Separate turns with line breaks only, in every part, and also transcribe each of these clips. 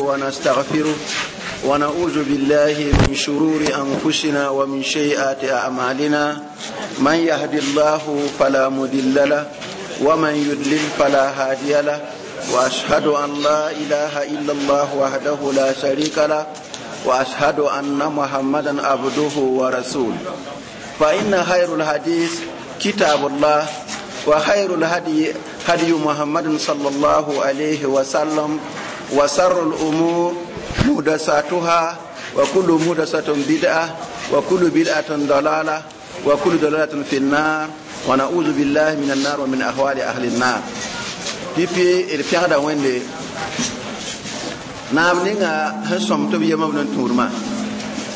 ونستغفره ونعوذ بالله من شرور أنفسنا ومن سيئات أعمالنا من يهد الله فلا مضل له ومن يضلل فلا هادي له وأشهد أن لا إله إلا الله وحده لا شريك له وأشهد أن محمدا عبده ورسوله فإن خير الحديث كتاب الله وخير الهدي هدي محمد صلى الله عليه وسلم وسر الأمور مهدساتها وكل مهدسة بدعة وكل بدعة ضلالة وكل ضلالة في النار ونعوذ بالله من النار ومن أهوال أهل النار pipi d pẽgda wẽnde naab ninga sẽn sõm tɩ b yem b nin-tũudmã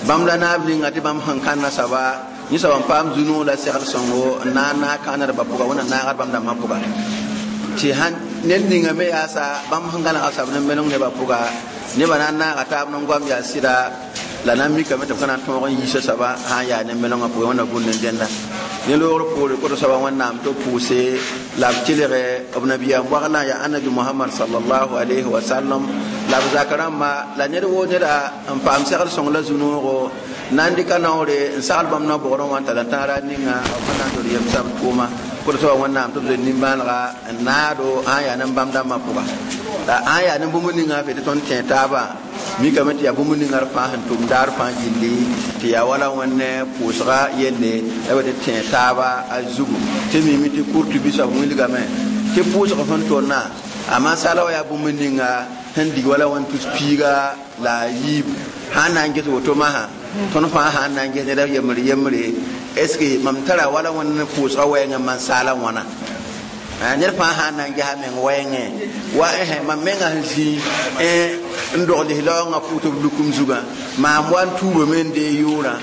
bãmb la naab ninga tɩ bãmb sẽn kãnna soaba yẽ soab n paam zu-noog la segl sõngo n na n naag kãanedbã pʋga wẽnna naagd bãmb dãmbã pʋga tɩ sãn ned ninga me yaasa bãmb sẽn gãnega soab ne meleng nebã pʋga nebã na n naaga taab ne goam yaa sɩda la na n mikame tɩ b ka na n tõog n yiisa soaba sã n yaa ne melengã pʋgẽ wẽnna gũud ne dẽnda ne loogr poore koto soaba wẽnnaam tɩ b pʋʋse la b kelge b nabiyaam waglã yaa annabi mohamad salallahu alayhi wa sallam la b zak rãmba la ned woo neda n paam segl sõng la zu-noogo na n dɩka naoore n sagl bãmb na-bʋgrẽ wã n tara tãara ninga b sẽn na n tol yem sab tʋʋma koto soaba wẽnnaam tɩ b zoe nimbãanega n naado sã n yaa ne bãmb dãmbã pʋga la sã n yaa ne bũmb ninga fe tɩ tõnd tẽ taabã mikame tɩ yaa bũmb ninga d fãa sẽn tʋm daar fãa gilli tɩ yaa wala wẽnne pʋʋsga yelle la b tɩ tẽ taaba a zugu tɩ mimi tɩ kurtubi soab wilgame tɩ pʋʋsg sẽn tonna a masala wa yaa bũmb ninga sẽn dig wala wẽn tus piiga la a yiib sã n na n ges woto masã tõnd fãa sã n na n ges ned yembre yembre est ce que mam tara wala wẽnd pʋʋsga wɛɛngẽ man-saala wãna ned fãa sã n na n gesa meng wɛɛngẽ wa mam menga sẽn zĩ n dog lislaoongã pʋʋs b lukum zugã maam wa n tuubame n dee yʋʋrã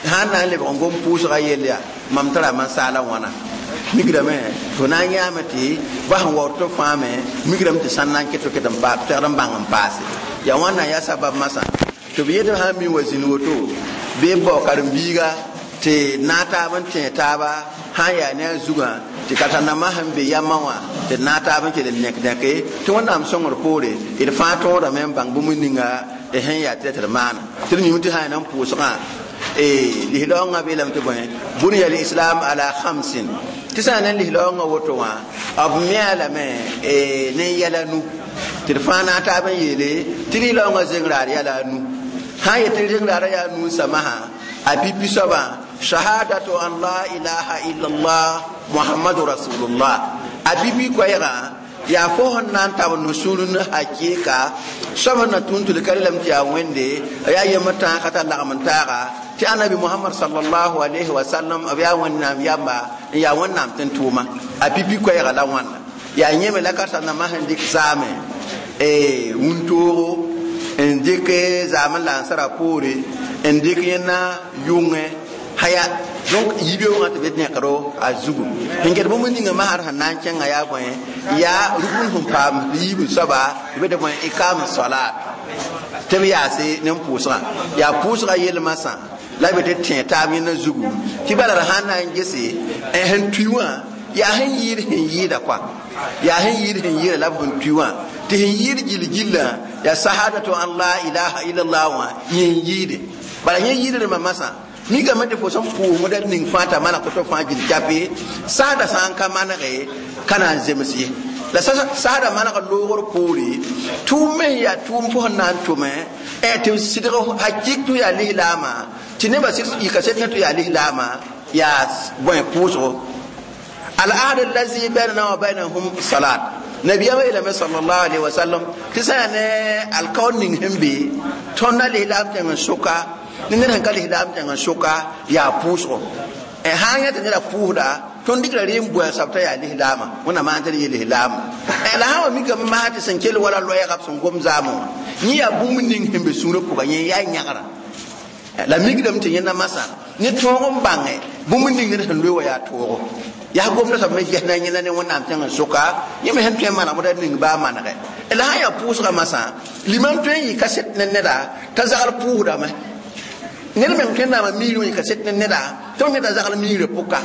sã n na n lebg n gom pʋʋsga yell yaa mam tara man-saala wãna migrame tɩ na n yãame tɩ ba sẽn waood tɩ fãa me migrame tɩ sãn na n ket ket n pegd n bãng n paase yaa wãnna yaa sabab masã tɩ b yetɩ sã n mi wa zĩnd woto bɩ b bao karen-biiga tɩ naag taab n tẽ taaba sã n yaa ne a zugã tɩ ka tar-nambã sẽn be yamã wã tɩ d naag taab n kell n nẽk nẽke tɩ wẽnnaam sõngr poore d fãa tõodame n bãng bũmb ninga d sẽn yaa tɩ d maana tɩ d mime tɩ sã n yaa n pʋʋsgã lislaoongã beelame tɩ bõe bunya lislam ala khamsin tɩ sã n ne lislaoongã woto wã b mea lame ne yɛla nu tɩ d fãa naag taab n yeele tɩ lislaoongã zeng raar yɛla a nu sã n yet tɩ zeng raara yaa nu n samaha a pipi soabã shahadatu an la ilaha illallah muhammadu rasulullah a pipi koɛɛgã yaa fo sẽn na n tab no-sũur ne hakɩɩka soab sẽn na tũud tɩ ka relame tɩ yaa wẽnde yaa yembr tãag ka tar lagem n taaga tɩ anabi mohamad salallahu alayhi wa sallam b yaa wẽnnaam yamba n yaa wẽnnaam tɩ n tʋʋma a pipi koɛɛga la wãnna yaa yẽme la ka tar-nambã sẽn dɩk zaame wũntoogo n dɩk zaam n la n sara poore n dɩk yẽnna yʋngẽ haya donc yibeoogã tɩ b nẽkdo a zugu sẽn get bũmb ninga masr sẽn na n kẽnga yaa bõe yaa rugund sẽn paam yiib soaba tɩ be tɩ bõe ikam salat tɩ b yaase ne pʋʋsgã yaa pʋʋsgã yel masã la b tɩ tẽ taab yẽnna zugu tɩ bala d sãn na n gese sẽn tui wã yaa sẽn yɩɩd sẽn yɩɩda kɔa yaa sẽn yɩɩd sẽn yɩɩda la b sẽn tui wã tɩ sẽn yɩɩd gill gillã yaa sahadatu an la ilaha illallah wã yẽ n yɩɩde bala yẽ yɩɩdrẽmbã masã mikame tɩ fo sẽn pʋʋsmda ning fãa t'a maneg tɩ fãa gil kape saada sã n ka manege ka na n zems ye la saada maneg loogr poore tʋʋm me yaa tʋʋm fo sẽn na n tʋme tɩ sɩdg hakɩk tɩ yaa lislaama tɩ nebã yika sed tɩ yaa lislaama yaa bõe pʋʋsgo al-ahd allazi bainana wa bainahum salat nabiyama yeelame sallallahu alaihi wasallam tɩ sã yaa ne alkaoor ning sẽn be tõnd a lislaam tẽng n soka ne ned sẽn ka lislaam tẽng n soka yaa pʋʋsgo sã n yã tɩ neda pʋʋsda tõnd dɩkra ree n bʋa sab t'a yaa lislaama wẽnnaam maan tɩ d yee lislaama la sã wa mikame masã tɩ sẽn kell wala loɛɛga b sẽn gom zaamẽ wã yẽ yaa bũmb ning sẽn be sũurã pʋga yẽ yaa yãgra la mikdame tɩ yẽnda masã ne tõog n bãnge bũmb ning ned sẽn loe wa yaa toogo yaa gomda soab me ges na yẽnda ne wẽnnaam tẽng n soka yẽ me sẽn tõe n manegmda ning baa manege la sã n yaa pʋʋsga masã limam tõe n yɩ kaset ne neda t'a zagl pʋʋsdame ned meng tõe n naama miirẽ yɩ kaset ne neda tɩ b neda zagl miirã pʋka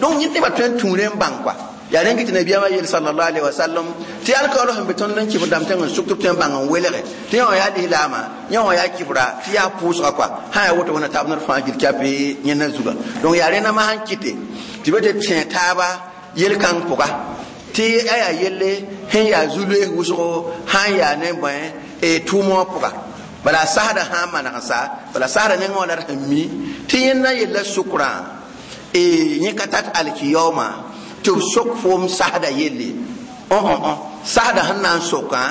donc yẽ nebã tõe n tũure n bãng kɔa Yaa rẽn kɩ tɩ nabiyaamã yeel sallallahu alaihi wasallam tɩ alkaoolo sẽn be tõnd n kɩf dãmb tẽng n sʋk tɩ b tõe n bãng n welge tɩ yẽ wã yaa lislaamã, yẽ wã yaa kɩfra, tɩ yaa pʋʋsga koa sã yaa woto wẽnna taab ned fãa gil kyape yẽnda zuga. Donc yaa rẽnda sẽn kɩte tɩ be tɩ tẽ taaba yel-kãng pʋga tɩ a yaa yelle sẽn yaa zu-loees wʋsgo sã n yaa ne bõe tʋʋmã wã pʋga. Bala sasda sã n maneg n sa, bala sasda nengẽ wã la d sẽn mi tɩ yẽnda yella sukrã yẽ ka tat alkiyaooma tɩ b sok foom sasda yelle. Sasda sẽn na n sokã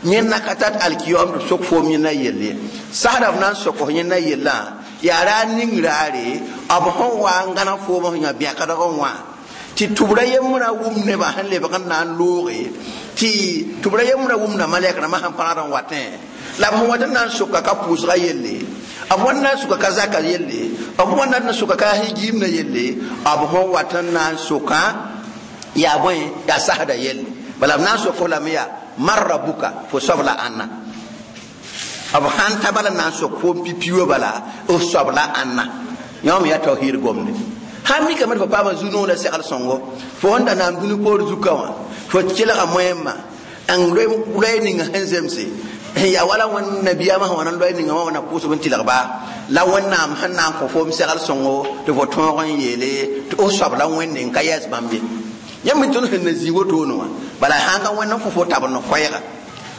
yẽnda ka tat alkiyaoom tɩ b sok foom yẽnda yelle. Sasda b na n sok f yẽnda yellã yaa ra ning raare b sẽn wa n gãneg foom sẽn yã bẽkdg n wã tɩ tʋbra yembrã wʋm nebã sẽn lebg n na n looge tɩ tʋbra yembrã wʋmda malɛk rãmbã sẽn pãgd n watẽ la b sẽn wat n na n soka ka pʋʋsga yelle, b wãn na n soka ka zaka yelle, b wãn na n soka ka higiimdã yelle, b sẽn wat n na n sokã yaa bõe yaa sasda yelle. Bala b na n sok f lame yaa man rabuka fo soab la ãnna. B sãn ta bala n na n sok foom pipi wã bala f soab la ãnna. Yã me yaa tawhiid gomde. Sãn mikame tɩ fo paama zu-noog la segl sõngo, fo sẽn da naam dũni poor zuka wã fo kelga moẽmã n loe ninga sẽn zemse sẽn yaa wala wẽnd nabiyaamã sẽn wa n loe ninga wã wã na pʋʋsb n tɩlg ba la Wẽnnaam sẽn na n kõ foom segl sõngo tɩ fo tõog n yeele tɩ f soab la Wẽnde n ka yɛs bãmb ye. Yãmb mi tõnd sẽn na zĩ wotone wã bala sãn ka Wẽnd n kõ fo tabr n koɛɛga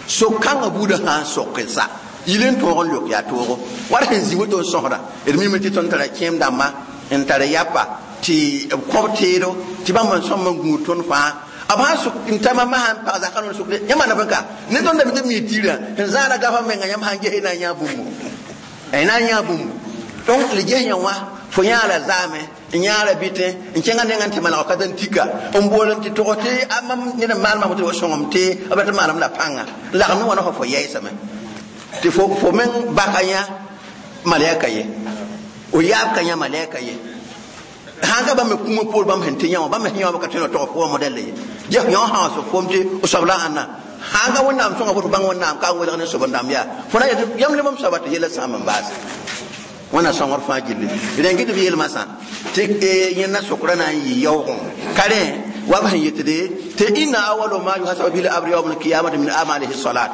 sok-kãngã buudã sã n sok n sa yil n tõog n lok yaa toogo war sẽn zĩ woto n sõsda d mime tɩ tõnd tara kẽem dãmba n tar yapa tɩ b kõb teedo tɩ bãmb n sõm n gũud tõnd fãa. B sãn sʋk n ta mama sãn pag zakã n sʋkde yãmb na bõe ka ne tõnd dame tɩ b mi tiirã sẽn zãada gafa menga yãmb sãn ges na n yã bũmbu na n yã bũmbu. Donc le ges yã wã fo yãala zaame n yãala bɩtẽ n kẽngã nengã tɩ maneg ka tɩ tika n bool n tɩ tog tɩ a mam ned n maan mam tɩ wa sõngem tɩ b rat maanem la pãnga lagem ne wãna fo yɛɛsame tɩ fo meng baka yã malɛka ye o yaab ka yã malɛka ye. Sãn ka bãmb me kũumã poor bãmb sẽn tɩ yã wã bãmb sẽn yã wã ka tõe n tog fo wã modɛl ye yã sã sẽn foom tɩ o soab la ãnna sãn ka Wẽnnaam sõnga fo tɩ bãng Wẽnnaam ka n welg ne sob n dãmb yaa fo na yetɩ yãmb le mam soaba tɩ yella sãam n baase. Wẽnna sõngr fãa gilli rẽn kɩ tɩ b yeelmã sã tɩ yẽnda sokra na n yɩ yaoogẽ ka rẽ wa b sẽn yetde tɩ inna awalo ma yuhasabu bihi l-abdu yawma al-qiyamati min amalihi salat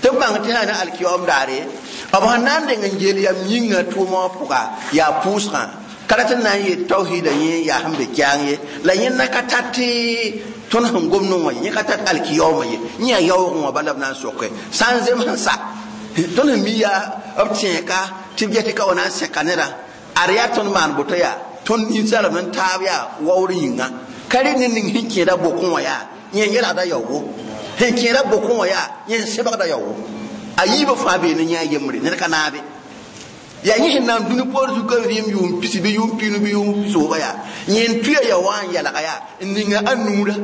tɩ b bãng tɩ sã ne alkiyaoom daare b sẽn na n deng n geel yam yĩngã tʋʋmã wã pʋga yaa pʋʋsgã ka rat n na n yet tawhiida yẽ yaa sẽn be kɛang ye la yẽnda ka tat tɩ tõnd sẽn gomd wã ye yẽ ka tat alkiyaoomã ye yẽ yaa yaoogẽ wã bala b na n soke sã n zems n sa tõnd sẽn mi yaa b tẽeka tɩ b get tɩ ka wa na n sẽka neda ad yaa tõnd maan boto yaa tõnd ninsaalb n taab yaa waoor yĩnga ka rẽ ned ning sẽn kẽeda bokẽ wã yaa yẽ n yelgda yaoogo sẽn kẽeda bokẽ wã yaa yẽ n sebgda yaoogo a yiibã fãa bee ne yã yembre ned ka naabe yaa yẽ sẽn na n dũni poor zuka vɩɩm yʋʋm pisi bɩ yʋʋm piinu bɩ yʋʋm sooba yaa yẽ n tuya ya wã n yalga yaa n ninga a nuura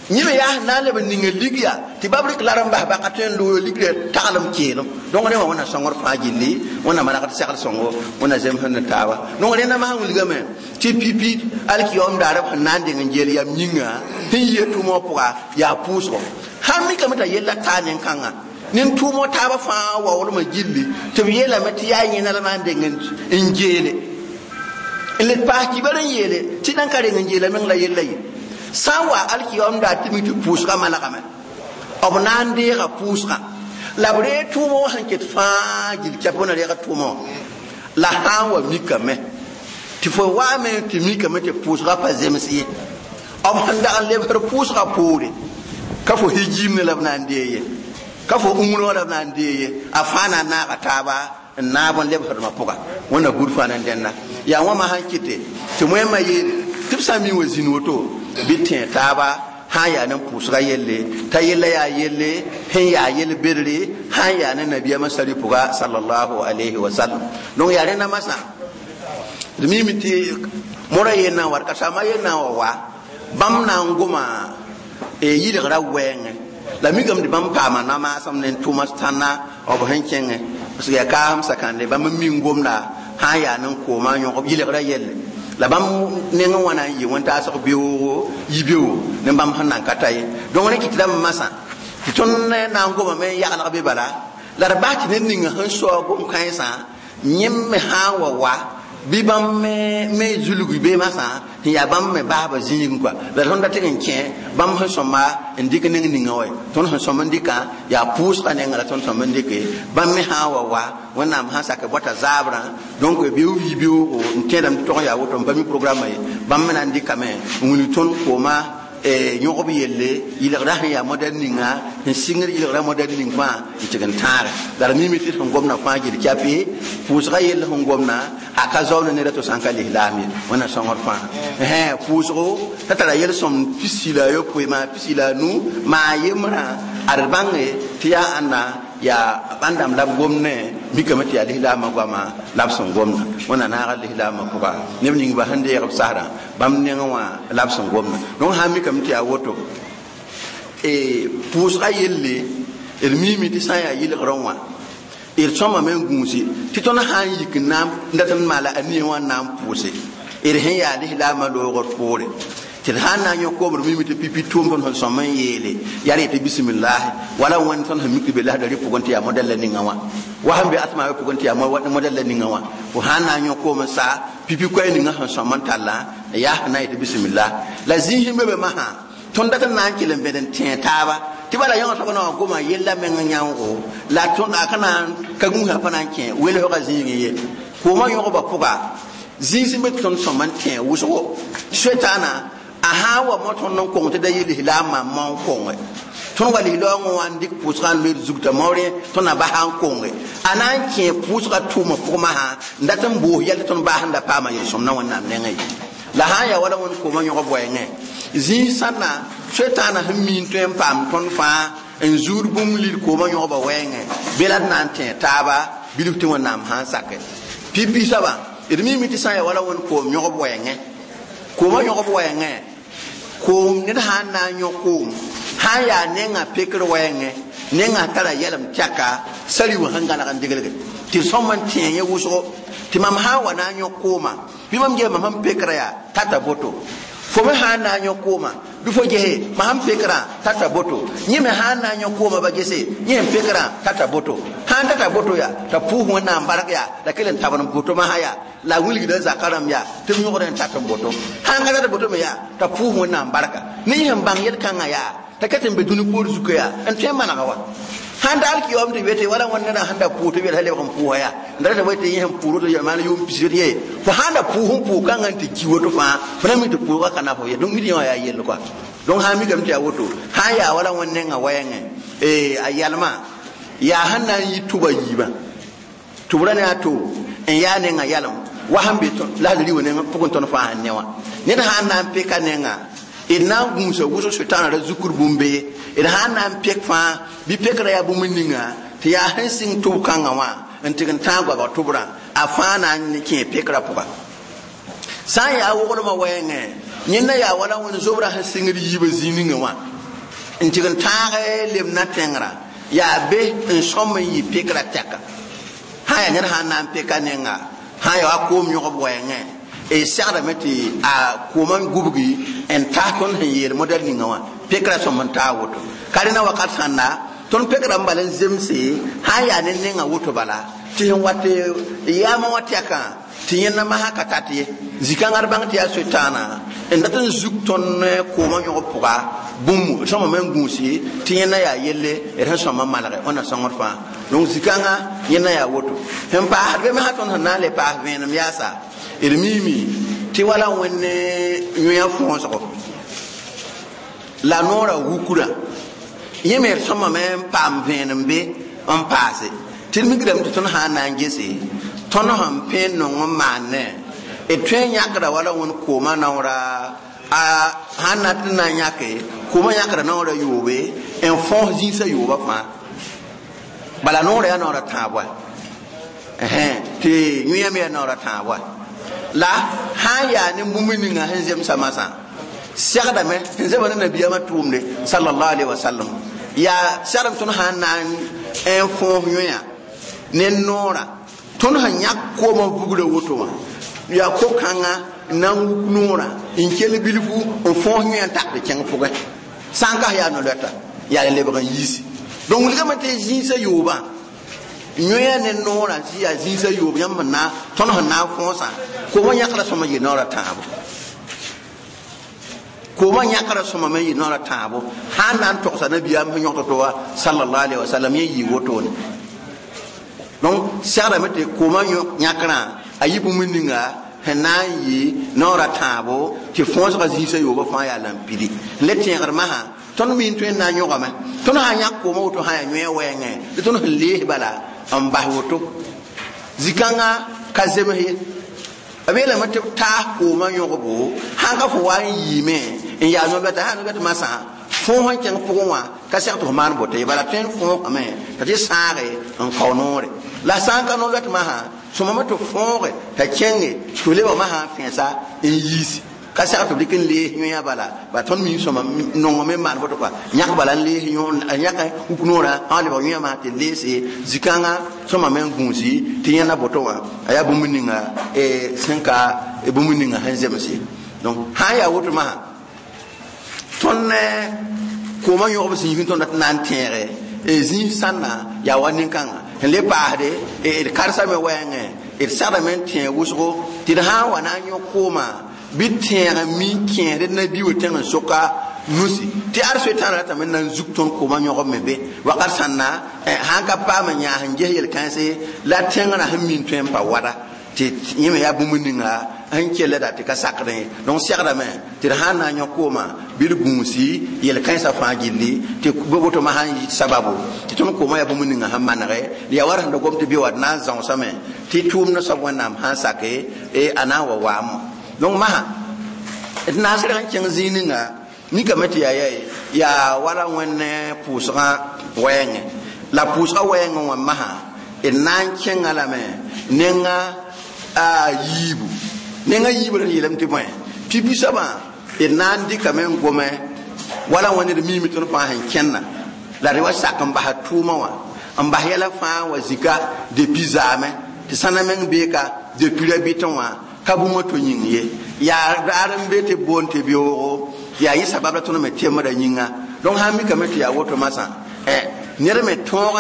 yẽ me yaa sẽn na n leb n ninga lig yaa tɩ bab rɩk lar n bas baka tõe n loog ligrã taglem keelem. Donc rẽ wã wẽnna sõngr fãa gilli wẽnna manegd segl sõngo wẽnna zems ne taaba. Donc rẽnda masã wilgame tɩ pipi alkiyaoom daar b sẽn na n deng n geel yam yĩnga sẽn yia tʋʋmã wã pʋga yaa pʋʋsgo. Sãn mikame t'a yella taa nin-kãngã nin tʋʋmã taabã fãa waoolmã gilli tɩ b yeelame tɩ yaa yẽna la na n deng n geele n le paas kibar n yeele tɩ nan ka reng n geela meng la yella ye sã n wa alkiyaoom daar tɩ mi tɩ pʋʋsgã manegame b na n deega pʋʋsgã la b reeg tʋʋmã wã sẽn ket fãa gil kɛp wẽna reega tʋʋmã wã la sã n wa mikame tɩ fo waame tɩ mikame tɩ pʋʋsgã pa zems ye b sẽn dag n lebsd pʋʋsgã poore ka fo higiim ne la b na n dee ye ka fo ũmrã la b na n dee ye a fãa na n naaga taaba n naab n lebsdmã pʋga wẽnna gũud fãa na n dẽnna yaa wãma sãn kɩte tɩ wẽmã yeele tɩ b sã n mi wã zĩnd woto bɩ tẽ taaba sã n yaa ne pʋʋsga yelle t'a yella yaa yelle sẽn yaa yel-bedre sã n yaa ne nabiyaamã sari pʋga sallallahu alayhi wa sallam. Donc yaa rẽnda masã d mime tɩ mora yel na n wat ka-saambã yel na n wa wa bãmb na n goma yɩlgra wɛɛngẽ la mikame tɩ bãmb paama namaasem ne tʋʋma tãnna b sẽn kẽngẽ parce que yaa kaasem sakãnde bãmb n mi n gomda sã n yaa ne koomã yõg yɩlgra yelle la bãmb nengẽ wã na n yɩ wẽn-taasg beoogo yi-beoogo ne bãmb sẽn na n ka ta ye. Donc rẽ kɩt rãmb masã tɩ tõnd na n gomame n yaglg be bala la d bas tɩ ned ninga sẽn saoog gom-kãensã yẽmb me sã n wa wa Bɩ bãmb me zulg be masã sẽn yaa bãmb me baasba zĩigẽ kɔa la tõnd da tɩg n kẽ bãmb sẽn sõma n dɩk neng ninga wa tõnd sẽn sõm n dɩkã yaa pʋʋsga nenga la tõnd sõm n dɩke bãmb me sã n wa Wẽnnaam sã n sak bɔta zaabrã donc beoog yi beoogo n tẽedame tɩ tog n yaa woto n pa mi programme ye bãmb me na n dɩkame n wilg tõnd kooma yõgb yelle yɩlgra sẽn yaa modɛl ninga n sɩngd yɩlgra modɛl ning fãa n tɩg n tãage la d mime tɩ sẽn gomna fãa gil kyape pʋʋsga yell sẽn gomna a ka zaoone neda to sã n ka lislaam ye wẽnna sõngr fãa pʋʋsgo t'a tara yel-sõmd pisi la ayopoe maa pisi la anu maa yembrã ad bãnge tɩ yaa ãnna yaa bãndame la b gomnẽ mikame tɩ yaa lislaamã goama la b sẽn gomna wẽnna naaga lislaamã pʋga neb ning ba sẽn deeg b sasrã bãmb nengẽ wã la b sẽn gomna donc sã n mikame tɩ yaa woto pʋʋsga yelle d miime tɩ sã n yaa yɩlgrẽ wã d sõmame n gũusi tɩ tõnd sã n yik n na n dat n maala a nie wã n na n pʋʋse d sẽn yaa lislaamã loogr poore tɩ d sã n na n yõ koomd mime tɩ pipi tʋʋm tõnd sẽn sõm n yeele yaa d yetɩ bisimillahi wala wẽnd tõnd sẽn mik tɩ be lasdari pʋgẽ tɩ yaa modɛl la ninga wã wa sẽn be asmaabã pʋgẽ tɩ yaa modɛl la ninga wã fo sã n na n yõ koom n sa pipi koɛɛ ninga sẽn sõm n tallã yaa sẽn na n yetɩ bisimillah la zĩis n be be masã tõnd dat n na n kell n bẽd n tẽe taaba tɩ bala yõ soab na wã goma yella meng yãoogo la tõnd a ka na n ka gũusã pa na n kẽ welsgã zĩigẽ ye koomã yõgba pʋga zĩis n be tɩ tõnd sõm n tẽ wʋsgo soetaana a sã n wa mo tõnd n kong tɩ da yɩ lislaamã mao n konge tõnd wa lislaoongẽ wã n dɩk pʋʋsgã n loeed zugtã maoorẽ tõnd na basa n konge a na n kẽ pʋʋsgã tʋʋmã pʋgmã sã n dat n boos yɛl tɩ tõnd baas n da paama yel-sõm na Wẽnnaam nengẽ ye la sã n yaa wala wẽnd koomã yõg wɛɛngẽ zĩig sãnna soetaana sẽn miin tõe n paam tõnd fãa n zuud bũmb lil koomã yõgba wɛɛngẽ be la d na n tẽ taaba bilf tɩ Wẽnnaam sã n sake pipi soabã d miime tɩ sã n yaa wala wẽnd koom yõgb wɛɛngẽ koomã yõgb wɛɛngẽ koom ned sã n na n yõ koom sã n yaa nengã pekr wɛɛngẽ nengã tara yɛlem tɛka sari wã sẽn gãneg n degelge tɩ sõm n tẽ yẽ wʋsgo tɩ mam sã n wa na n yõ koomã bɩ mam gee mam sẽn pekrã yaa tata boto fo me sã n na n yõ koomã bɩ fo gese mam sẽn pekrã tata boto yẽ me sã n na n yõ koomã ba gese yẽ sẽn pekrã tata boto sã n tata boto yaa t'a pʋʋs Wẽnnaam bark yaa la kell n tabd n boto masã yaa la wilgda zakã rãmb yaa tɩ b yõgd n tat n boto sã n ka tat boto me yaa t'a pʋʋs Wẽnnaam barka ne yẽ sẽn bãng yel-kãngã yaa t'a ka tɩ n be dũni poor zuka yaa n tõe n manega wa sãn daal kɩ yaoom tɩ wete wala wẽnd neda sẽn da pʋʋs tɩ wɛlsa lebg n pʋʋsa yaa n da tɩ tɩ yẽ sẽn pʋʋs woto maan yʋʋm pis ye fo sãn da pʋʋs n pʋʋs kãngã n tɩ ki woto fãa fo na mi tɩ pʋʋsga ka na fo ye donc mi tɩ yẽ wã yaa yell kɔa donc sã n mikame tɩ yaa woto sã n yaa wala wẽnd nengã wɛɛngẽ a yalmã yaa sẽn na n yi tʋba yiibã tʋbrã ne a to n yaa nengã yalem wa sẽn be lasdri wã nengã pʋgẽ tõnd fãa sẽn ne wã ned sã n na n peka nengã d na n gũusa wʋsg sʋtãana ra zukur bũmb ye d sã n na n pek fãa bɩ pekrã yaa bũmb ninga tɩ yaa sẽn sɩng tʋb kãngã wã n tɩg n tãag goabg tʋbrã a fãa na n kẽ pekrã pʋga sã n yaa woglmã wɛɛngẽ yẽnda yaa wala wẽnd zobrã sẽn sɩngd yiibã zĩig ninga wã n tɩg n tãag lem na tẽngrã yaa be n sõm n yɩ pekrã tɛka sã yaa ned sã n na n peka nenga sã n yaa wa koom yõgb wɛɛngẽ e segdame tɩ a koomã gubgi n tas tõnd sẽn yeel modɛl ninga wã pekrã sõm n taa woto ka rẽna wakat sãnda tõnd pekrã n bal n zemse sã n yaa ne nengã woto bala tɩ sẽn wat yaamã wã tɛkã tɩ yẽnda masã ka tat ye zĩ-kãngã d bãng tɩ yaa soetaana n dat n zug tõnd koomã yõgb pʋga bũmb sõma me n gũusi tɩ yẽnda yaa yelle d sẽn sõma malge wẽnna sõngd fãa donc zĩ-kãngã yẽnda yaa woto sẽn paasd be masã tõnd sẽn na n le paas vẽenem yaasa d miime tɩ wala wẽnd yõa fõosgo la noorã wukra yẽ me d sõmame n paam vẽenem be n paase tɩ d migrame tɩ tõnd sã n na n gese tõnd sẽn pẽ n nong n maanne d tõe n yãkda wala wẽnd koomã naoora a sãn na tɩ na n yãke koomã yãkda naoora yoobe n fõos zĩisã yoobã fãa bala noorã yaa naoora tãab wa tɩ yõa me yaa naoora tãab wa la sã n yaa ne bũmb ninga sẽn zemsa masã segdame sẽn zema ne nabiyaamã tʋʋmde sallallahu alaihi wasallam yaa segdame tõnd sã n na n fõos yõa ne noorã tõnd sẽn yãk koomã vugrã woto wã yaa ko-kãngã n na n wuk noorã n kell bilfu n fõos yõa n tak tɩ kẽng pʋgẽ sã n kas yaa no-loɛta yaa lebg n yiisi donc wilgame tɩ zĩisã yoobã Yõa ne noorã tɩ yaa zĩisã yoob yãmb sẽn na tõnd sẽn na n fõosã koomã yãkra sõma yɩ naoor a tãabo koomã yãkra sõma me yɩ naoor a tãabo sã n na n togsa nabiyaam sẽn yõk to wa sallallahu alaihi wasallam yẽ yɩ wotone. Donc segrame tɩ koomã yãkrã a yɩ bũmb ninga sẽn na n yɩ naoor a tãabo tɩ fõosgã zĩisã yoobã fãa yaa lam-pidi n le tẽegr masã tõnd mi n tõe n na n yõgame tõnd sã n yãk koomã woto sã yaa yõe wɛɛngẽ tɩ tõnd sẽn lees bala n bas woto zikãngã ka zems ye b yeelame tɩ b taas koomã yõgbo sãn ka fo wa n yiime n yaa no-bɛta sã no-bɛt masã fõos n kẽng pʋgẽ wã ka seg tɩ fo maan boto ye bala tõe n fõosame t'a tɩ sãage n kao noore la sã n ka no-bɛt masã sõmame tɩ fõoge t'a kẽnge tɩ f lebg masã n fẽesa n yiisi ka seg tɩ b dɩk n lees yõa bala ba tõnd mi sõma nongame n maan boto kɔa yãk bala n lees yãk wuk noorã sã lebg yõa masã tɩ leese zikãngã sõmame n gũusi tɩ yẽnda boto wã a yaa bũmb ninga sẽn ka bũmb ninga sẽn zems ye. Donc sã n yaa woto masã tõnd koomã yõgb zĩig tõnd dat na n tẽege zĩig sãnna yaa wa nin-kãnga sẽn le paasde d karsame wɛɛngẽ d segdame n tẽeg wʋsgo tɩ d sã n wa na n yõ koomã bɩ tẽeg mi kẽesd nabi wa tẽng n soka nusi tɩ ad soetãn ratame n na n zug tõnd koomã yõgb me be wakat sãnna sãn ka paam n yãas n ges yel-kãense la tẽngrã sẽn min tõe n pa wada tɩ yẽ me yaa bũmb ninga sẽn kellda tɩ ka sakdẽ. Donc segdame tɩ d sã n na n yõ koomã bɩ d gũusi yel-kãensã fãa gilli tɩ woto masã n yɩ sababu tɩ tõnd koomã yaa bũmb ninga sẽn manege d yaa wa sẽn da gom tɩ bɩ wa d na n zãosame tɩ tʋʋmdã soab Wẽnnaam sã n sake a na n wa waam. Donc masã d na n sɩdg n kẽng zĩig ninga mikame tɩ yaa yaa wala Wẽnd pʋʋsgã wɛɛngẽ la pʋʋsgã wɛɛngẽ wã masã d na n kẽnga lame nenga a yiibu nenga yiibu la yeelame tɩ bõe pipi soabã d na n dɩkame n gome wala Wẽnd d miime tõnd fãa sẽn kẽnna la d wa sak n basa tʋʋmã wã n bas yɛla fãa wa zika depuis zaamẽ tɩ sãna meng beeka depuis ra bɩtẽ wã ka bũmb to yĩng ye yaa raar n be tɩ boond tɩ beoogo yaa yẽ sabab la tõnd me tembrã yĩnga. Donc sã n mikame tɩ yaa woto masã ned me tõog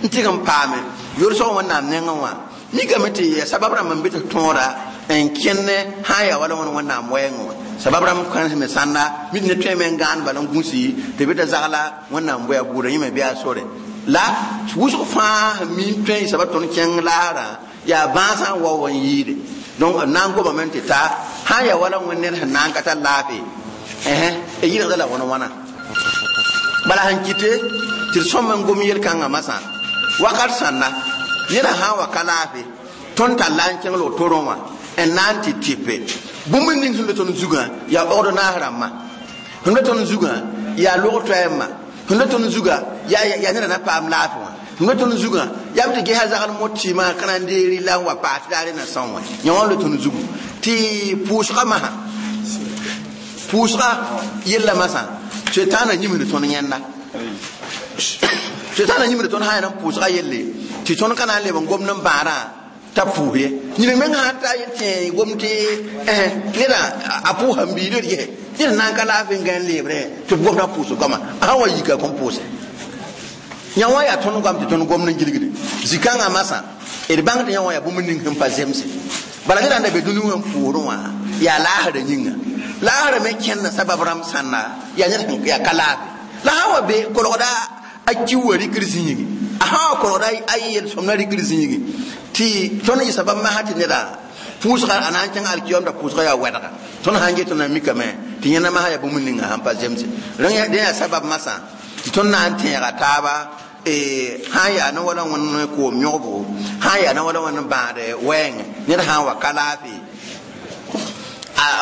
n tɩg n paame yorsg Wẽnnaam nengẽ wã mikame tɩ ya sabab rãmb n be tɩ tõoda n kẽne sã n yaa wala wẽnd Wẽnnaam wɛɛngẽ wã sabab rãmb kãens me sãnda mi ne tõe me n gãan bala n gũsi tɩ bɩ t'a zagla Wẽnnaam bʋa buudã yẽ me bɩ a sore la wʋsg fãa sẽn mi n tõe n sabab tõnd kẽng laasrã yaa bãasã n wao n yɩɩde. Donc na n gomame tɩ ta sã n yaa wala Wẽnd ned sẽn na n ka tar laafɩ d yɩlgda la wãn wãna bala sẽn kɩte tɩ d sõm n gom yel-kãngã masã wakat sãnna neda sã n wa ka laafɩ tõnd tar la n kẽng lg torẽ wã n na n tɩ tɩpe bũmb ning sẽn be tõnd zugã yaa ordonnance rãmbã sẽn be tõnd zugã yaa log toɛɛmã sẽn be tõnd zugã yaa neda na paam laafɩ wã sẽn be tõnd zugã yaa b tɩ gesa zagl mot tɩɩmã ka na n deeri la n wa paas tɩ daare na são wã yã wã n le tõnd zugu tɩ pʋʋsga masã pʋʋsga yella masã soetãanã yĩmsd tõnd yẽnda soetãanã yĩmsd tõnd sã n yaa n pʋʋsga yelle tɩ tõnd ka na n leb n gomd n bãadã t'a pʋʋs ye yĩng meng sã n ta tẽ gom tɩ neda a pʋʋsa n biid d yɛ ned na n ka laafɩ n gã n leebrẽ tɩ b gomdã pʋʋs goama a sã n wa yika kõn pʋʋse yã wã yaa tõnd goam tɩ tõnd gomd n gilgde zikãngã masã d bãng tɩ yã wã yaa bũmb ning sẽn pa zemse bala ned n da be dũni wã n pʋʋsdẽ wã yaa laasrã yĩnga laasrã me kẽnda sabab rãmb sãnna yaa ned yaa ka laafɩ la sã n wa be kolgda a ki wa rikr zĩigi a sã wa kolgda a yel-sõmda rikr zĩigi tɩ tõnd yɩ sabab masã tɩ neda pʋʋsga a na n kẽng alkiyomda pʋʋsga yaa wɛdga tõnd sã n get na mikame tɩ yẽnda masã yaa bũmb ninga sãn pa zemse dẽ yaa sabab masã tɩ tõnd na n tẽega taaba sã n yaa ne wala Wẽnd koom yõgbo sã n yaa ne wala Wẽnd bãad wɛɛngẽ ned sã n wa ka laafɩ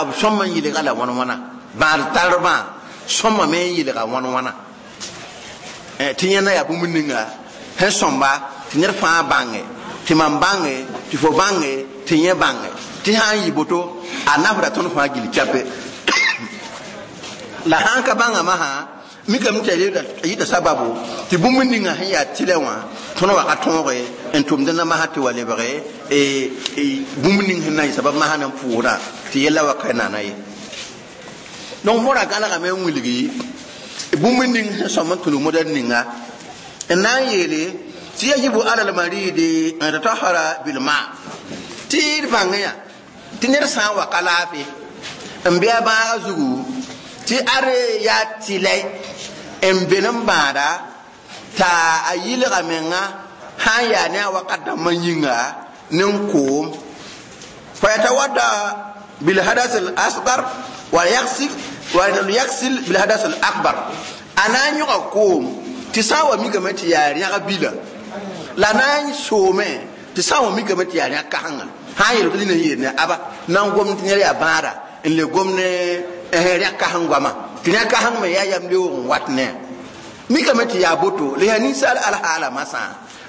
b sõm n yɩlga la wãn wãna bãad tarbã sõma me n yɩlga wãn wãna tɩ yẽnda yaa bũmb ninga sẽn sõmba tɩ ned fãa bãnge tɩ mam bãnge tɩ fo bãnge tɩ yẽ bãnge tɩ sã n yɩ boto a nafda tõnd fãa gil chape la sã n ka bãnga masã mikame tɩ a yɩta sababu tɩ bũmb ninga sẽn yaa tɩlɛ wã tõnd wa ka tõoge n tʋmd na masã tɩ wa lebge bũmb ning sẽn na n yɩ sabab masã na n pʋʋsdã tɩ yella wa ka nana ye. Donc modã gãlgame n wilgi bũmb ning sẽn sõm n tũnu modr ninga n na n yeele Tɩ yajibu ala lmaridi an yatatahara bilma. Tɩ d bãng yã tɩ ned sã n wa ka laafɩ n bɩ a bãaga zugu tɩ ad yaa tɩlɛ n ben n bãada t'a a yɩlga menga sã n yaa ne a wakat dãmbã yĩnga ne n koom fayatawadda bilhadas al asgar wa yaksil wa yaksil bilhadas al akbar. A na n yõga koom tɩ sã n wa mikame tɩ yaa rẽg bila la na n soome tɩ sã n wa mikame tɩ yaa rẽg kãsenga sã n yel tɩ nina yeel ne aba na n gom tɩ ned yaa bãada n le gom ne rẽg kãseng goama tɩ rẽg kãseng me yaa yam leoog n wat ne mikame tɩ yaa boto la yaa ninsaal alhaala masã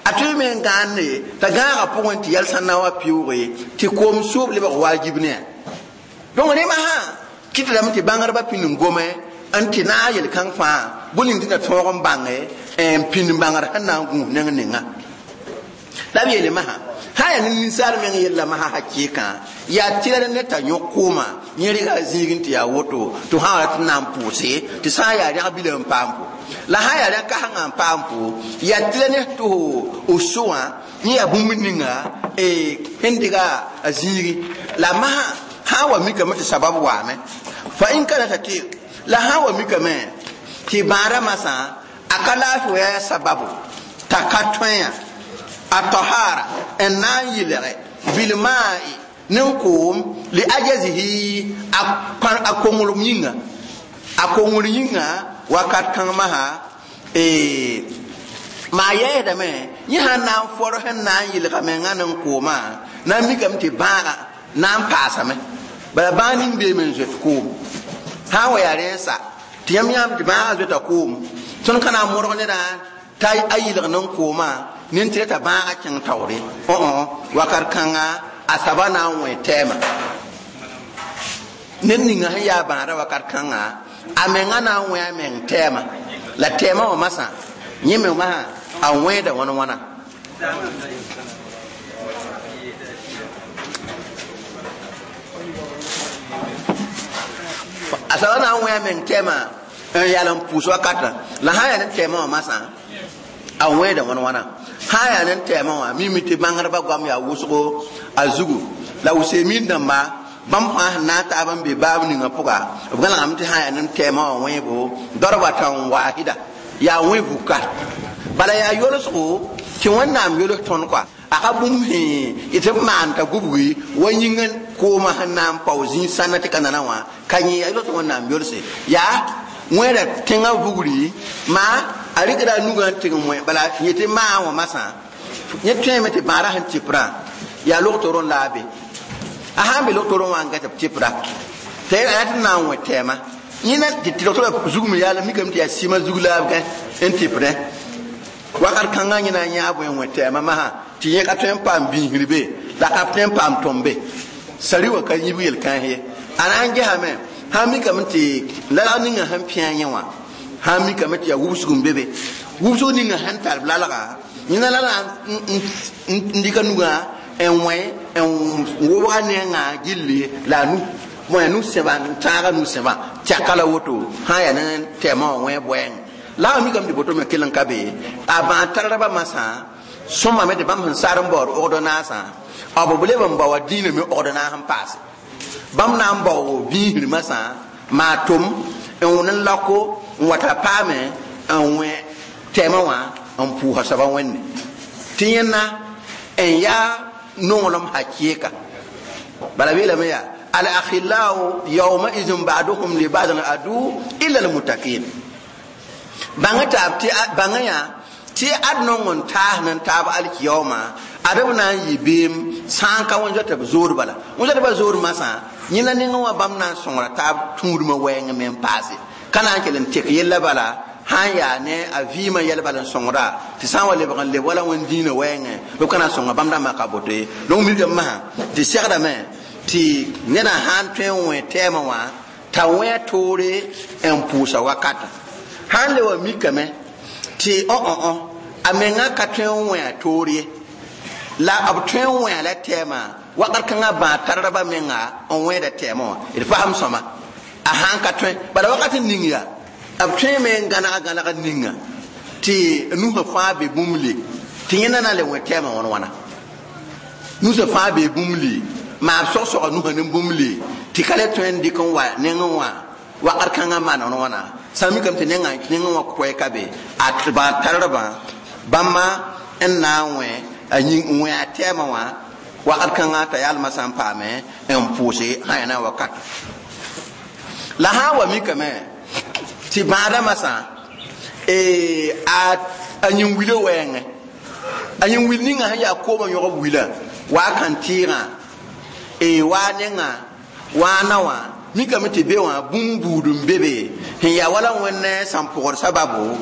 a tõe me n gãande t'a gãagã pʋgẽ tɩ yɛl sã na wa pɩʋʋge tɩ koom soob lebg wajib ne. Donc rẽma sã kɩtdame tɩ bãngdbã pĩnd n gome n tɩ naag yel-kãng fãa bõe ning tɩ na tõog n bãnge n pĩnd bãngr sẽn na n gũus neng ninga. La b yeele masã sã yaa ne ninsaal meng yella masã hakɩɩkã yaa tɩra ne t'a yõk kooma yẽ rɩga a zĩig n tɩ yaa woto tɩ sã wa tɩ na n pʋʋse tɩ sã n yaa rẽg bila n paam po la sã yaa rẽg kãsengã n paam po yaa tɩra ne tɩ f so wã yẽ yaa bũmb ninga sẽn dɩga a zĩigi la masã sã n wa mikame tɩ sabab waame fa in kana t'a tɩ la sã n wa mikame tɩ bãada masã a ka laafɩ wa yaa sababu t'a ka tõe a tahara n na n yɩlge bilma'i ne koom li ajazihi a konglem yĩnga a kongr yĩnga wakat kãng masã maa yɛɛsdame yẽ sãn na n fɔr sẽn na n yɩlga menga ne koomã na n mikame tɩ bãaga na n paasame bala bãag ning beeme n zoet koom sã n wa yaa rẽnsa tɩ yãmb yãmb tɩ bãagã zoeta koom tõnd ka na n modg nedã t'a a yɩlg ne koomã nin tɩ t'a bãagã kẽng taoore wakat kãnga a saba na n wẽ tɛɛma ned ninga sẽn yaa bãada wakat kãnga a menga na n wẽ a meng tɛɛma la tɛɛma wã masã yẽ me masã a wẽeda wãn wãna. A saba na n wẽ a meng tɛɛma n yal n pʋʋs wakatã la sã n yaa ne tɛɛma wã masã a wẽeda wãn wãna sã n yaa ne tɛɛma wã mimi tɩ bãngdbã goam yaa wʋsgo a zugu la wʋseemiid dãmba bãmb fãa sẽn na n taab n be baab ninga pʋga b gãlgame tɩ sã n yaa ne tɛɛma wã wẽebo darba tãn waahida yaa wẽ vuka bala yaa yolsgo tɩ Wẽnnaam yols tõnd kɔa a ka bũmb sẽ tɩ b maan t'a gubgi wa yĩng koomã sẽn na n pao zĩig sãnna tɩ ka nana wã ka yẽ yaa yols Wẽnnaam yolse yaa wẽeda tẽngã vugri maa a rɩkda a nugã n tɩg n wẽ bala yẽ tɩ maa wã masã yẽ tõeme tɩ bãadã sẽn tɩprã yaa log-torẽ la a be a sã n be log-torẽ wã n ga tɩ b tɩpra tɩ a tɩ na n wẽ tɛɛma yẽna tɩ log-torã zugme yaa la mikame tɩ yaa sɩmã zug la b gã n tɩpdẽ wakat kãngã yẽ na n yãa bõe n wẽ tɛɛmã masã tɩ yẽ ka tõe n paam biisr be la ka tõe n paam tõmbe sari wã ka yib yel-kãens ye a na n gesame sã n mikame tɩ lalg ninga sẽn pĩa yẽ wã sã n mikame tɩ yaa wubsg n be be wubsg ninga sẽn tar b lalga yẽna la n dɩka nugã n wẽ n wobga nengã gilli la a nu bõe a nu sẽba n tãaga nu sẽba tɛka la woto sã n yaa ne tɛɛmã wã wẽ bʋɛng la a mikame tɩ boto me kell n ka be a bãag tardbã masã sõmame tɩ bãmb sẽn sar n baood ogd naasã b leb n baoa dĩinã me ogd naas n paase bãmb na n bao biisr masã maa tom n wʋn n lako n wa t'a paame n wẽ tɛɛmã wã n pʋʋsa soaba wẽnde tɩ yẽnna n yaa nonglem hakɩɩka bala beelame yaa al-akhillau yawmaizin ba'duhum li ba'din adu illa al-muttaqin bãng taab tɩ bãng yã tɩ ad nong n taas n taab alkiyaooma ad b na n yɩ beem sã n ka wẽn zoata b zoor bala wẽn zoata ba zoor masã yẽna nengẽ wã bãmb na n sõngra taab tũudmã wɛɛng me n paase ka na n kell n tek yella bala sã n yaa ne a vɩɩmã yɛl bal n sõngra tɩ sã n wa lebg n leb wala wẽnd dĩinã wɛɛngẽ b ka na n sõnga bãmb dãmbã ka boto ye. Donc milgame masã tɩ segdame tɩ nedã sã n tõe n wẽ tɛɛmã wã t'a wẽ toore n pʋʋsa wakatã sã n le wa mikame tɩ a menga ka tõe n wẽ a toor ye la b tõe n wẽ la tɛɛmã wakat kãngã bãag tardbã menga n wẽeda tɛɛmã wã d fasem sõma a sã n ka tõe bala wakat n ning yaa b tõeme n gãneg gãneg ninga tɩ nusã fãa be bũmb le Tɩ yẽnda na n le wẽ tɛɛmã wãn wãna nusã fãa bee bũmb li maab sog-sogã nusã ne bũmb li tɩ ka le tõe n dɩk n wa nengẽ wã wakat kãngã maan wãn wãna sã n mikame tɩ nengẽ wã koɛɛ ka be a tardbã bãmba n na n wẽ a wẽ a tɛɛmã wã wakat kãngã t'a yalmã sã n paame n pʋʋse sã yaa na wakat la sã n wa mikame tɩ bãadã masã a yĩn wila wɛɛngẽ a yĩn wil ninga sẽn yaa koomã yõgb wila waa kãn-tɩɩgã waa nengã waa na wã mikame tɩ be wã bũmb buud n be be sẽn yaa wala wẽnd sãn pʋgd sababu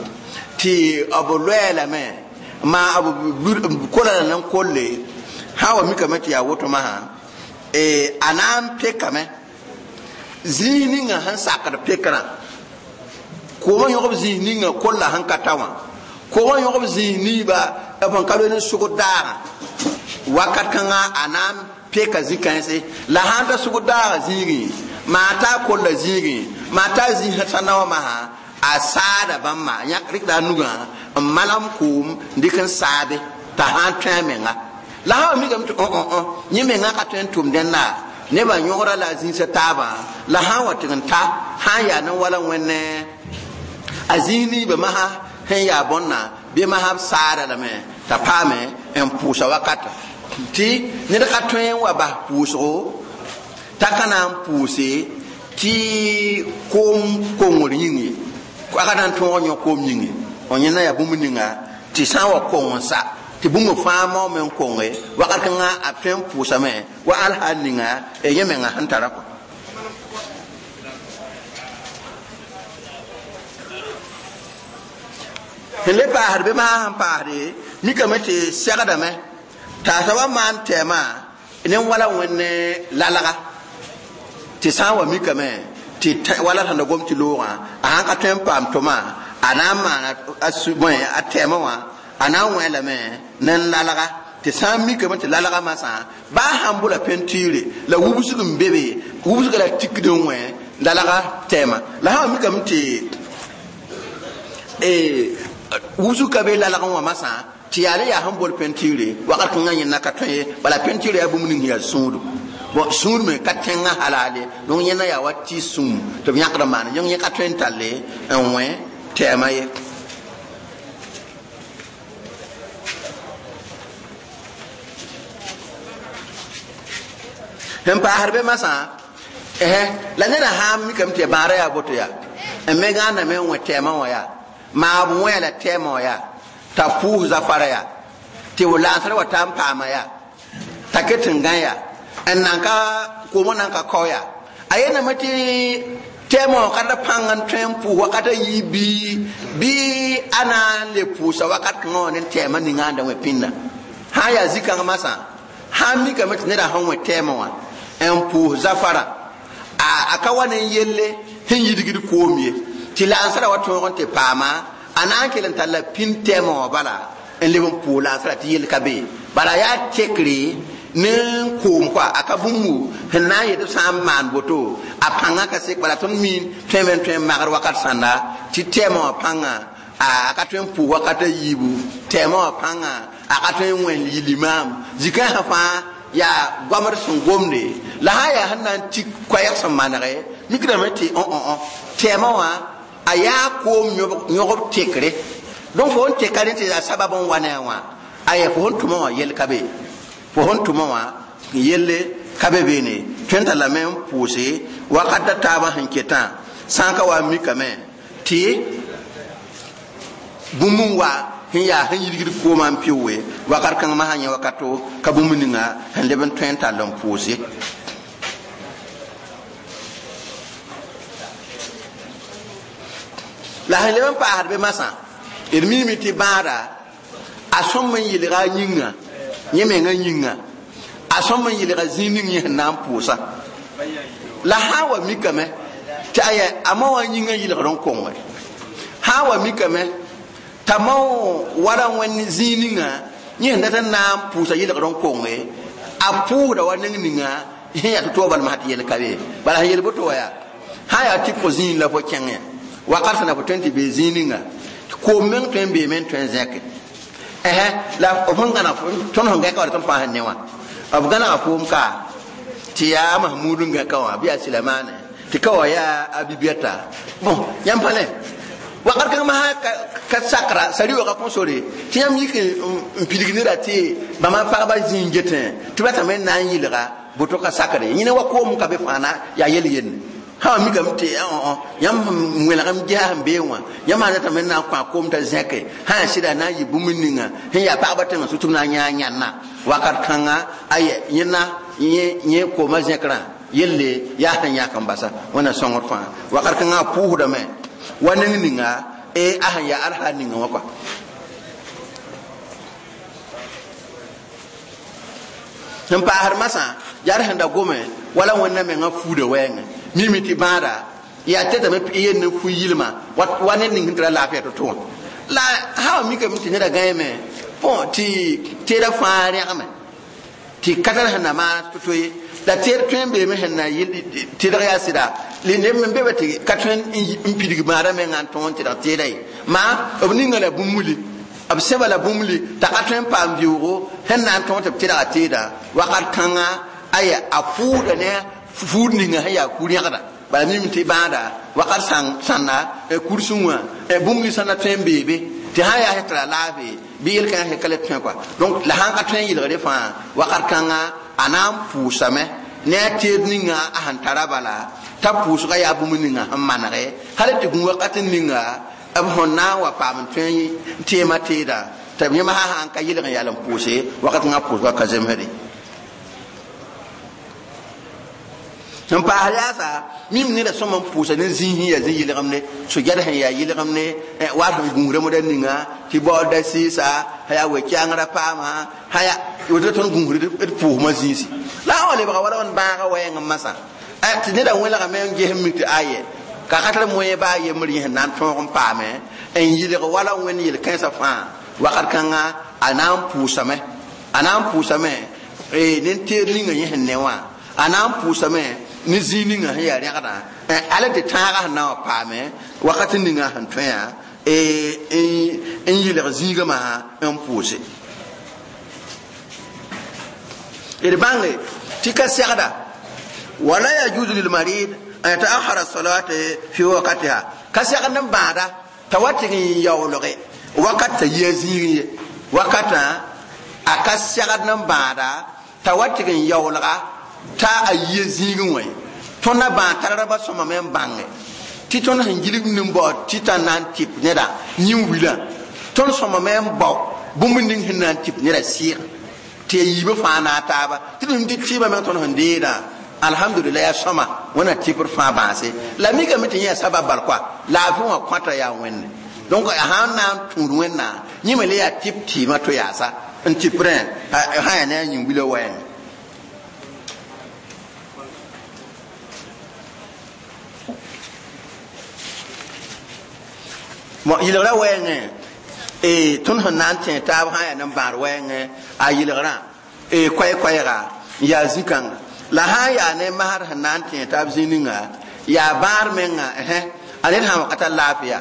tɩ b loɛɛ lame maa b kola la n kolle sã wa mikame tɩ yaa woto masã a na n pekame zĩig ninga sẽn sakd pekrã koomã yõgb zĩig ninga kolla sẽn ka ta wã koomã yõgb zĩig niiba b sẽn ka loe ne sʋgd daagã wakat kãngã a na n peka zĩ-kãense la sãn ta sʋgd daagã zĩigẽ maa t'a kolla zĩigẽ maa t'a zĩisã sã na wã masã a saada bãmba yãk rɩkda a nugã n malem koom n dɩk n saabe t'a sã n tõe a menga la sã wa mikame tɩ yẽ menga ka tõe n tʋm dẽnda nebã yõgra la a zĩisã taabã la sã n wa tɩg n ta sã n yaa ne wala wẽnne a zĩig niibã masã sẽn yaa bõnna bɩ masã b saada lame t'a paame n pʋʋsa wakata tɩ ned ka tõe n wa bas pʋʋsgo t'a ka na n pʋʋse tɩ koom kongr yĩng ye a ka na n tõog n yõ koom yĩnge yẽnda yaa bũmb ninga tɩ sã n wa kong n sa tɩ bũmb fãa maoome n konge wakat kãngã a tõe n pʋʋsame wa al hal ninga yẽ menga sẽn tara kɔ sẽn le paasd bɩ maa sẽn paasde mikame tɩ segdame t'a soaba maan tɛɛmã ne wala wẽnd lalga tɩ sã n wa mikame tɩ wala sẽn da gom tɩ loogã a sãn ka tõe n paam tʋma a na n maana a tɛɛmã wã a na n wẽ lame ne lalga tɩ sã n mikame tɩ lalga masã baa sãn bola pentiire la wubsg n be be wubsga la tikd n wẽ lalga tɛɛmã la sã n wa mikame tɩ wubsg ka be lalgẽ wã masã tɩ yaa le yaa sẽn bol pentiire wakat kãngã yẽnda ka tõe ye bala pentiire yaa bũmb ning yaa sũudu bon sũur me ka tẽngã halal ye donc yẽnda yaa wa tɩ sũm tɩ b yãkd n maan yẽ yẽ ka tõe n talle n wẽ tɛɛmã ye sẽn paasd be masã la neda sã n mikame tɩ bãada yaa boto yaa n me gãandame n wẽ tɛɛmã wã yaa maa b wẽ la tɛɛmã wã yaa t'a pʋʋs zafara yaa tɩ b laansr wa ta n paama yaa t'a ket n gã yaa n nan ka koomã nan ka kao yaa a yelame tɩ tɛɛmã wã ka da pãng n tõe n pʋʋs wakat a yiib bɩ a na n le pʋʋsa wakat kãngã wã ne tɛɛmã ninga n da wẽ pĩnda sã n yaa zĩ-kãng masã sã n mikame tɩ neda sẽn wẽ tɛɛmã wã n pʋʋs zafara a ka wa ne yelle sẽn yidgd koom ye tɩ laansra wa tõog n tɩ paama a na n kell n tar la pĩnd tɛɛmã wã bala n leb n pʋʋs laansra tɩ yell ka be bala yaa tekre ne koom kɔa a ka bũmbu sẽn na n yet b sã n maan boto a pãngã ka sek bala tõnd miin tõeme n tõe n magd wakat sãnda tɩ tɛɛmã wã pãngã a ka tõe n pʋʋs wakat a yiibu tɛɛmã wã pãngã a ka tõe n wẽnd yɩ limaam zĩ-kãensã fãa yaa goamd sẽn gomde la sã n yaa sẽn na n tik koɛɛg sẽn manege mikdame tɩ tɛɛmã wã a yaa koom yõgb tekre donc fo n teka rẽ tɩ yaa sabab n wa ne a wã aya fo sẽn tʋmã wã yell ka be fo sẽn tʋmã wã yelle ka be beene tõe n tar lame n pʋʋse wakat da taabã sẽn ketã sã n ka wa n mikame tɩ bũmb n wa sẽn yaa sẽn yidgd koomã n pɩʋʋe wakat kãng masã yẽ wakato ka bũmb ninga sẽn leb n tõe n tall n pʋʋse la sẽn leb n paasd be masã d miime tɩ bãada a sõm n yelga a yĩnga yẽ menga yĩnga a sõm n yelga zĩig ning yẽ sẽn na n pʋʋsa la sã n wa mikame tɩ aya a ma wã yĩngã yɩlgd n konge sã n wa mikame t'a mao wala wẽnd zĩig ninga yẽ sẽn dat n na n pʋʋsa yɩlgd n konge a pʋʋsda wa neng ninga sẽn yaa tɩ-toog bal masã tɩ yel ka be bala sẽn yel boto wa yaa sã n yaa tɩ pʋg zĩig la fo kẽngẽ wakat sẽn na fo tõe n tɩ bee zĩig ninga koom meng tõe n beeme n tõe n zẽke La b sẽn gãneg tõnd sẽn gãka wã tõnd fãa sẽn ne wã b gãnega foom ka tɩ yaa Mahmud n gãka wã bɩ yaa Silamane tɩ ka wã yaa a Bibiata bon yãmb pa ne wakat kãng masã ka sakra sari-waoogã kõn sore tɩ yãmb yik n pidig neda tɩ bãmba pagba zĩig n getẽ tɩ b ratame n na n yɩlga boto ka sakre yẽne wa koom ka be fãa na yaa yel yenne sã mikame tɩ yãmb sẽn wẽlgem gesa sẽn bee wã yãmb sã ratame n na n kõ a koom t'a zẽke sã yaa sɩda na n yɩ bũmb ninga sẽn yaa pagba tẽngã sʋ tɩ b na n yãa yãnna wakat kãnga aya yẽna yẽ koomã zẽkrã yelle yaa sẽn yãk n basa wẽnna sõngr fãa wakat kãngã a pʋʋsdame wa neng ninga a sẽn yaa alsa ninga wã kɔa sẽn paasd masã yaa d sẽn da gome wala wẽnna mengã fuuda wɛɛngẽ mimi tɩ bãada yaa tɛtame yell ne fu yɩlma wa ned ning sẽn tara laafɩa to-to wã la sã wa mikame tɩ neda gãeme bõ tɩ teeda fãa rẽgme tɩ ka tar sẽn na maan to-to ye la teed tõe n beeme sẽn na tɩdg yaa sɩda neb me be tɩ ka tõe n pidg bãada menga n tõog n tɩdg teeda ye maa b ninga la bũmb b sẽba la bũmb t'a ka tõe n paam vɩoogo sẽn na n tõog tɩ b tɩdga teeda wakat kãnga aya a pʋʋda ne fuud ninga sẽn yaa ku-rẽgda bala mim tɩ bãada wakat sãnna kursẽ wã bũmb ninsã na tõe n beebe tɩ sã yaa sẽn tara laafɩ bɩ yel-kãngã sẽn ka le tõe kɔa donc la sãn ka tõe n yɩlgre fãa wakat kãnga a na n pʋʋsame ne a teed ninga a sẽn tara bala t'a pʋʋsga yaa bũmb ninga sẽn manege hal tɩ gũ wakat ninga b sẽn na n wa paam n tõe n teema teeda tɩ yẽma sã sãn ka yɩlg n yal n pʋʋse wakat kãngã pʋʋsga ka zemsde sẽn paas yaasa mim neda sõm n pʋʋsa ne zĩig sẽn yaa zĩ-yɩlgemde so-gɛd sẽn yaa yɩlgemde wa sẽn gũusda moda ninga tɩ baooda sɩɩsa sã yaa we-kɛangrã paama sã yaa woto tõnd gũusd d pʋʋsmã zĩisi la a wã lebga wala wãn bãaga wɛɛng n masã tɩ neda wẽlgame n ges n mik tɩ aye ka ka tar moẽ baa yembr yẽ sẽn na n tõog n paame n yɩlg wala wẽnd yel-kãensã fãa wakat kãnga a na n pʋʋsame a na n pʋʋsame ne teed ninga yẽ sẽn ne wã a na n pʋʋsame ne zĩig ninga sẽn yaa rẽgdã ala tɩ tãagã sẽn na n wa paame wakat ninga sẽn tõe yã n yɩlg zĩigã masã n pʋʋse d bãnge tɩ ka segda wala yajuzu lilmarid an yataakhara salate fi wakatiha ka segd n bãada t'a wa tɩg n yaoolge wakat t'a yia zĩig ye wakatã a ka segd n bãada t'a wa tɩg n yaoolga t'a a yia zĩigẽ wã ye tõnd na bãag tarrba sõmame n bãnge tɩ tõnd sẽn gilg nin-bao tɩ t'a na n tɩp neda yĩn-wilã tõnd sõmame n bao bũmb ning sẽn na n tɩp neda sɩɩg tɩ ya yiibã fãa na a taaba tɩ d tɩ tɩɩbã meng tõnd sẽn deedã alhamdulillah yaa sõma wẽnna tɩpr fãa bãase la mikame tɩ yẽ yaa sabab bal koa laafɩ wã kõta yaa wẽnde donc a sãn na n tũud wẽnna yẽ me le yaa tɩp tɩɩmã to yaasa n tɩprẽ sã yaa ne a yĩn-wilã wɛɛngẽ yɩlgrã wɛɛngẽ tõnd sẽn na n tẽ taab sã yaa nen-bãad wɛɛngẽ a yɩlgrã koɛɛ-koɛɛga n yaa zĩ-kãnga la sã n yaa ne masd sẽn na n tẽ taab zĩ ninga yaa bãad menga a ned sã n wa ka tar laafɩya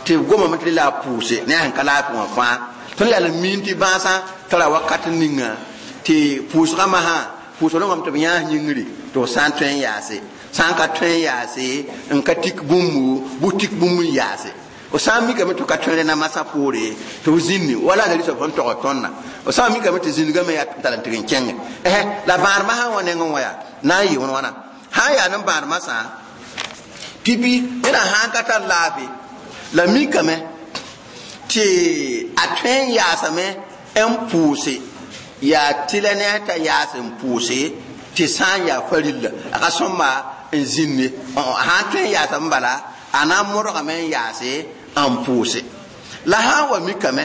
tɩ b gomame tɩ la a pʋʋse ne a sẽn ka laafɩ wã fãa tõnd yaa n miin tɩ bãasã tara wakat ninga tɩ pʋʋsgã masã pʋʋsg rõngame tɩ b yãas yĩngri tɩ f sã n tõe n yaase sã n ka tõe n yaase n ka tik bũmbu bʋ tik bũmb n yaase f sã n mikame tɩ ka tõe rẽna masã poore tɩ f zĩnni wala a soab sẽn tog tõndã f sã n mikame tɩ zĩndgame yaa tara n tɩg n kẽnge la bãad masã wã nengẽ wã yaa na n yɩ wẽn wãna sã n yaa nen-bãad masã pipi neda sã n ka tar laafɩ la mikame tɩ a tõe n yaasame n pʋʋse yaa tɩla ne a t'a yaas n pʋʋse tɩ sã n yaa farilla a ka sõmba n zĩnne sã n tõe n yaasame bala a na n modgame n yaase n pʋʋse la sã n wa mikame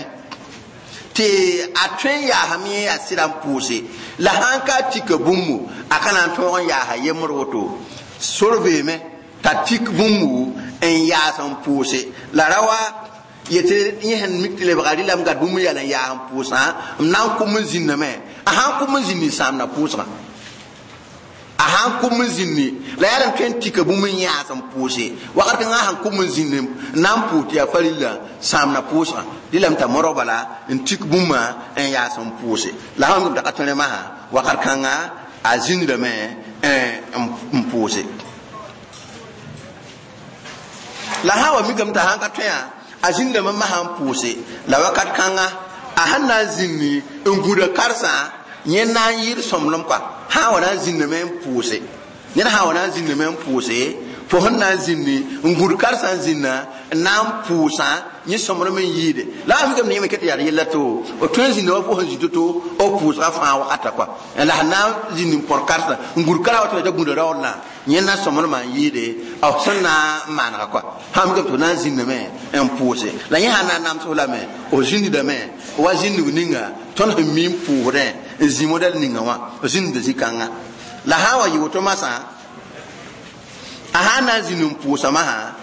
tɩ a tõe n yaasame yẽ yaa sɩda n pʋʋse la sã n ka tika bũmbu a ka na n tõog n yaasa yembr woto sor beeme t'a tik bũmbu n yaas n pʋʋse la ra wa yetɩ yẽ sẽn mik tɩ lebga rɩlame gad bũmb yal n yaas n pʋʋsã m na n kʋm n zĩnname a sã n kʋm n zĩnd n sãamda pʋʋsgã A sãn kʋm n zĩndi la yaa n tõe n tika bũmb n yãas n pʋʋse wakat kãngã sãn kʋm n zĩndi n na n pʋʋs tɩ yaa farilla sãamna pʋʋsgã dɩlame t'a modg bala n tik bũmba n yaas n pʋʋse la sã n t'a ka tõe masã wakat kãnga a zĩndame n pʋʋse la sã wa mikame t'a sãn ka tõe a zĩndame masã n pʋʋse la wakat kãnga a sãn na n zĩndi n gũda karsã yẽ na n yɩɩd sõmblem kɔa sã wa na n zĩndame n pʋʋse ned sã wa na n zĩndame n pʋʋse fo sẽn na n zĩndi n gũd karsã n zĩnda n na n pʋʋsã yẽ sõmblem n yɩɩde la a mikame yẽme ket yaa yella to b tõe n zĩnda wa fo sẽn zĩ to-to b pʋʋsga fãa wakata kɔa la sẽn na n zĩnd n põr karsã n gũd karã wa tɩ la gũda raoodlã yẽ na sõmblmã n yɩɩde b sẽn na n maanega kɔa sã mikame tɩ f na n zĩndame n pʋʋse la yẽ sã na n namsf lame f zĩndidame wa zĩndg ninga tõnd sẽn mi n pʋʋsdẽ n zĩ modɛl ninga wã zĩnda zĩ-kãnga la sã n wa yɩ woto masã a sã n na n zĩnd n pʋʋsa masã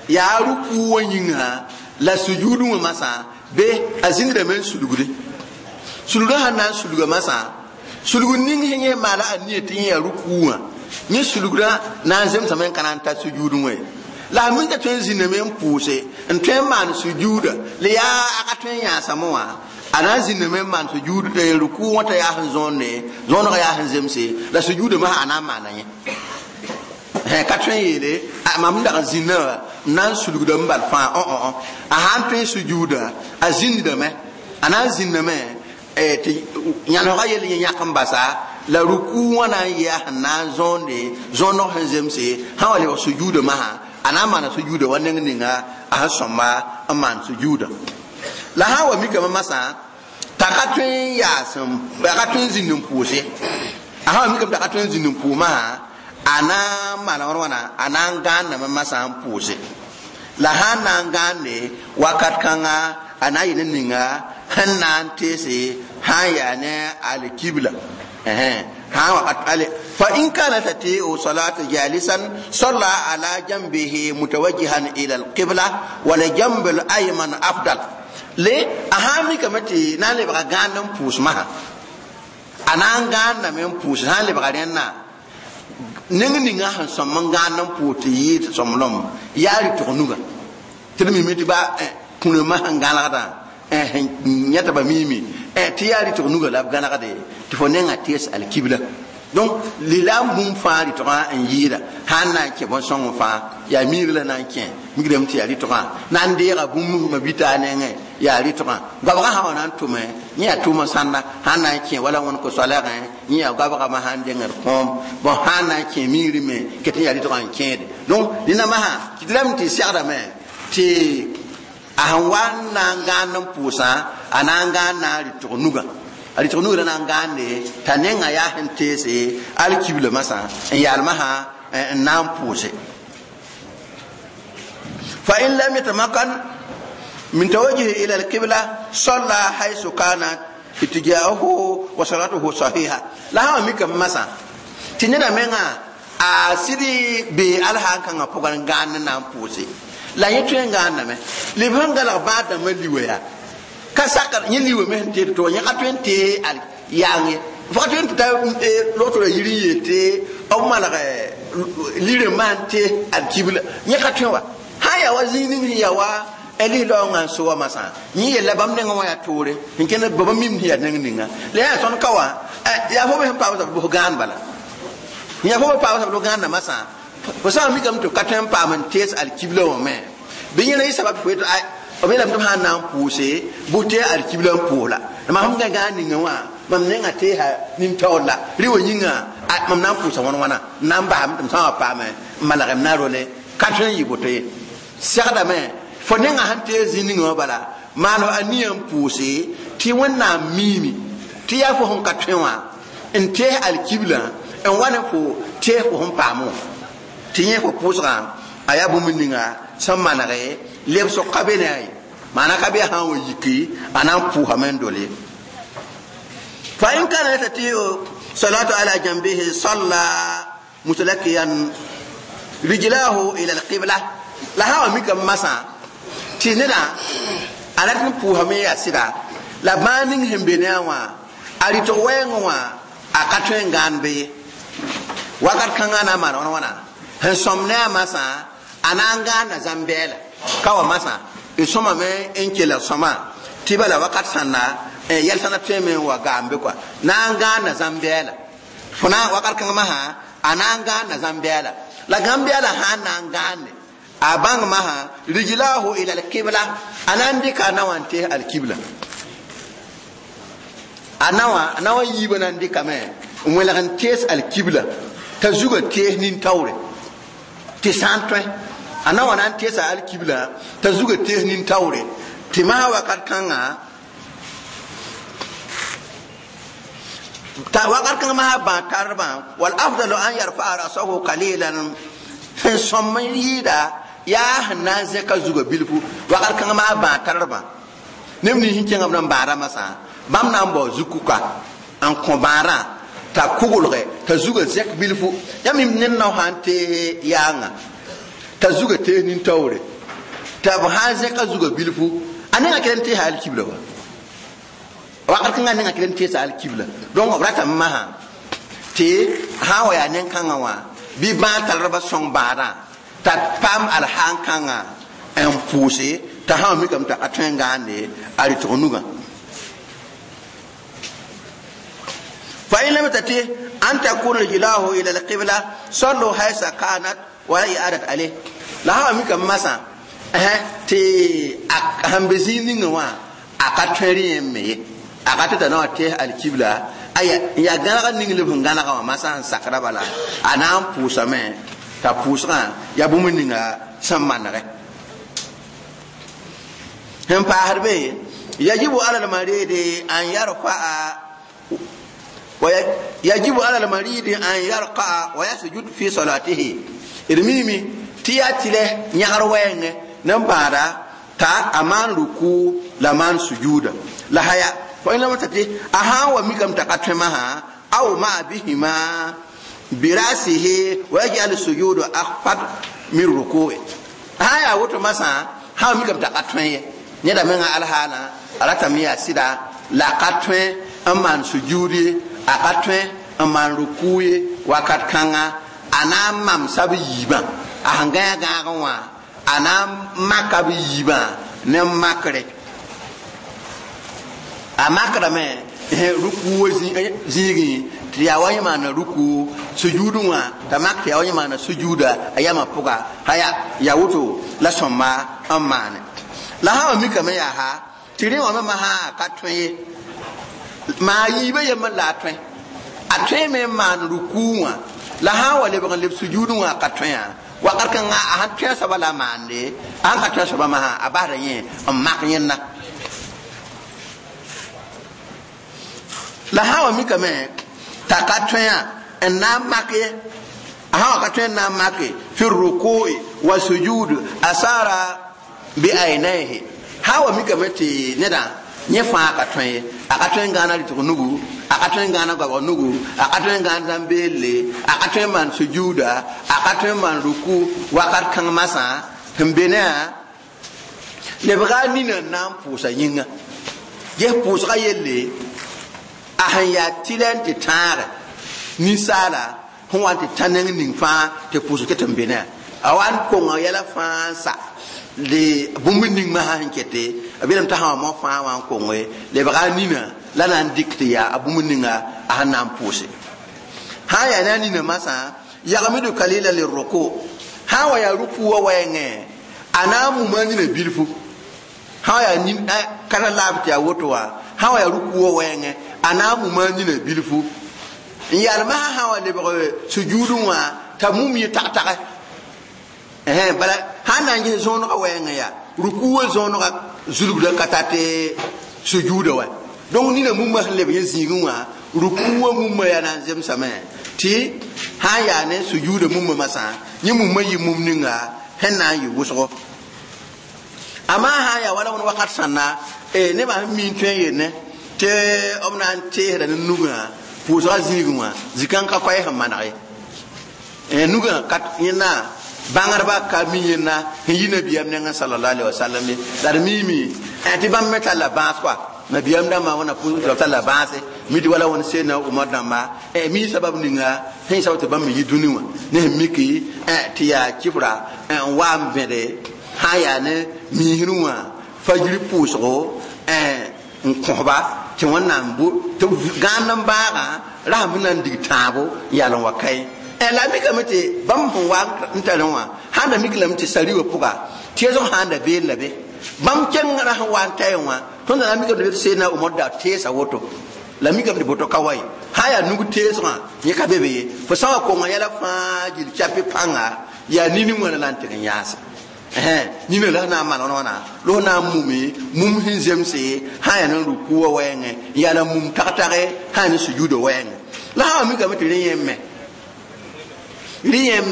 yaa rukuu wã yĩnga la sujuudẽ wã masã be a zĩndame n sulgde sulgã sãn na n sulga masã sulg ning sẽn yẽ maala a nia tɩ yẽ yaa rukuu wã yẽ sulgrã na n zemsame n ka na n ta sujuudẽ wã la a minta tõe n zĩndame n pʋʋse n tõe n maan sujuuda la yaa a ka tõe n yãasame wã a na n zĩndame n maan sujuud rukuu wã t'a yaa sẽn zõonde zõonegã yaa sẽn zemse la sujuuda masã a na n maana yẽ ka tõe n yeele mam n dag n zĩndã wã n na n sulgda n bal fãa a sãn tõe n sujuuda a zĩndame a na n zĩndame tɩ yãnesgã yell yẽ yãk n basa la rukuu wã na n yɛa sẽn na n zõonde zõoneg sẽn zemse sã wa lebg sujuuda masã a na n maana sujuuda wa neng ninga a sẽn sõmba n maan sujuuda la sã n wa mikame masã t'a ka tõe n yaas a ka tõe n zĩnd n pʋʋse a sã wa mikame t'a ka tõe n zĩnd n pʋʋs masã a na n maana wãn wãna a na n gãandame masã n pʋʋse la sã n na n gãande wakat kãnga a na n yɩ ne ninga sẽn na n teese sã n yaa ne alkibla فإن كانت تتيء صلاة جالسا صلى على جنبه متوجها إلى القبلة ولجنب الأيمن أفضل ليه أهامي كمتي نالي بغا غانم بوس مها أنا غانا من بوس هالي بغا رينا نين نين هان سمن غانم بوت ييت سملم ياري تغنوغا تلمي متي با كونما هان غانا yãta ba miime tɩ yaa rɩtg nuga la b gãnegde tɩ fo nenga tees alkibla donc lilaam bũmb fãa rɩtgã n yɩɩda sãn na n kẽ bõn-sõng fãa yaa miir la na n kẽ migrame tɩ yaa rɩtgã na n deega bũmb ma bita a nengẽ yaa rɩtgã goabgã sã wa na n tʋme yẽ yaa tʋʋma sãnda sãn na n kẽ wala wẽn ko-soalgẽ yẽ yaa goabgame sãn dengd kõom bõn sãn na n kẽ miirẽ me ket n yaa rɩtgã n kẽede donc dẽnna masã tɩ lame tɩ segdame tɩ a sẽn wa n na n gãand n pʋʋsã a na n gãand na n rɩtg nugã a rɩtg nugã la na n gãande t'a nengã yaa sẽn teese alkibla masã n yaal masã n na n pʋʋse fa in lam yatamakan min tawajjuhi ila alqibla salla haythu kana ittijahuhu wa salatuhu sahiha la sã wa mikame masã tɩ neda menga a sɩd bee alsã n kãngã pʋgã n gãand n na n pʋʋse la yẽ tõe n gãandame leb sẽn galg bãad-dãmbã liwa yaa ka sakr yẽ liwa me sẽn teed to yẽ ka tõe n tee al yaang ye fo ka tõe n tɩ ta logtra yir n yeel tɩ b malg lirẽ maan tee alkibla yẽ ka tõe wa sã n yaa wa zĩig ning sẽn yaa wa lis-laoongã n so wa masã yẽ yella bãmb nengã wã yaa toore sẽn kẽnd ba mim sẽn yaa neng ninga la yaa tõnd ka wã yaa fo me sẽn paam sab bʋs gãand bala yaa fo me paam sab gãanda masã fo sã n mikame tɩ ka tõe n paam n tees alkibla wã me bɩ yẽna yɩ sabab fo b yeelame tɩ b sã n na n pʋʋse bʋ tɩ alkibla n pʋʋs la mam sẽn gã ninga wã mam nenga teesa nin-taoor la rɩ wa yĩnga mam na n pʋʋsa wãn wãna n na n basame tɩ m sã n wa paame n malgem na role ka tõe n yɩ boto ye segdame fo nenga sẽn tees zĩ ninga wã bala maan fo a nia n pʋʋse tɩ Wẽnnaam miime tɩ yaa fo sẽn ka tõe wã n tees alkibla n wa ne fo tees fo sẽn paam wã tɩ yẽ fo pʋʋsgã a yaa bũmb ninga sẽn manege lebsg ka be ne a ye maana ka be sã n wa yiki a na n pʋʋsame n dole fa in kana yastati'u salatu ala janbihi salla mutalakiyan rijlahu ila alqibla la sã wa mikame masã tɩ neda a rat n pʋʋsame yaa sɩda la bãag ning sẽn be ne a wã A rɩtg wɛɛngẽ wã a ka tõe n gãand be ye. Wakat kãngã na n maan wãn wãna sẽn sõm ne a masã a na n gãanda zãm-bɛɛla ka wa masã d sõmame n kelg sõma tɩ bala wakat sãnda yɛl sãnda tõeme n wa gaam be kɔa na n gãanda zãm-bɛɛla fo na wakat kãng masã a na n gãanda zãm-bɛɛla la gãm-bɛɛla sã n na n gãande a bãng masã rijlahu ila alkibla a na n dɩka a na wã n tees alkibla a nawa yiibã na n dɩkame n welg n tees alkibla t'a zugã tees nin-taoore tɩ sã n tõe a na wa na n teesa alkibla t'a zugã tees nin-taoore tɩ masã wakat kãnga ta wakat kãng masã bã tarbã wal afdalu an yarfaa rasahu qalilan sẽn sõm n yɩɩda yaa sẽn na n zẽka zugã bilfu wakat kãng masã bã tarbã neb nins sẽn kẽngame n bãada masã bãmb na n bao zukuka n kõ bãadã t'a kʋglge t'a zugã zẽk bilfu yãmb ned nao sã n tees yaanga t'a zugã tees nin-taoore t'a b sã n zẽka zugã bilfu a nengã kell n teesa alkibla wa wakat kãngã nengã kell n teesa alkibla donc b ratame masã tɩ sã n wa yaa nen-kãngã wã bɩ bãag talrbã sõng bãadã t'a paam alhaan-kãngã n pʋʋse t'a sã n mikame t'a ka tõe n gãande a rɩtg nugã فإن لم تتيه أن تكون رجلاه إلى القبلة صلوا حيث كانت ولا إعادة عليه لا هم كم مسا تي هم بزين نوا أكتري مي أكتر تنا تيه القبلة أي يا غنا نينغ لب غنا ما مسا سكرا بلا أنا بوسا مي تا بوسا يا بوم نينغا سمان هم بحربي يجب على المريض أن يرفع ويجب على المريض أن يرقع ويسجد في صلاته إرميمي تياتي نيار وين نمبارا تا أمان ركوع لمان سجود لا هيا فإن لم تتي أها وميكم تقتمها أو ما بهما برأسه ويجعل السجود أخفض من ركوع هيا وتو مسا ها ميكم تقتمه نيدا من الهانا على تميا سيدا لا قتمه أمان سجودي a ka tõe n maan rukuu ye wakat kãnga a na n mamsa b yiibã a sẽn gãe gãagẽ wã a na n maka b yiibã ne makre a makrame rukuu wa zĩigẽ tɩ yaa wa yẽ maana rukuu sujuudẽ wã t'a mak tɩ yaa wa yẽ maana sujuuda a yamã pʋga haya yaa woto la sõmba n maane la sã wa mikame yaa ha tɩ rẽ wã me masã a ka tõe ye maa yiibã yembr la a tõe a tõe me n maan rukuu wã la sã n wa lebg n leb sujuudẽ wã a ka tõe wakat kãngã a sãn tõe soaba la a maande a sãn ka tõe soaba masã a basda yẽ n mak yẽnda la sã wa mikame t'a ka tõe n na n mak ye a sã wa ka tõe n na n make fi rukui wa sujud asara bi ainaihi sã wa mikame tɩ nedã yẽ fãa ka tõe ye a ka tõe n gãana rɩtg nugu a ka tõe n gãana goabg nugu a ka tõe n gãan zãm-beelle a ka tõe n maan sujuuda a ka tõe n maan ruku wakat kãng masã sẽn be ne a lebga a nina n na n pʋʋsa yĩnga ges pʋʋsga yelle a sẽn yaa tɩlɛ n tɩ tãage ninsaala sẽn wa n tɩ tã neng ning fãa tɩ pʋʋsg ket n be ne a a wa n konga yɛla fãa n sa de bũmb ning masã sẽn kete b yeelame t'a sã wa mao fãa wã n konge lebga a nina la na n dɩk tɩ yaa a bũmb ninga a sẽn na n pʋʋse sã n yaa ne a nina masã yagmidu kalila lirruku sã n wa yaa ruku wa wɛɛngẽ a na n muma a nina bilfu sã wa yaa kara laab tɩ yaa woto wã sã wa yaa ruku wa wɛɛngẽ a na n muma a nina bilfu n yalmã sã wa lebg sujuudẽ wã t'a mum yẽ tag-tagɛ bala sã n na n ges zõonegã wɛɛngẽ yaa ruku wa zõonegã zulgda ka tar tɩ sujuuda wa donc nina mumã sẽn leb yẽ zĩigẽ wã ruku wa mumã yaa na n zemsame tɩ sã n yaa ne sujuuda mumã masã yẽ mumã yɩ mum ninga sẽn na n yɩ wʋsgo amaa sã n yaa wala wẽnd wakat sãnna nebã sẽn mi n tõe n yelle tɩ b na n teesda ne nugã pʋʋsga zĩigẽ wã zĩ-kãng ka koɛɛ sẽn maneg ye nugã ka yẽnna bãngdba ka mi yẽnda sẽn yi nabiyaam nengẽ sallallahu alaihi wasallam ye la d miime tɩ bãmb me talla bãas kɔa Nabiyam dãmbã wẽnna pʋʋs tɩ la bãase mi tɩ wala wẽnd seedna Umar dãmba mi sabab ninga sẽn sabab tɩ bãmb me yi dũni wã ne sẽn miki tɩ yaa kifra n wa n vẽde sã n yaa ne miisrẽ wã fajiri pʋʋsgo n kõsba tɩ wẽnnaam tɩ gãand n bãagã rasem sẽn na n dig tãabo n yaal n wa kae. La a mikame tɩ bãmb sẽn wa n tarẽ wã sãn da mik lame tɩ sari wã pʋga tɩ sãn da been la be bãmb kẽng ra sẽn wa n taẽ wã tõnd na mikame tɩ seedna Umar da teesa woto la mikame tɩ boto ka wa ye sã yaa nug teesgã yẽ ka be be ye fo sã wa konga yɛla fãa gil chapi pãnga yaa nini wãna la n tɩg n yãase nina la na n maan wãna la na n mume mum sẽn zemse sã yaa ne rukuwã wɛɛngẽ n yaa la mum tag-tage sã yaa ne sujuudã wɛɛngẽ la sã wa mikame tɩ rẽ yẽ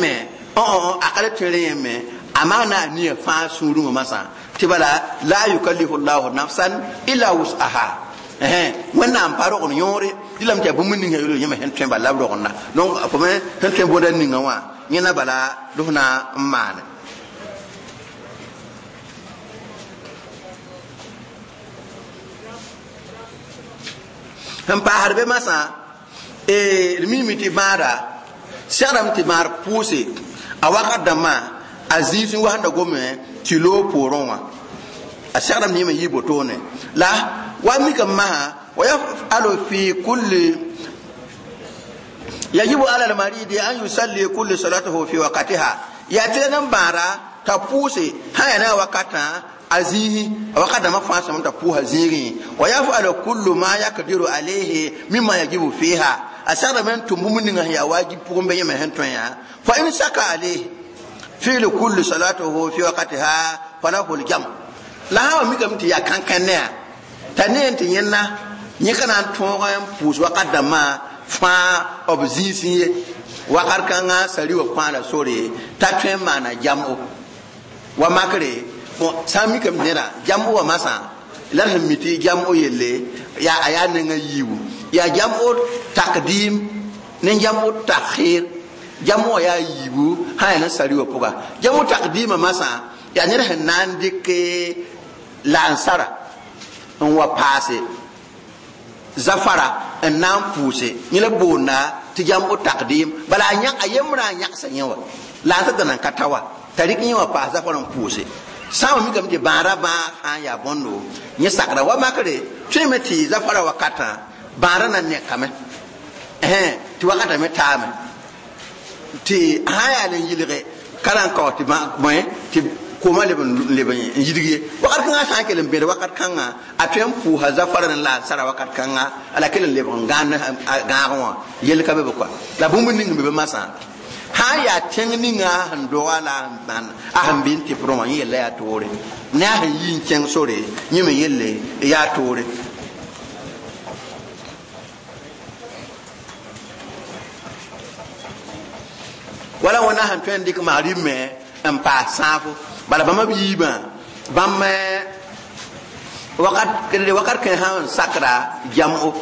me a ka le tõe rẽ yẽ me a maa na a nia fãa sũurẽ wã masã tɩ bala la yukallifu llahu nafsan illa wus'aha wẽnnaam pa rogend yõore dɩlame tɩ yaa bũmb ninga yel yẽme sẽn tõe bala b rogenda donc fo me sẽn tõe bõda ninga wã yẽna bala d f na n maane sẽn paasd be masã d mime tɩ bãada segrame tɩ maar pʋʋse a wakat dãmbã a zĩis n wasẽnda gome tɩ loog poorẽ wã a segrame tɩ yẽme yɩ botoone la wa mikame masã wa yafalu fi kulli yajibu ala almaridi an yusalli kulli salatahu fi waqtiha yaa tɩ la n bãada t'a pʋʋse sã yaa ne a wakatã a zĩisi a wakat dãmbã fãa sõm t'a pʋʋsa zĩigẽ wa yafalu kullu ma yakdiru alayhi mimma yajibu fiha a segrame n tʋm bũmb ninga sẽn yaa wajib pʋgẽ bɩ yẽme sẽn tõe yã fa in saka alayhi fi'lu kulli salatuhu fi waqtiha falahu aljam la sã wa mikame tɩ yaa kãnkãn ne t'a ne n tɩ yẽnna yẽ ka na n tõog n pʋʋs wakat dãmbã fãa b zĩisẽ ye wakat kãngã sari wã fãa la sore t'a tõe n maana jam'o wa makre sã n mikame neda jam'o wã masã la d sẽn mi tɩ jam'o yelle yaa a yaa nengã yiibu yaa jam'o takdim ne jam'o takhir jam'o wã yaa yiibu sã yaa ne sari wã pʋga jam'o takdimã masã yaa ned sẽn na n dɩk laansara n wa paase zafara n na n pʋʋse yẽ la boonda tɩ jam'o takdim bala a yembrã a yãgsa yẽ wa laansã da nan ka ta wa t'a rɩk yẽ wã paas zafara n pʋʋse sã n wa mikame tɩ bãadã bãag sã n yaa bõndo yẽ sakra wa makre tõeme tɩ zafara wakatã bãadã na nekame tɩ wakatã me taame tɩ sã n yaa n yɩlge ka na n kao tɩ bõe tɩ kooma leb n yidg ye wakat kãngã sã n kell n bẽd wakat kãngã a tõe n pʋʋsa zafara ne la n sara wakat kãngã la kell n lebg n gãagẽ wã yell ka be be kɔa la bũmb ning n be be masã sã n yaa tẽng ninga sẽn doga la a sẽn bɩ n tɩprẽ wã yẽ yella yaa toore ne a sẽn yi n kẽng sore yẽ me yelle yaa toore wala wẽnna sẽn tõe n dɩk magrib me n paas sãafo bala bãmb b yiibã bãmb wakat kẽ sã n sakra jam'o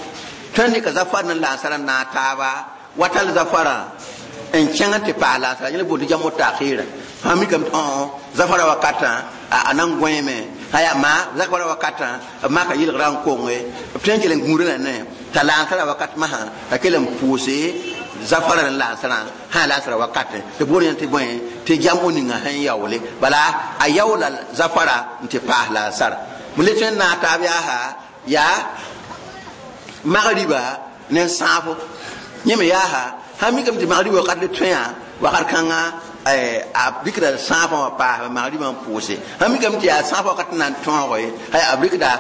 tõe n dɩka zafar ne laansara n naag taaba wa tall zafarã n kẽng tɩ paas laansara yẽ la boond tɩ jam'o takhɩɩra sã mikame tɩ zafara wakatã a na n gõeeme sã yaa maa zafara wakatã b maka yɩlgrã n konge b tõe n kell n gũudã la ne t'a laansara wakat masã t'a kell n pʋʋse zafara ne laansarã sã laansara wakatẽ tɩ boond yẽ tɩ bõe tɩ jam'o ninga sẽn yaoole bala a yaoola zafara n tɩ paas laansara m le tõe n naag taab yaasa yaa magriba ne sãafo yẽ me yaasa sã mikame tɩ magriba wakat le tõe yã wakat kãngã a rɩkda sãafã wã paas magribã n pʋʋse sã mikame tɩ yaa sãafã wakat n na n tõoge a rɩkda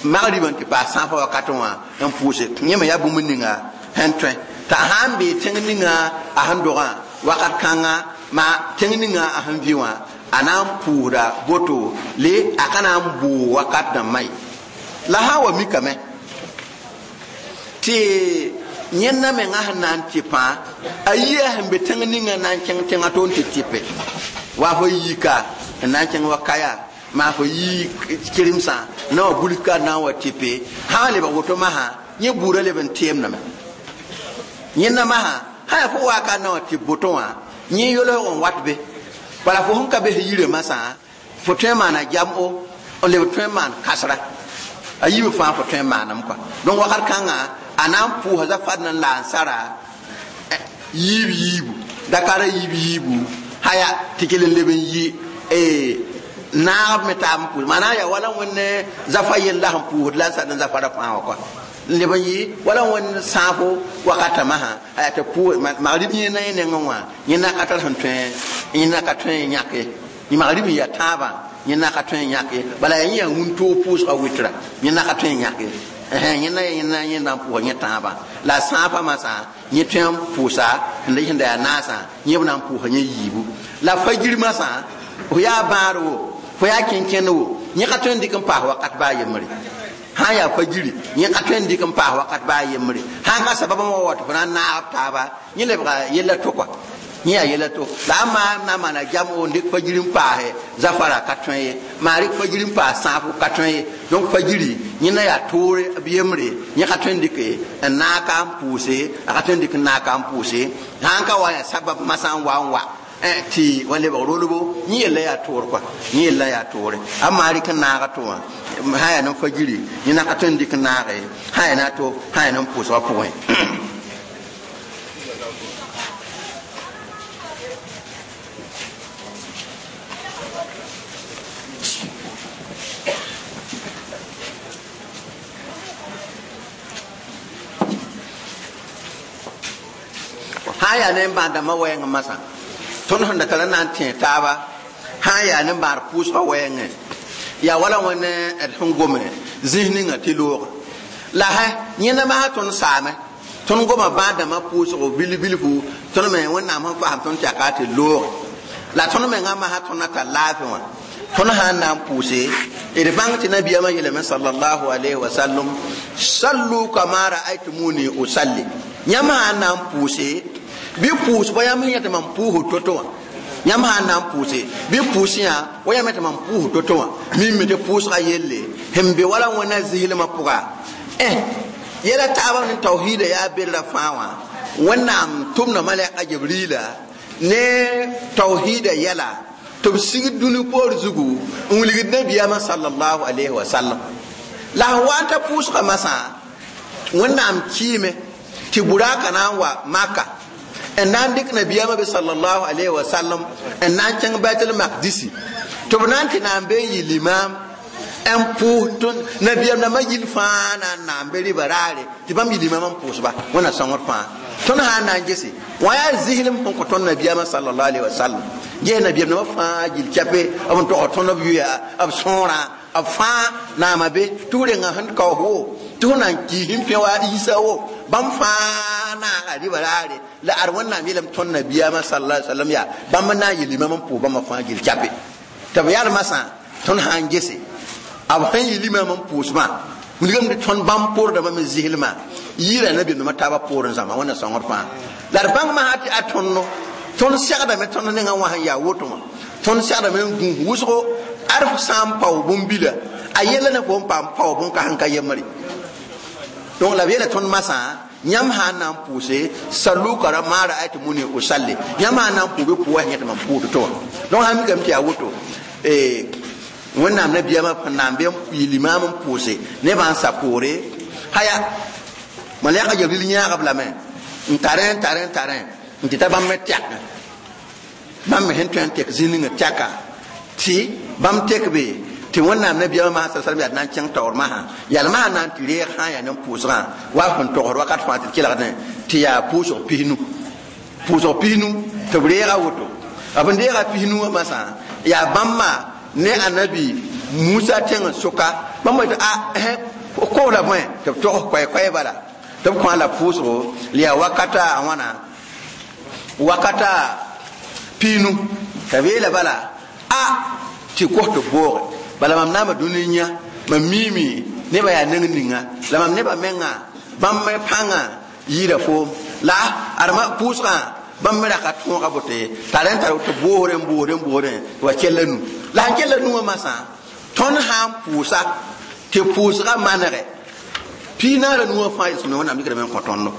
magribã n tɩ paas sãafã wakatẽ wã n pʋʋse yẽ me yaa bũmb ninga sẽn tõe t'a sã n bee tẽng ninga a sẽn dogã wakat kãngã ma tẽng ninga a sẽn vɩ wã a na n pʋʋsda boto le a ka na n bʋʋ wakat dãmbã ye la sã n wa mikame tɩ yẽnna menga sẽn na n tɩpã a yia sẽn be tẽng ninga na n kẽng tẽngã to n tɩ tɩpe wa fo yika n na n kẽng wa kaya maa fo yi kiremsã na wa bulka na n wa tɩpe sã n lebg woto masã yẽ buudã leb n tɩɩmdame yẽnna masã sã yaa fo waaka na wa tɩ boto wã yẽ yolsg n wat be bala fo sẽn ka bes yirã masã fo tõe n maana jam'o n leb tõe n maan kasra A yiibã fãa fo tõe n maaname kɔa. Donc wakat kãngã a na n pʋʋsa zafad n la n sara yiib yiibu dakara yiib yiibu haya tɩ kell n leb n yi naagb me taab n pʋʋs maana yaa wala wẽnd zafa yell la sẽn pʋʋsd la n sad n zafara fãa wã kɔa n leb n yɩ wala wẽnd sãafo wakata masã a yaa tɩ pʋʋs magrib yẽna yẽ nengẽ wã yẽna ka tar sẽn tõe yẽna ka tõe n yãke magrib n yaa tãabã yẽna ka tõe n yãke bala yaa yẽ yaa wĩntoog pʋʋsga wɩtra yẽna ka tõe n yãke yẽna yẽna yẽna n pʋʋsa yẽ tãabã la sãafã masã yẽ tõe n pʋʋsa sẽn da yaa naasã yẽ b na n pʋʋsa yẽ yiibu la fajir masã fo yaa bãad wo fo yaa kẽnkẽnd wo yẽ ka tõe n dɩk n paas wakat baa yembre sã n yaa fajiri yẽ ka tõe n dɩk n paas wakat baa yembre sã n ka sabab wã wa tɩ fo na n naag b taaba yẽ lebga yella to kɔa yẽ yaa yella to la a maa na n maana jam o n dɩk fajiri n paase zafara ka tõe ye maa rɩk fajiri n paas sãafo ka tõe ye donc fajiri yẽ na yaa toore b yembre yẽ ka tõe n dɩke n naag ka n pʋʋse a ka tõe n dɩk n naag ka n pʋʋse sã n ka wa yaa sabab masã n wa n wa tɩ wa lebg rolbo yẽ yella yaa toor kɔa yẽ yella yaa toore a maa rɩk n naaga to wã sã yaa ne fajiri yẽ na ka tõe n dɩk n naage sã yaa na to sã yaa ne pʋʋsgã pʋgẽ. Sã n yaa ne n bãad dãmbã wɛɛngẽ masã tõnd sẽn da tara na n tẽ taaba sã n yaa ne n bãad pʋʋsgã wɛɛngẽ yaa wala wẽnd d sẽn gome zĩis ninga tɩ looga la sã yẽnda masã tõnd saame tõnd goma bãad dãmbã pʋʋsgo bilf-bilfu tõnd me wẽnnaam sẽn fasem tõnd tɩ yaa ka tɩ looge la tõnd mengã masã tõnd na tar laafɩ wã tõnd sã n na n pʋʋse d bãng tɩ nabiyaamã yeelame sallallahu alayhi wa sallam sallu kama ra'aytumuni usalli yãmb sã n na n pʋʋse bɩ pʋʋs wa yãmb sẽn yã tɩ mam pʋʋsd to-to wã yãmb sã n na n pʋʋse bɩ pʋʋs yã wa yãmb tɩ mam pʋʋsd to-to wã mime tɩ pʋʋsga yelle sẽn be wala wẽnna zislmã pʋga yɛla taabã ne tawhiida yaa berra fãa wã wẽnnaam tʋmda malɛka jibrila ne tawhiida yɛla tɩ b sigd dũni poor zugu n wilgd nabiyaamã sallallahu alayhi wa sallam la sẽn wa n ta pʋʋsga masã wẽnnaam kɩɩme tɩ buraaka na n wa maka n na n dɩk nabiyaamã be sallallahu alayhi wa sallam n na n kẽng baitul maqdisi tɩ b na n tɩ na n be n yɩ limaam n pʋʋs tõnd nabiyaam dãmbã yil fãa na n na n be rɩba raare tɩ bãmb yɩ limaam n pʋʋsba wẽnna sõngr fãa tõnd sã n na n gese wã yaa zislem sẽn kõ tõnd nabiyaamã sallallahu alayhi wa sallam ges nabiyaam dãmbã fãa gil kɛpe b n tog tõnd b yʋya b sõorã b fãa naama be tɩ f renga sẽn kaoos wo tɩ f na n kii sẽn pẽ wa Isa wo bãmb fãa naaga rɩba raare la ad wẽnnaam yeelame tõnd nabiyaamã sallallahu alayhi wa sallam yaa bãmb n na n yɩ limaam n pʋʋs bãmba fãa gil kɛpe tɩ b yaa masã tõnd sã n gese b sẽn yɩ limaam n pʋʋsmã wilgame tɩ tõnd bãmb poordãmbã me zislmã yɩɩra nabiyaam dãmbã taabã poorẽ zãma wẽnna sõngr fãa la d bãng masã tɩ a tõndo tõnd segdame tõnd nengã wã sẽn yaa woto wã tõnd segdame n gũus wʋsgo ad f sã n pao bũmb-bila a yella ne fo n paam pao bũn-kãseng ka yembre donc la b yeela tõnd masã yãmb sã n na n pʋʋse sallu kara maa ra'aytumuni usalli yãmb sã n na n pʋʋ bɩ pʋʋ sẽn yẽ tɩ mam pʋʋsd tɩ wã donc sã n mikame tɩ yaa woto wẽnnaam nabiyaamã sẽn na n be n yɩ limaam n pʋʋse nebã n sa poore haya malɛka Jibril yãag b lame n tarẽ n tarẽ n tarẽ n tɩ ta bãmb me tɛk bãmb me sẽn tõe n tek zĩ ninga tɛka tɩ bãmb tek be tɩ wẽnnaam nabiyaamã masã sallam yaa na n kẽng taoor masã yalmã sã na n tɩ reeg sã n yaa ne pʋʋsgã wa sẽn togsd wakat fãa tɩ d kelgdẽ tɩ yaa pʋʋsg pisnu pʋʋsg pisnu tɩ b reega woto b n deega pisnu wã masã yaa bãmba ne anabi Musa tẽng sʋka bãmb tɩ a koos la bõe tɩ b togs koɛ-koɛɛ bala tɩ b kõ la pʋʋsgo la yaa wakata a wãna wakata piinu t'a b yeela bala a tɩ kos tɩ booge bala mam naama dũni yã mam miime nebã yaa neng ninga la mam nebã menga bãmb me pãngã yɩɩda foom la adma pʋʋsgã bãmb me ra ka tõoga boto ye t'a rẽn tar tɩ boosrẽ boosrẽ boosrẽ tɩ wa kella nu la sẽn kella nu wã masã tõnd sã n pʋʋsa tɩ pʋʋsgã manege piinaara nuwã fãa yelsem wẽnnaam dɩkdame n kõ tõndo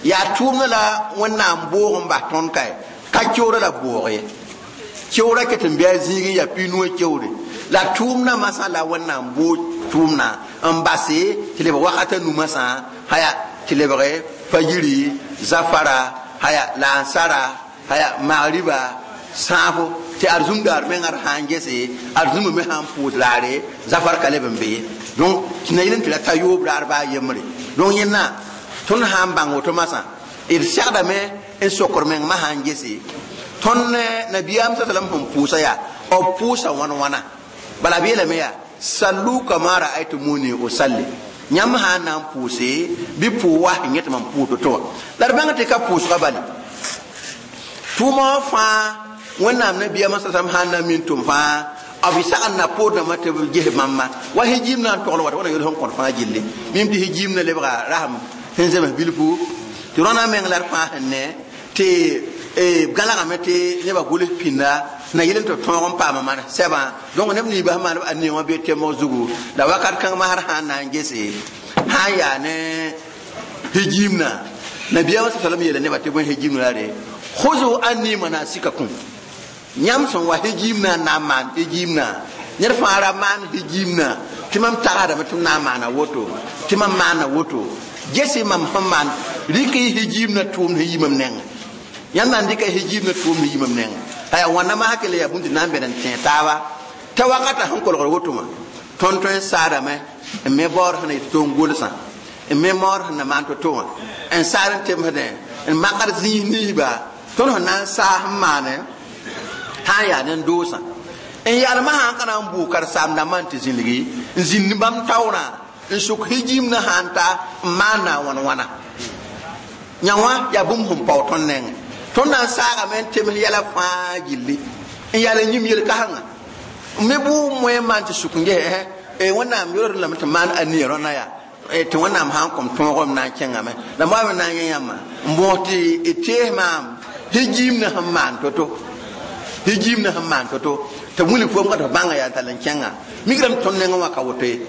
yaa tʋʋmdã la wẽnnaam boog n bas tõnd kae ka keoora la boog ye keoora ket n bɩ a zĩig n yaa piinuwã keoore la tʋʋmdã masã la wẽnnaam boog tʋʋmdã n base tɩ lebg wakata numasã haya tɩ lebg fajiri zafara haya laansara haya magriba sãafo tɩ arzũm daar mengã d sã n gese arzũmã me sã n pʋʋs raare zafar ka leb n be ye donc tɩ na yel n tɩ ra ta yoob raar baa yembre donc yẽnna tõnd sã n bãng woto masã d segdame n sokr meng ma sã n gese tõnd nabiyaam sa salam sẽn pʋʋsa yaa b pʋʋsa wãn wãna bala b yeelame yaa sallu kama ra'aytumuni usalli yãmb sã n na n pʋʋse bɩ pʋʋ wa sẽn yẽ tɩ mam pʋʋs to wã la d bãng tɩ ka pʋʋsga bale tʋʋma wã fãa wẽnnaam nabiyaamã sa sãn na n min tʋm fãa b sagn na poordãmbã tɩ b ges bãmba wa hijiim na n togl wata wẽna yel sẽn kõt fãa gilli mim tɩ hijiim na lebga rasem sẽn zems bilfu tɩ rõna meng la d fãa sẽn ne tɩ gãlgame tɩ nebã gʋls pĩnda na yel n tɩ tõog n paama maan sɛbã donc neb niibã sẽn maan a ne wã bee temg zugu la wakat kãng masr sã n na n gese sã n yaa ne hijiimna nabiyaamã sa salam yeela nebã tɩ bõe hijiimna la re khuzu anni manasikakum yãmb sẽn wa hijiimna n na n maan hijiimna ned fãa ra maan hijiimna tɩ mam tagsdame tɩ m na n maana woto tɩ mam maana woto gese mam sẽn maan rɩk y hijiimna tʋʋmd sẽn yi mam nengẽ yãmb na n dɩka hijiimna tʋʋmd sẽn yi mam nengẽ aya wãnna masã kell yaa bũmb tɩ na n bẽd n tẽ taaba t'a wakata sẽn kolgd woto wã tõnd tõe n saadame n me baood sẽn na yetɩ tɩ n gʋlsã n me maood sẽn na maan to-to wã n saad n temsdẽ n makd zĩis niisba tõnd sẽn na n saas n maane sã n yaa ne n doosã n yalmã sã n ka na n bʋʋg karen-saam-dãmbã n tɩ zĩlgi n zĩnd bãmb taoorã n sʋk hijiimna sã n ta n maana wãn wãna yã wã yaa bũmb sẽn pao tõnd nengẽ tõnd na n saagame n tems yɛla fãa gilli n yaa yĩm yel-kãsenga n me bʋʋg moẽ maan tɩ sʋk n ges wẽnnaam yolsd lame tɩ maan a nia rõna yaa tɩ wẽnnaam sã n kõm tõogem na n kẽngame la m wa me na n yẽ yãmba n bõos tɩ d tees maam hijiimna sẽn maan to-to hijiimna sẽn maan to-to tɩ wilg fo ka tɩ bãnga yaa tall n kẽnga migrame tõnd nengẽ wã ka woto ye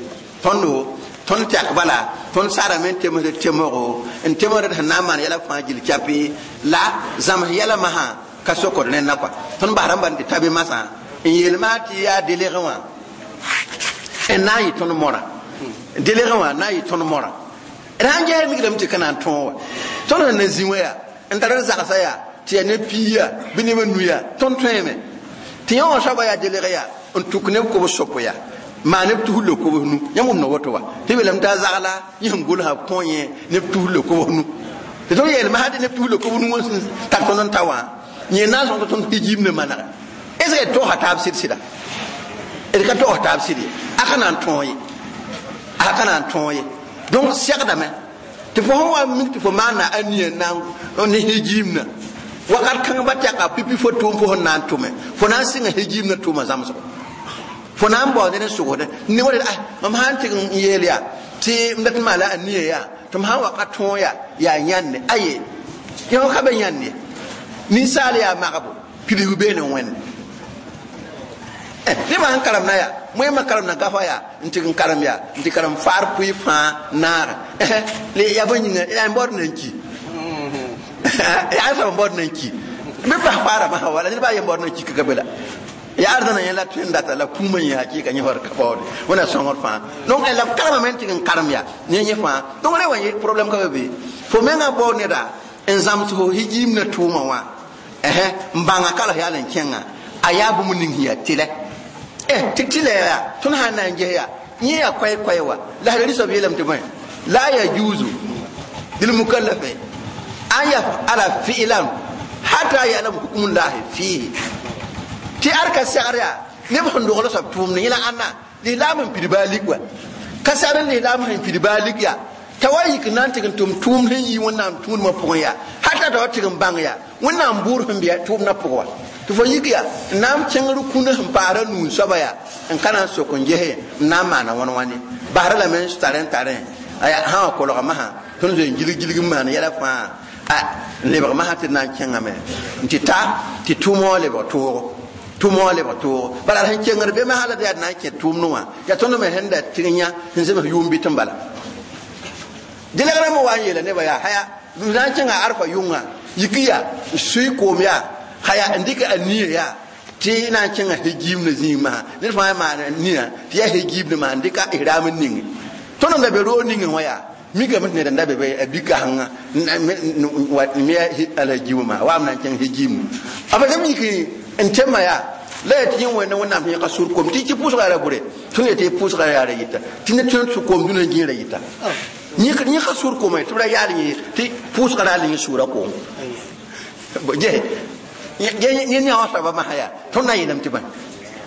tõndo tõnd tɛk bala tõnd saadame n temsd temsgo n temsd sẽn na n maan yɛla fãa gill kɛpɩ la zãms yɛla masã ka sokd rẽnna kɔa tõnd basra n ban tɩ ta be masã n yeel maa tɩ yaa delegẽ wã n na n yɩ tõnd mora delegẽ wã na n yɩ tõnd mora d sãn ges migrame tɩ ka na n tõog wa tõnd sẽn na zĩ wã yaa n tar d zagsã yaa tɩ yaa ne piiya bɩ nebã nu yaa tõnd tõeme tɩ yã wã soaba yaa deleg yaa n tuk neb kobs sopo yaa maa neb tus le kobs nu yãmb wʋmda woto wa tɩ beelame t'a zagla yẽ sẽn gʋlsã kõ yẽ neb tus le kobs nu tɩ tõnd yeelame sã tɩ neb tus le kobs nu wã sẽn tar tõnd n ta wã yẽ na n sõng tɩ tõnd hijiim ne manege est ce que d togsa taab sɩd-sɩda d ka togs taab sɩd ye a ka na n tõog ye a ka na n tõog ye donc segdame tɩ fo sẽn wa mik tɩ fo maana a nia na ne hijiimna wakat kãng ba tɛka pipi fo tʋʋm fo sẽn na n tʋme fo na n sɩnga hijiimna tʋʋma zãmsgo fo na n baood ned n sʋgsdẽ ne wa ah mam sã n tɩg n yeel yaa tɩ m dat n maala a nia yaa tɩ m sã n wa ka tõog yaa yaa yãnne aye yõ ka be yãnd ye ninsaal yaa magbo pidsg beene wẽnde nebã sẽn karemna yaa moẽmã karemna gafa yaa n tɩg n karem yaa n tɩ karem faar pʋɩ fãa naara yaa bõe yĩnga yaa n baood na n ki yaa soab n baood na n ki bɩ bas faara masã wala ned baa yen baood na n ki ka be la yaa arzãna yẽ la tõe n data la kũumã yẽ hakɩɩka yẽ fa ka baoode wẽna sõngr fãa donc la b karemame n tɩg n karem yaa ne yẽ fãa donc re wã problème ka be be fo mengã bao neda n zãms fo hijiimna tʋʋmã wã n bãnga kala yaa n kẽnga a yaa bũmb ning sẽn yaa tɩlɛ tɩ tɩlɛ yaa tõnd sã n na n ges yaa yẽ yaa koɛɛ-koɛɛ wa la sã rɩsb yeelame tɩ bõe la yajuzu lilmukallafe an yafala fi'lan hatta ya'lam hukmullahi fihi tɩ ad ka segr yaa neb sẽn dogl soab tʋʋmd yẽla ãnna lislaam n pid baa lik wa ka segd n lislaam sẽn pid baa lik yaa t'a wa yik n na n tɩg n tʋm tʋʋmd sẽn yi wẽnnaam tũudmã pʋgẽ yaa hata t'a wa tɩg n bãng yaa wẽnnaam bʋʋr sẽn bɩa tʋʋmdã pʋgẽ wa tɩ fo yik yaa n na n kẽngr kũnã sẽn paasra nuun soaba yaa n ka na n sok n gese n na n maana wãn wãne basra lame n tarẽ tarẽ aya sã wã kolga masã tõnd zoe n gilg gilg n maan yɛla fãa a n lebg masã tɩ d na n kẽngame n tɩ ta tɩ tʋʋmã wã lebg toogo tʋʋmã wã lebg toogo bala sẽn kengd be masã la tɩ yaa d na n kẽ tʋʋmdẽ wã yaa tõnd me sẽn da tɩg yã sẽn zems yʋʋm bɩ tɩ n bala dɩlegrãmbã wa n yeela nebã yaa haya d na n kẽnga arfa yʋnga yik yaa n sʋɩ koom yaa haya n dɩka a nia yaa Tɩ na n kẽngã hegim ne zĩig masã ned fãa maan nina tɩ yaa hegim ne maan dɩka ihram n ninge tõnd n da be roog ningẽ wã yaa mikame tɩ ned n da be a bi-kasengã me alhagimã waam na n kẽng hegim a pa yik n tẽmã yaa la yaa tɩ yẽ wẽnda wẽnnaam tɩ yẽka sur kom tɩ tɩ pʋʋsga ra bʋre tõnd yetɩ pʋʋsga yaa ra yɩta tɩ ned tõe n kom dũnã gĩirã yɩta yẽka sur koma tɩ b ra yaal yẽ tɩ pʋʋsga ra le yẽ sʋʋra koom yẽ ne wã soaba masã yaa tõnd na n yeelame tɩ bãe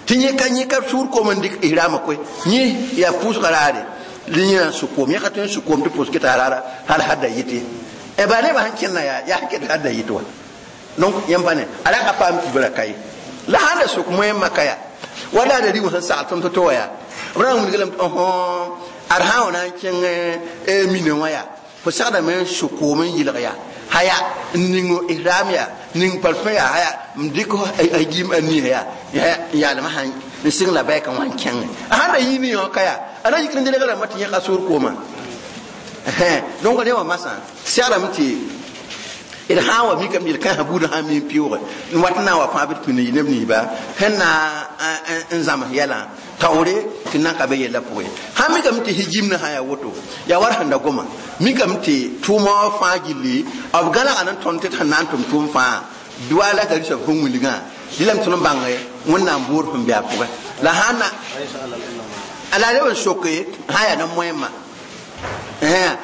tɩ yẽka sʋʋr koom n dɩk ihraamã koe yẽ yaa pʋʋsga raare yẽ n sʋ koom yẽka tõe n sʋ koom tɩ pʋʋs keta raara hal hadda yɩte ba nebã sẽn kẽnna yaa yaa ket hadda yɩt wa donc yẽm pa ne a ra ka paam kibra ka ye la sãn da sʋk moẽmã ka yaa wala da rɩg sẽn sagl tõnd to-to wa yaa b ra n wilg lame tɩ ad sã n wa na n kẽng mine wã yaa fo sagdame n sʋ koom n yɩlg yaa haya n ning ihram yaa ning parfum yaa haya n dɩk a gim a nia yaa n yaalmã sãn n sɩng la baɩka wã n kẽngẽ a sãn da yɩ ne yõ ka yaa a na yik n delega rãmbã tɩ yẽka sʋʋr koomã donc ne wã masã segrame tɩ d sã n wa mikame yel-kãensã buudã sã n mi n pɩʋʋge n wat n na n wa fãa bɩ d pĩnd neb ninsba sẽn na n zãms yɛlã taoore tɩ nan ka be yellã pʋgẽ sãn mikame tɩ higimnã sã yaa woto yaa war sẽn da goma mikame tɩ tʋʋmã wã fãa gilli b gãlga ne tõnd tɩ d sẽn na n tʋm tʋʋm fãa duwa la t'a rɩsb sẽn wilgã dɩlame tõnd n bãnge wẽnnaam boor sẽn be a pʋgẽ la sã n na la leb n soke sã yaa ne moẽmã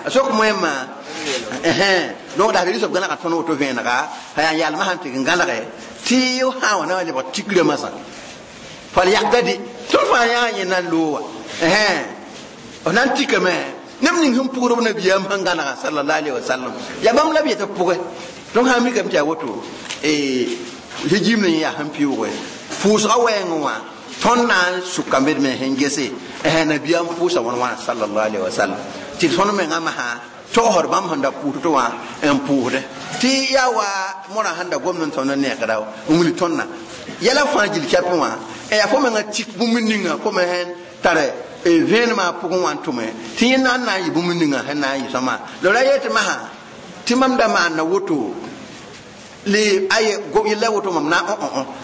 a sok moẽmã donc la rɩsb gãlga tõnd woto vẽenega a yaa yaalmã sãn tɩg n gãlge tɩ sã wa na wa lebg tikrã masã fal yakda de tõnd fãa yaa yẽ na n loog wa f na n tikame neb ning sẽn pugr b nabiyaam sẽn gãnega sallallahu alaihi wasallam yaa bãmb la b yetɩ pʋgẽ donc sã n mikame tɩ yaa woto higim ne yaa sẽn pɩʋʋge pʋʋsga wɛɛngẽ wã tõnd na n sʋka bd me sẽn gese nabiyaam pʋʋsa wãn wãna sallallahu alaihi wasallam tɩ tõnd mengã masã togsd bãmb sẽn da pʋʋs tɩ wã n pʋʋsdẽ tɩ yaa wa morã sẽn da gomd n tõnd n neekda n wilg tõndã yɛla fãa gil kɛpẽ wã yaa fo mengã tik bũmb ninga fo me sẽn tare vẽenemã pʋgẽ wã n tʋme tɩ yẽ na n na n yɩ bũmb ninga sẽn na n yɩ sõma la ra yetɩ masã tɩ mam da maanda woto le aye yella woto mam na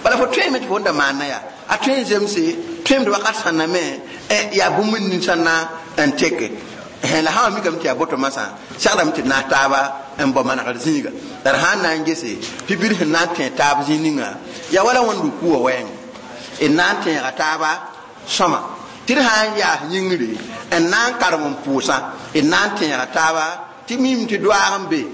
bala fo tõeme tɩ fo n da maanda yaa a tõe n zemse tõemd wakat sãnna me yaa bũmb nin sẽn na n teke la sã wa mikame tɩ yaa boto masã segdame tɩ naas taaba n bao manegr zĩiga la d sã n na n gese tɩ bir sẽn na n tẽ taab zĩig ninga yaa wala wẽnd rukuwã wɛɛng d na n tẽega taaba sõma tɩ d sã n yaas yĩngre n na n karem n pʋʋsã d na n tẽega taaba tɩ mim tɩ doaag n be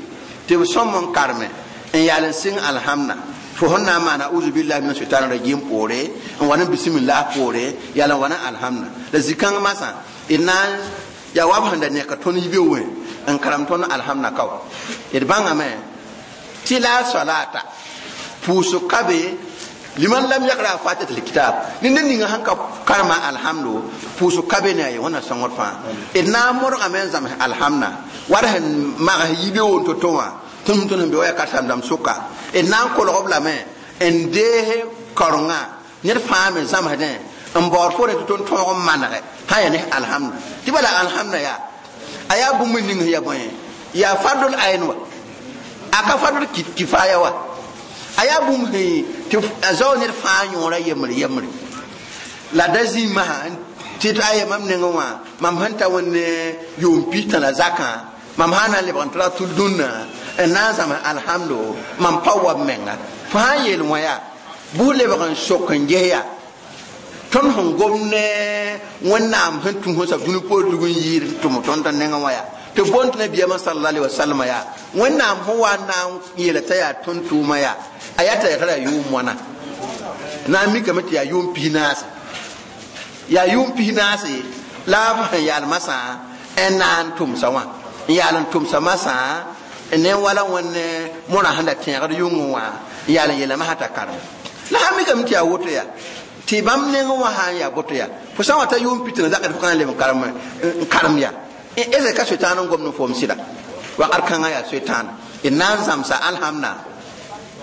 tɩ b sõm n karme n yaal n sɩng alhamna fo sẽn na n maana uzu billahi min shaitan rajim poore n wa ne bismillah poore yaal n wa ne alhamna la zĩ-kãng masã d na n yaa wa b sẽn da neka tõnd yibe wẽ n karem tõnd alhamna kao d bãngame tɩ la salata pʋʋsg ka be liman lam yakra fatihat alkitab ni ned ninga sẽn ka karema alhamdo pʋʋsg ka be ne a ye wẽnna sõngd fãa d na n modgame n zãms alhamna war sẽn mags yibe won to-to wã tõnd tõnd sẽn be wa yaa karsem-dãmb sʋka d na n kolg b lame n dees karenga ned fãa me zãmsdẽ n baood fo tɩ tõnd tõog n manege sã yaa ne alhamda tɩ bala alhamda yaa a yaa bũmb ning sẽn yaa bõe yaa fardol ayn wa a ka fardol kifaya wa a yaa bũmb sẽn tɩ a zao ned fãa yõora yembre yembre la da zĩ masã tɩ tɩ aya mam nengẽ wã mam sẽn ta wẽnd yʋʋm pistã la zakã mam sã na n lebg n tɩ ra tʋl dũnna n na n zãms alhamdo mam pa wa b menga fo sã n yeel wã yaa bʋ lebg n sok n ges yaa tõnd sẽn gom ne wẽnnaam sẽn tũ sẽn sab dũni poor dug n yɩɩd n tʋm tõnd t'a nengẽ wã yaa tɩ boond tɩ nabiyaamã sallallahu alaihi wasallam yaa wẽnnaam sẽn wa n na n yeela t'a yaa tõnd tʋʋma yaa a yaa t'a yaa tara yʋʋm wãna na n mikame tɩ yaa yʋʋm pis-naase yaa yʋʋm pis-naase la b sẽn yaal masã n na n tʋmsa wã n yaal n tʋmsa masã ne wala wẽnd morã sẽn da tẽegd yʋngẽ wã n yaal n yeelame sã t'a karem la sã mikame tɩ yaa woto yaa tɩ bãmb nengẽ wã sã n yaa boto yaa fo sã n wa ta yʋʋm pitã zakd fo ka n leb n karem yaa ese ka soetãan n gomd n foom sɩda wakat kãngã yaa soetãan d na n zãmsa alhamna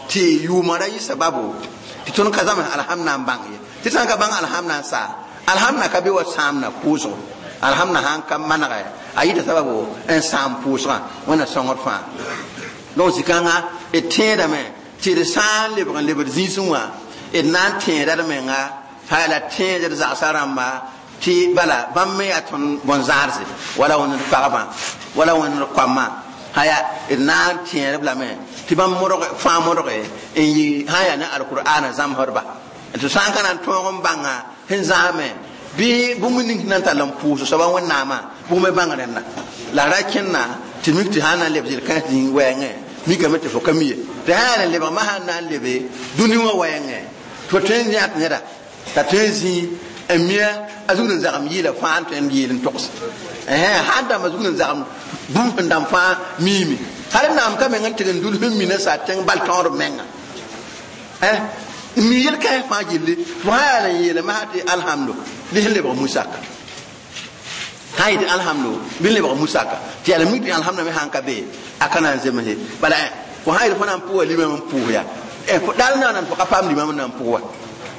tɩ yʋʋmã ra yɩ sababo tɩ tõnd ka zãms alhamna n bãng ye tɩ sã n ka bãng alhamna n saa alhamna ka be wa sãamna pʋʋsgo alhamna sã n ka manege a yɩta sababo n sãam pʋʋsgã wẽnna sõngd fãa donc zĩ-kãngã d tẽedame tɩ d sã n lebg n lebd zĩisẽ wã D na n tẽeda d menga haya la tẽed d zagsã rãmba tɩ bala bãmb me yaa tõnd bõn-zãadse wala wẽnd d pagbã wala wẽnd d koamã haya d na n tẽed-b lame tɩ bãmb fãa modge n yɩ sã n yaa ne alkur'aana zãmsdba tɩ sã n ka na n tõog n bãnga sẽn zãame bɩ bũmb ning sẽn na n tall n pʋʋs soaba wẽnnaamã bʋg me bãng rẽnda la ra kẽnna tɩ mik tɩ sã n na n leb zɩl-kãens zĩig wɛɛngẽ mikame tɩ fo ka mi ye tɩ sã yaa n lebgmã sã n na n lebe dũni wã wɛɛngẽ tɩ fo tõe n yãt neda t'a tõe n zĩ n mia a zugd n zagem yɩɩla fãa n tõe n yeel n togs sã n dãmba zugd n zagem bũmb sẽn dãmb fãa miime hal naam ka meng n tɩg n dul sẽn mina sa tẽng bal tõod menga n mi yel-kãens fãa gilli fo sã yaa n yeelame sã tɩ alhamdu bɩ sẽn lebg musaka sã n yetɩ alhamdu bɩ n lebg musaka tɩ yaa la mik tɩ alhamda me sãn ka be a ka na n zemse bala fo sã yel fo na n pʋga limam n pʋʋs ya dal na n fo ka paam limam n na n pʋg wa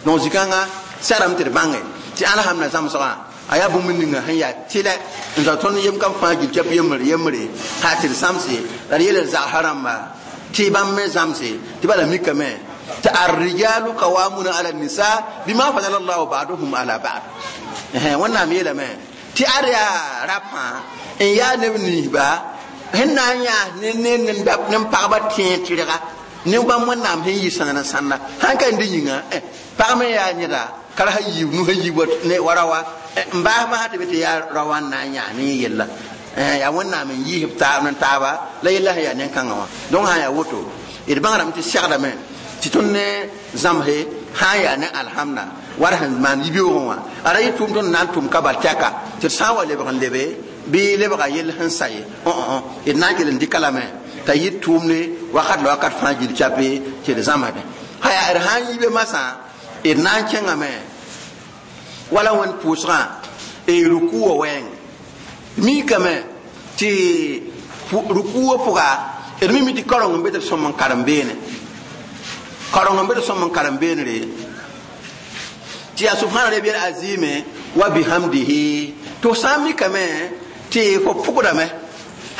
donc zikãngã sarame tɩ d bãnge tɩ alhamda zãmsgã a yaa bũmb ninga sẽn yaa tɩlɛ n zao tõnd yem kam fãa gil tɩ yembre yembre sã tɩ d sãmse la d yeel d zagsã rãmba tɩ bãmb me zãmse tɩ bala mikame tɩ arrijalu qawamuna ala nisa bima fadala llahu baduhum ala bad wẽnnaam yeelame tɩ ad yaa rapã n yaa neb ninsba sẽn na n yãas ne pagba tẽeg tɩrga ne bãmb wẽnnaam sẽn yɩ sãn n sãnda sãn ka n dɩ yĩnga pag me yaa yẽda ka ra yiib nu sẽn yiib wa rawa n baas masã tɩ be tɩ yaa ra wa n na n yãas ne yella yaa wẽnnaam n yiisb taab n taaba la yella sẽn yaa nen-kãngã wã donc sã n yaa woto d bãngrame tɩ segdame tɩ tõnd ne zãmse sã n yaa ne alhamda war sẽn maan yibeoogẽ wã a ra yɩ tʋʋm tõnd na n tʋm ka bal tɛka tɩ d sã n wa lebg n lebe bɩ lebga yell sẽn sa ye d na n kell n dɩka lame t'a yɩ tʋʋmde wakat la wakat fãa gil chape tɩ d zãmsdẽ haya d sã n yibe masã d na n kẽngame wala wẽnd pʋʋsgã ruku wã wɛɛng mikame tɩ ruku wã pʋga d mimi tɩ kareng n be tɩ d sõm n karem beene kareng n be tɩ sõm n karem beenre tɩ yaa subhana rabiyal azime wa bihamdihi tɩ f sã n mikame tɩ fo pʋgdame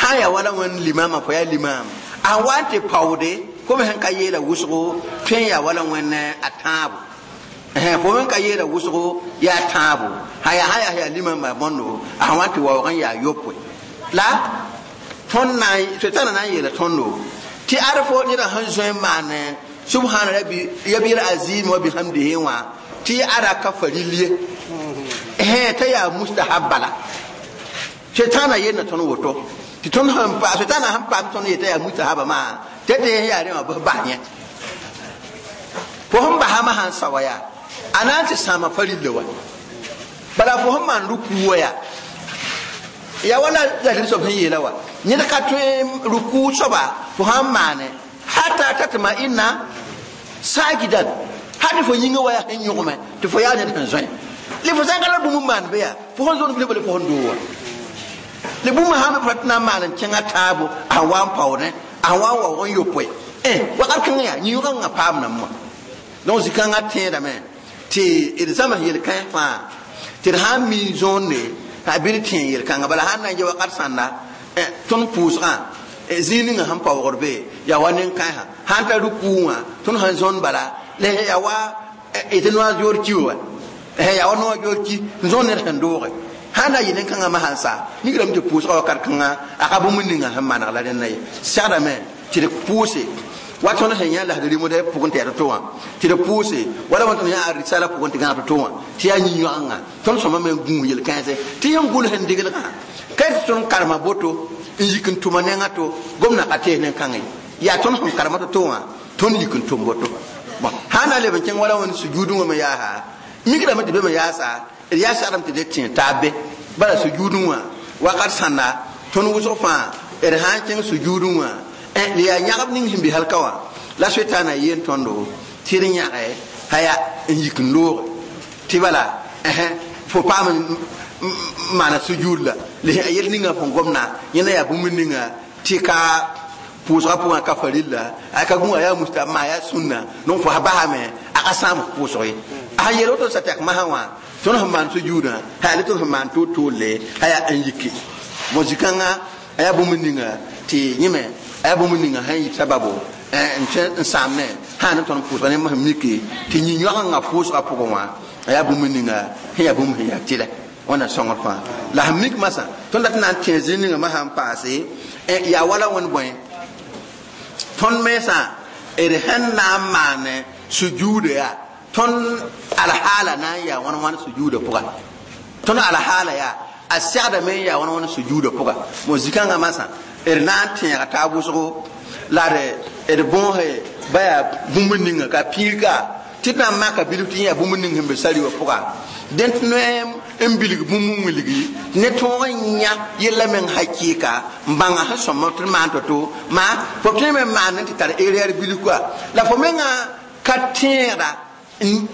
sã n yaa wala wẽnd limama fo yaa limam a wa n tɩ paoode fo me sẽn ka yeela wʋsgo tõe n yaa wala wẽnd a tãabo fo me ka yeela wʋsgo yaa tãabo sã yaa yaa limama bõndo a wa n tɩ waoog n yaa yopoe la tõnd na sʋtãna na n yeela tõndo tɩ ad fo neda sẽn zoe n maan subhana rabiyal azim wa bihamdihi wã tɩ ada ka faril ye t'a yaa mustahab bala sʋtãna yeelna tõnd woto tɩ tõnd sẽn pa sʋtãna sẽn paam tõnd yetã yaa mustahaba maa tɩ tɩ yaa rẽ wã bs bas yẽ fo sẽn basã sãn sa wa yaa a na n tɩ sãama farilla wa bala fo sẽn maan ruku wa yaa ya wala la soab sẽn yeela wa ned ka tõe ruku soaba fo sãn maane hata tatma'inna sajidan hadi fo yĩngã wa yaa sẽn yõgme tɩ fo yaa ned sẽn zoe le fo sã n ka la bũmb n maan be yaa fo sẽn zõnd bɩ fo sẽn doog wa le bũmb sã n be tɩ na n maan n kẽngã taabo a wa n paoodẽ a wa n waoog n yopoe wakat kãngã yaa yĩngã paam nam wã donc zĩ-kãngã tẽedame tɩ d zãms yel-kãens fãa tɩ d sã n mi zõonde a bɩ d tẽ yel-kãngã bala sãn na n yɛ wakat sãnda tõnd pʋʋsgã zĩig ninga sẽn paoogd be yaa wa nen-kãensã sãn ta rukuu wã tõnd sẽn zõnd bala la yaa wa tɩ noa joor ki wa yaa wa noa joor ki n zõnd ned sẽn dooge sãn na yɩ nen-kãngã ma sãn sa migrame tɩ pʋʋsgã wakat kãngã a ka bũmb ninga sẽn maneg la rẽnda ye segdame tɩ d pʋʋse wa tõnd sẽn yã lasd rɩmd pʋgẽ tɩ yaa to wã tɩ d pʋʋse wala wa tõnd yã a risala pʋgẽ tɩ gãag to wã tɩ yaa yĩ-yõagngã tõnd sõma me gũus yel-kãense tɩ yẽn gʋls n degelgã ka tɩ tõnd karema boto n yik n tʋma nengã to gomdã ka tees nen-kãngã ye yaa tõnd sẽn karema to-to wã tõnd yik n tʋm boto bon sã na leb n kẽng wala wẽnd sujuudẽ wã me yaasa migrame tɩ be me yaasa d yaa segdame tɩ d tẽ taab be bala sujuudẽ wã wakat sãnda tõnd wʋsg fãa d sã n kẽng sujuudẽ wã d yaa yãgb ning sẽn be halka wã la soetãna yeen tõndo tɩ d yãge haya n yik n looge tɩ bala fo paam n maana sujuud la yel ninga fõn gomna yẽna yaa bũmb ninga tɩ ka pʋʋsgã pʋgã ka farilla a ka gũa yaa mustahab maa yaa sũnna donc fo basame a ka sãam pʋʋsg ye a sẽn yeel woto sa tɛk masã wã tõnd sẽn maan sujuudã haya le tõnd sẽn maan toor-toorle haya n yiki bon zĩ-kãngã a yaa bũmb ninga tɩ yẽme a yaa bũmb ninga sẽn yɩ sababo n sãamne sã Sã n tõnd pʋʋsga ne sẽn mike tɩ yĩn-yõagengã pʋʋsgã pʋgẽ wã a yaa bũmb ninga sẽn yaa bũmb sẽn yaa tɩlɛ wẽnna sõngr fãa la sẽn mik masã tõnd dat n na n tẽ zĩig ninga masã n paase yaa wala wẽnd bõe tõnd mensã d sẽn na n maan sujuuda yaa tõnd alhaala na n yaa wãn wãn sujuuda pʋga tõnd alhaala yaa a segdame n yaa wãn wãn sujuuda pʋga mo zikãngã masã d na n tẽega taab wʋsgo la d bõose ba yaa bũmb ninga ka pĩig ka tɩ d na n maka bilf tɩ yẽ yaa bũmb ning sẽn be sari wã pʋga dẽn tɩ noe n bilg bũmb n wilgi ne tõog n yã yella meng hakɩɩka n bãnga sẽn sõm tɩ d maan to-to maa fo tõe me n maan tɩ tar erreur bilf koa la fo menga ka tẽegda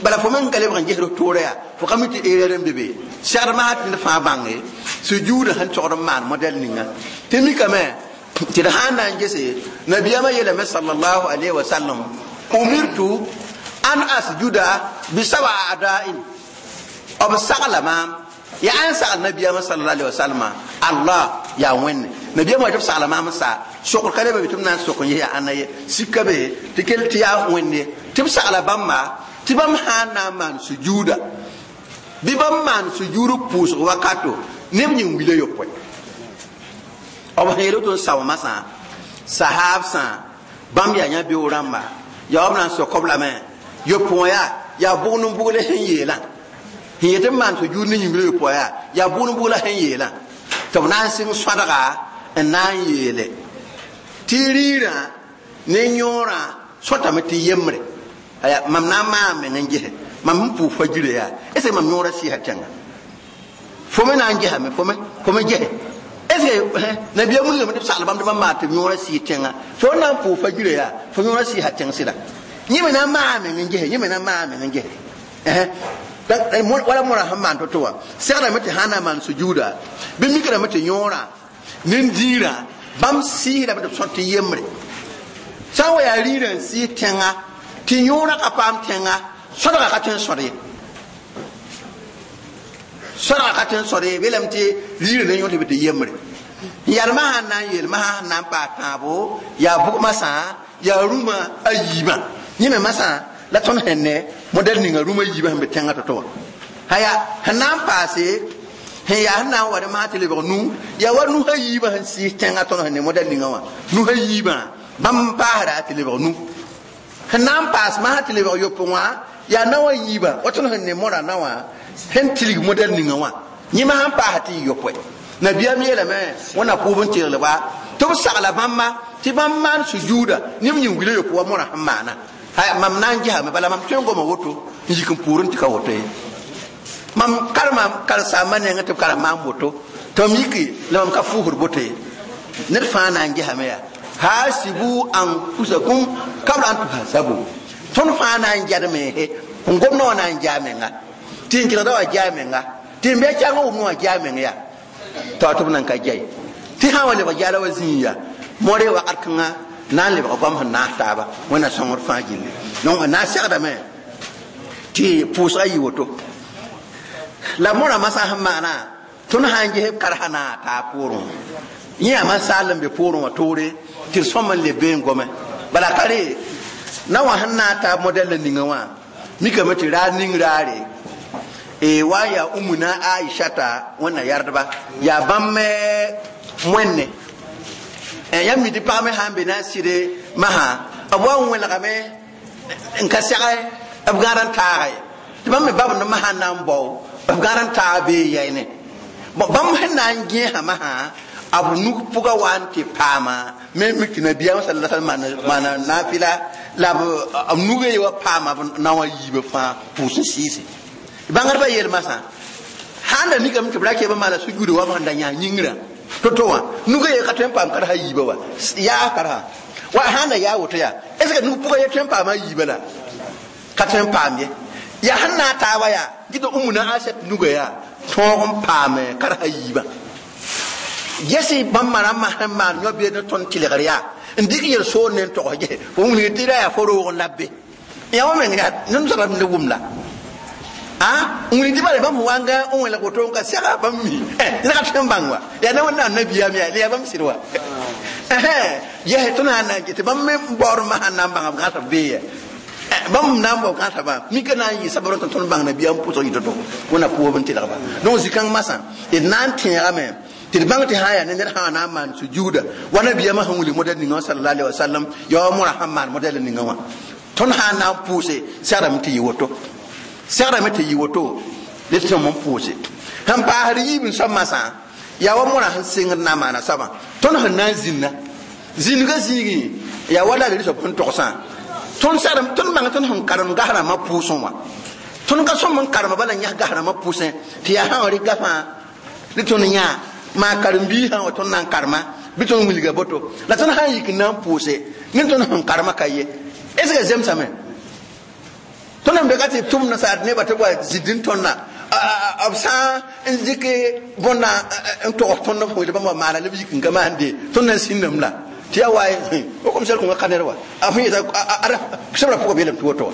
bala fo meng ka lebg n gesd toora yaa fo ka mi tɩ erreur n be be segd masã tɩ ned fãa bãnge sujuudã sẽn togd n maan modɛl ninga tɩ mikame tɩ d sã n na n gese nabiyaamã yeelame sallallahu alayhi wa sallam umirtu an asjuda bi sab'a a'da'in b sagla maam yaa n sagl nabiyaamã sallallahu alayhi wa sallam allah yaa wẽnne nabiyaamã wa tɩ b sagla maam n sa sokr ka leba be tɩ b na n sok n yaa ãnna ye sika be tɩ kell tɩ yaa wẽnde tɩ b sagla bãmba tɩ bãmb sã n na n maan sujuuda bɩ bãmb maan sujuud pʋʋsg wakato neb yĩng wila yopoe b sẽn yeel woto n sao masã sahaabsã bãmb yaa yã beoog rãmba yaa b na n sok b lame yopoe wã yaa bʋgd n bʋgle sẽn yeelã sẽn yet n maan sujuud ne yĩngr yopoe yaa yaa bʋgd n bʋgla sẽn yeelã tɩ b na n sɩng sõadga n na n yeele tɩ riirã ne yõorã sõtame tɩ yembre aya mam na n maan meng n gese mam sẽn pʋʋg fajirã yaa est ce que mam yõorã sɩɩsa tẽnga fo me na n gesame fo me gese est ce que nabiyaam wilgame tɩ b sagl bãmb tɩ bãmb maan tɩ yõorã sɩɩ tẽnga fo na n pʋʋg fajirã yaa fo yõorã sɩɩsa tẽng sɩda yẽ me na n maa meng n gese yẽ me na n maa meng n gese wala mõra sẽn maan to-to wã segdame tɩ sã n na n maan sujuuda bɩ mikrame tɩ yõorã nin-diirã bãmb sɩɩsdame tɩ b sõt tɩ yembre sã n wa yaa riirã n sɩɩs tẽnga tɩ yõorã ka paam tẽnga sõdga ka tõe n sõd ye sõdga ka tõe n sõd ye beelame tɩ riirã ne yõ tɩ bɩ tɩ yembre n yalmã sãn na n yeel masã sẽn na n paas tãabo yaa bʋg masã yaa rũmã a yiibã yẽ me masã la tõnd sẽn ne modɛl ninga rũmã yiibã sẽn be tẽngã to-to wã aya sẽn na n paase sẽn yaa sẽn na n wa dẽ masã tɩ lebg nu yaa wa nusã yiibã sẽn sɩɩs tẽngã tõnd sẽn ne modɛl ninga wã nusã yiibã bãmb paasda tɩ lebg nu sẽn na n paas masã tɩ lebg yopoe wã yaa naowã yiibã wa tõnd sẽn ne mõra naowã sẽn tilg modɛl ninga wã yẽ masã n paasa tɩ yɩ yopoe nabiyaam yeelame wẽnna pʋʋb n teglba tɩ b sagla bãmba tɩ bãmb maan sujuuda neb yĩng wila yopoe wa mõrã sẽn maana mam na n gesame bala mam tõe n goma woto n yik n pʋʋrẽ tɩ ka woto ye mam karema karen-saambã nengẽ tɩ b karem maam woto tɩ mam yiki la mam ka fʋʋsd boto ye ned fãa na n gesame yaa hasibu anfusakum kabla an tuhasabu tõnd fãa na n jadme n gomdã wã na n jaa menga tɩ n kelgda wã jaa menga tɩ n bɩa kɛang wʋmdã wã jaa meng yaa tɩ tɩ b nan ka jai tɩ sã n wa lebg jaala wa zĩig yaa moore wakat kãngã na n lebg goam sẽn naas taaba wẽnna sõngr fãa gilli donc na n segdame tɩ pʋʋsga yɩ woto la mõra masã sẽn maana tõnd sã n ges b karsa na taa poorẽ yẽ yaa man-saal n be poorẽ wã toore tɩ d sõm n le bee n gome bala ka re na wã sẽn na n taa modɛl la ninga wã mikame tɩ raar ning raare wa yaa umuna aishata wẽnna yardba yaa bãmb wẽnne yãmb mi tɩ pag me sã n be na n sɩde masã b wa n wẽlgame n ka sɛge b gãad n taaga ye tɩ bãmb me babd masã n na n bao b gãad n taag bee yɛyne bãmb sẽn na n gẽesa masã b nug pʋga wa n tɩ paama me mik tɩ nabiyaam sala sallam maana naafɩla la b nugã ye wa paama b naowã yiibã fãa pʋʋs n sɩɩse bãngdbã yeel masã sãn da mikame tɩ b ra kɩ b maana sujuuda wa b sẽn da yãs yĩngrã to-to wã nugã ye ka tõe n paam karsa yiibã wa yaa karsa wa sãn da yaa woto yaa est ce que nug pʋgã ye tõe n paama yiibã la ka tõe n paam ye yaa sẽn na n taaba yaa gɩ tɩ umuna asɛt nugã yaa tõog n paame karsa yiibã gese bãmb rãmbã sẽn maan yõ beed ne tõnd tɩlgr yaa n dɩk yel soor ne n togs gese fo wilg tɩ ra yaa fo roog n la be yã wã meng yaa ned soaba ne wʋm la n wilg tɩ bala bãmb sẽn wa n gã n wẽlg woto n ka sɛga bãmb mi ned ka tõe n bãng wa yaa na wẽnnaam nabiyaam yaa yaa bãmb sɩd wa ges tõnd sã n na n get tɩ bãmb me baood masã n na n bãnga b gãsb bee ya Bãmb na n bao kãsaba mika na n yɩ sabr tɩ tõnd bãng nabiyaam pʋsg yɩ to-to wẽnna pʋʋsb n tɩlgba. Donc zĩ-kãng masã d na n tẽegame tɩ d bãng tɩ sã n yaa ne ned sã na n maan sujuuda wa nabiyaamã sẽn wilg modɛl ninga wã sallallahu alaihi wasallam, yaa wa mõra sẽn maan modɛl ninga wã. Tõnd sã n na n pʋʋse segrame tɩ yɩ woto, segrame tɩ yɩ woto ne tõm n pʋʋse. Sẽn paasd yiib n soab masã yaa wa mõra sẽn sengd na n maana soabã. Tõnd sẽn na n zĩnna zĩnga zĩigẽ yaa wa la a soab sẽn togsã. Tõnd segrame tõnd bãng tõnd sẽn karem gas rãmbã pʋʋsẽ wã, tõnd ka sõm n karema bala yãs gas rãmbã pʋʋsẽ tɩ yaa sã n rɩk gafã ne tõnd yã maa karen-biisã wa tõnd na n karema bɩ tõnd wilga boto la tõnd sã n yik n na n pʋʋse ne tõnd sẽn karema ka ye. Est ce que zemsame tõnd n be ka tɩ tʋm nasaar nebã tɩ wa zĩnd n tõnna b sã n dɩk bõnna n togs tõnd f wẽd bãmb wa maana la b yik n ka maande tõnd na n sĩndame la tɩ yaa wa o kom sɛl kõnga ka ned wa a fõ yeta sebra pʋgã beelame tɩ woto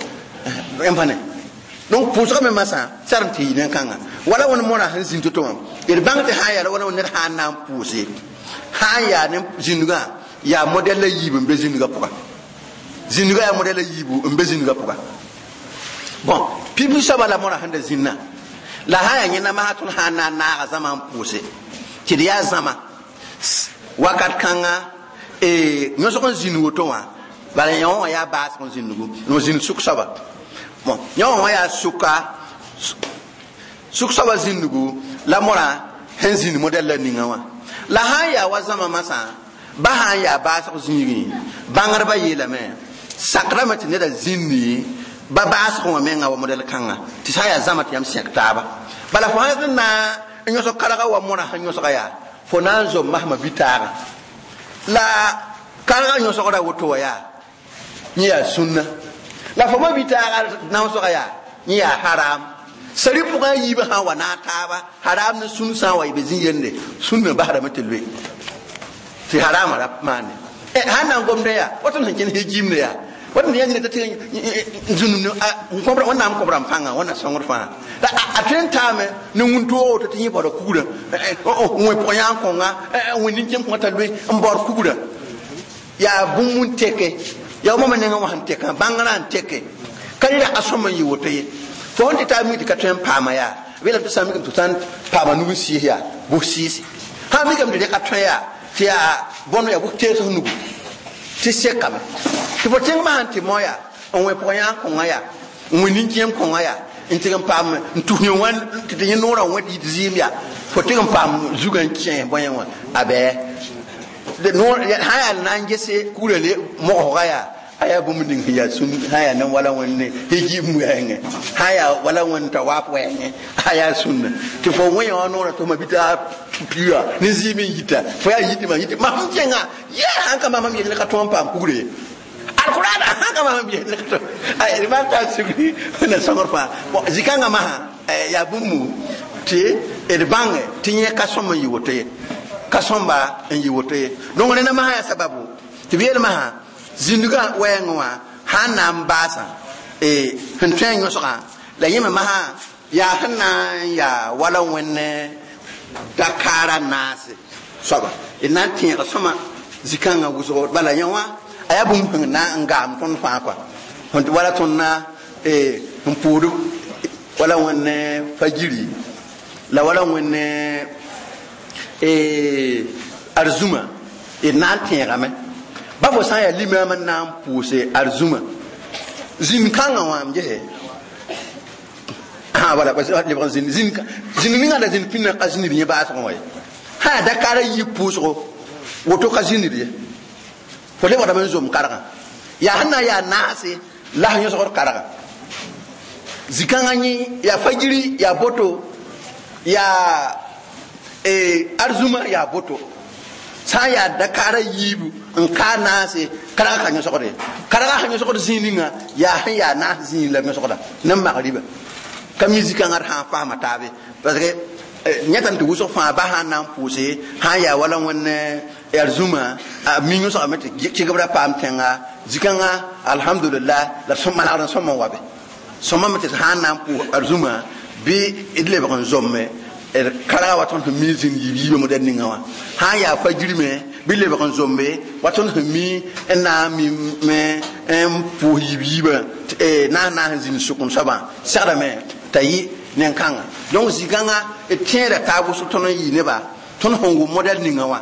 wa yãmb pa ne. Donc pʋʋsgã me masã sarem tɩ yɩ nen-kãnga wala wẽnd mõrã sẽn zĩnd to-to wã d bãng tɩ sã n yaa la wala ned sã n na n pʋʋse sã n yaa ne zĩndgã yaa modɛl la yiib n be zĩndgã pʋga, zĩndgã yaa modɛl la yiibu n be zĩndgã pʋga. Bon pipi soaba la mõrã sẽn da zĩnnã la sã n yaa yẽnda masã tõnd sã n na n naaga zãma n pʋʋse tɩ d yaa zãma wakat kãnga yõsg n zĩnd woto wã bala yõ wã yaa baasg n zĩndgu n zĩnd sʋk soaba. Bon yõ wã yaa sʋka sʋk soaba zĩndgu la mõrã sẽn zĩnd modɛl la ninga wã. La sã n yaa wa zãma masã ba sã n yaa baasg zĩigẽ bãngdbã yeelame sakrame tɩ neda zĩndi ba baasg wã menga wa modɛl kãnga tɩ sã n yaa zãma tɩ yãmb sẽk taaba. Bala fo sã n na n yõsg karga wa mõrã sẽn yõsga yaa fo na n zom masma bitaagã la karga yõsgra woto wa yaa yẽ yaa sũnna la fo ma bitaaga naoosga yaa yẽ yaa haram. Sari pʋgã yiibã sã n wa naag taaba haram ne sũn sã n wa y be zĩ yende sũnna basrame tɩ loe tɩ harama ra maande. Sãn na n gomdã yaa wa tõnd sẽn kẽnd hejimde yaa wa tõnd yã tɩ zũnum wẽnnaam kõbra n pãnga wẽnna sõngd fãa la a tõe n taame ne wũn-toog woto tɩ yẽ baoda kugrã wẽ pʋgã yã n kõnga wẽ nin-kẽem kõnga t'a loe n baood kugrã yaa bũmb n teke yaa mama nengã wã sẽn tekã bãngrã n teke ka rɩ raka sõm n yɩ woto ye. Fo sẽn tɩ taa mi tɩ ka tõe n paama yaa beelame tɩ sã n mikame tɩ sã n paama nug n sɩɩs yaa bʋs sɩɩse sã n mikame tɩ rɩka tõe yaa tɩ yaa bõn yaa bʋs tees nugu tɩ sekame tɩ fo tẽngmã sãn tɩ mao yaa n wẽ pʋgã yã n kõnga yaa n wẽ nin-kẽem kõnga yaa n tɩg n paam n tus yẽ wã tɩ tɩ yẽ noorã wẽ tɩ yit zɩɩm yaa fo tɩg n paam zugã n kẽ bõe wã a bɛɛ sã yaa na n gese kugrã le mogsga yaa a yaa bũmb ning sẽn yaa sũn sã n yaa ne wala wẽnde hijib wɛɛngẽ sã n yaa wala wẽnd tawaaf wɛɛngẽ a yaa sũnna tɩ fo wẽ wã noorã tɩ fo ma bɩ piuga ne zɩɩm n yita fo yaa yitɩ yitɩ mam kẽnga yaa sãn ka mam yel ka tõog n paam kugre ye alqur'an sãn ka mam yel ka tõog mam taa sugri na sõngr fãa. Bon zĩ-kãngã masã yaa bũmb tɩ d bãnge tɩ yẽ ka sõm n yɩ woto ye, ka sõmba n yɩ woto ye. Donc rẽnda masã yaa sababu tɩ b yeel masã zĩndgã wɛɛngẽ wã sã n na n baasã sẽn tõe n yõsgã la yẽ me masã yaa sẽn na n yaa wala wẽnd dakaara naase soaba d na n tẽega sõma zĩ-kãngã wʋsgo bala yẽ wã a yaa bũmb sẽn na n gaam tõnd fãa kɔa wala tõnd na n pʋʋd wala wẽnd fajiri la wala wẽnd arzũma d na n tẽegame ba fo sã n yaa limaam n na n pʋʋse arzũma zĩnd-kãngã wã m gese wala lebg n zĩnd zĩnd ninga la zĩnd pĩndã ka zĩnd yẽ baasgẽ wa ye sã yaa dakaara yik pʋʋsgo woto ka zĩnd ye fo lebgdame n zom kargã yaa sẽn na n yaa naase la sẽn yõsgd kargã zĩ-kãngã yẽ yaa fajiri yaa boto yaa arzũma yaa boto sã n yaa dakaara yiibu n kaa naase karga ka yõsgde karga sẽn yõsgd zĩig ninga yaa sẽn yaa naas zĩig la yõsgda ne magriba ka mi zĩ-kãngã d sã n faama taabe parce que yẽtame tɩ wʋsg fãa ba sã n na n pʋʋse sã n yaa wala wẽnd arzũma a mi yõsgame tɩ kɩgebra paam tẽnga zĩ-kãngã alhamdulillah la manegd n sõm n wa be sõmame tɩ sã n na n pʋʋs arzũma bɩ d lebg n zomme d karga wa tõnd sẽn mi zĩnd yiib yiibã modɛl ninga wã sã n yaa fajirme bɩ lebg n zombe wa tõnd sẽn mi n na n mime n pʋʋs yiib-yiibã naas naas n zĩnd sʋk n soabã segdame t'a yɩ nen-kãnga. Donc zĩ-kãngã d tẽeda taab wʋsg tõnd n yɩ neba tõnd sẽn wʋm modɛl ninga wã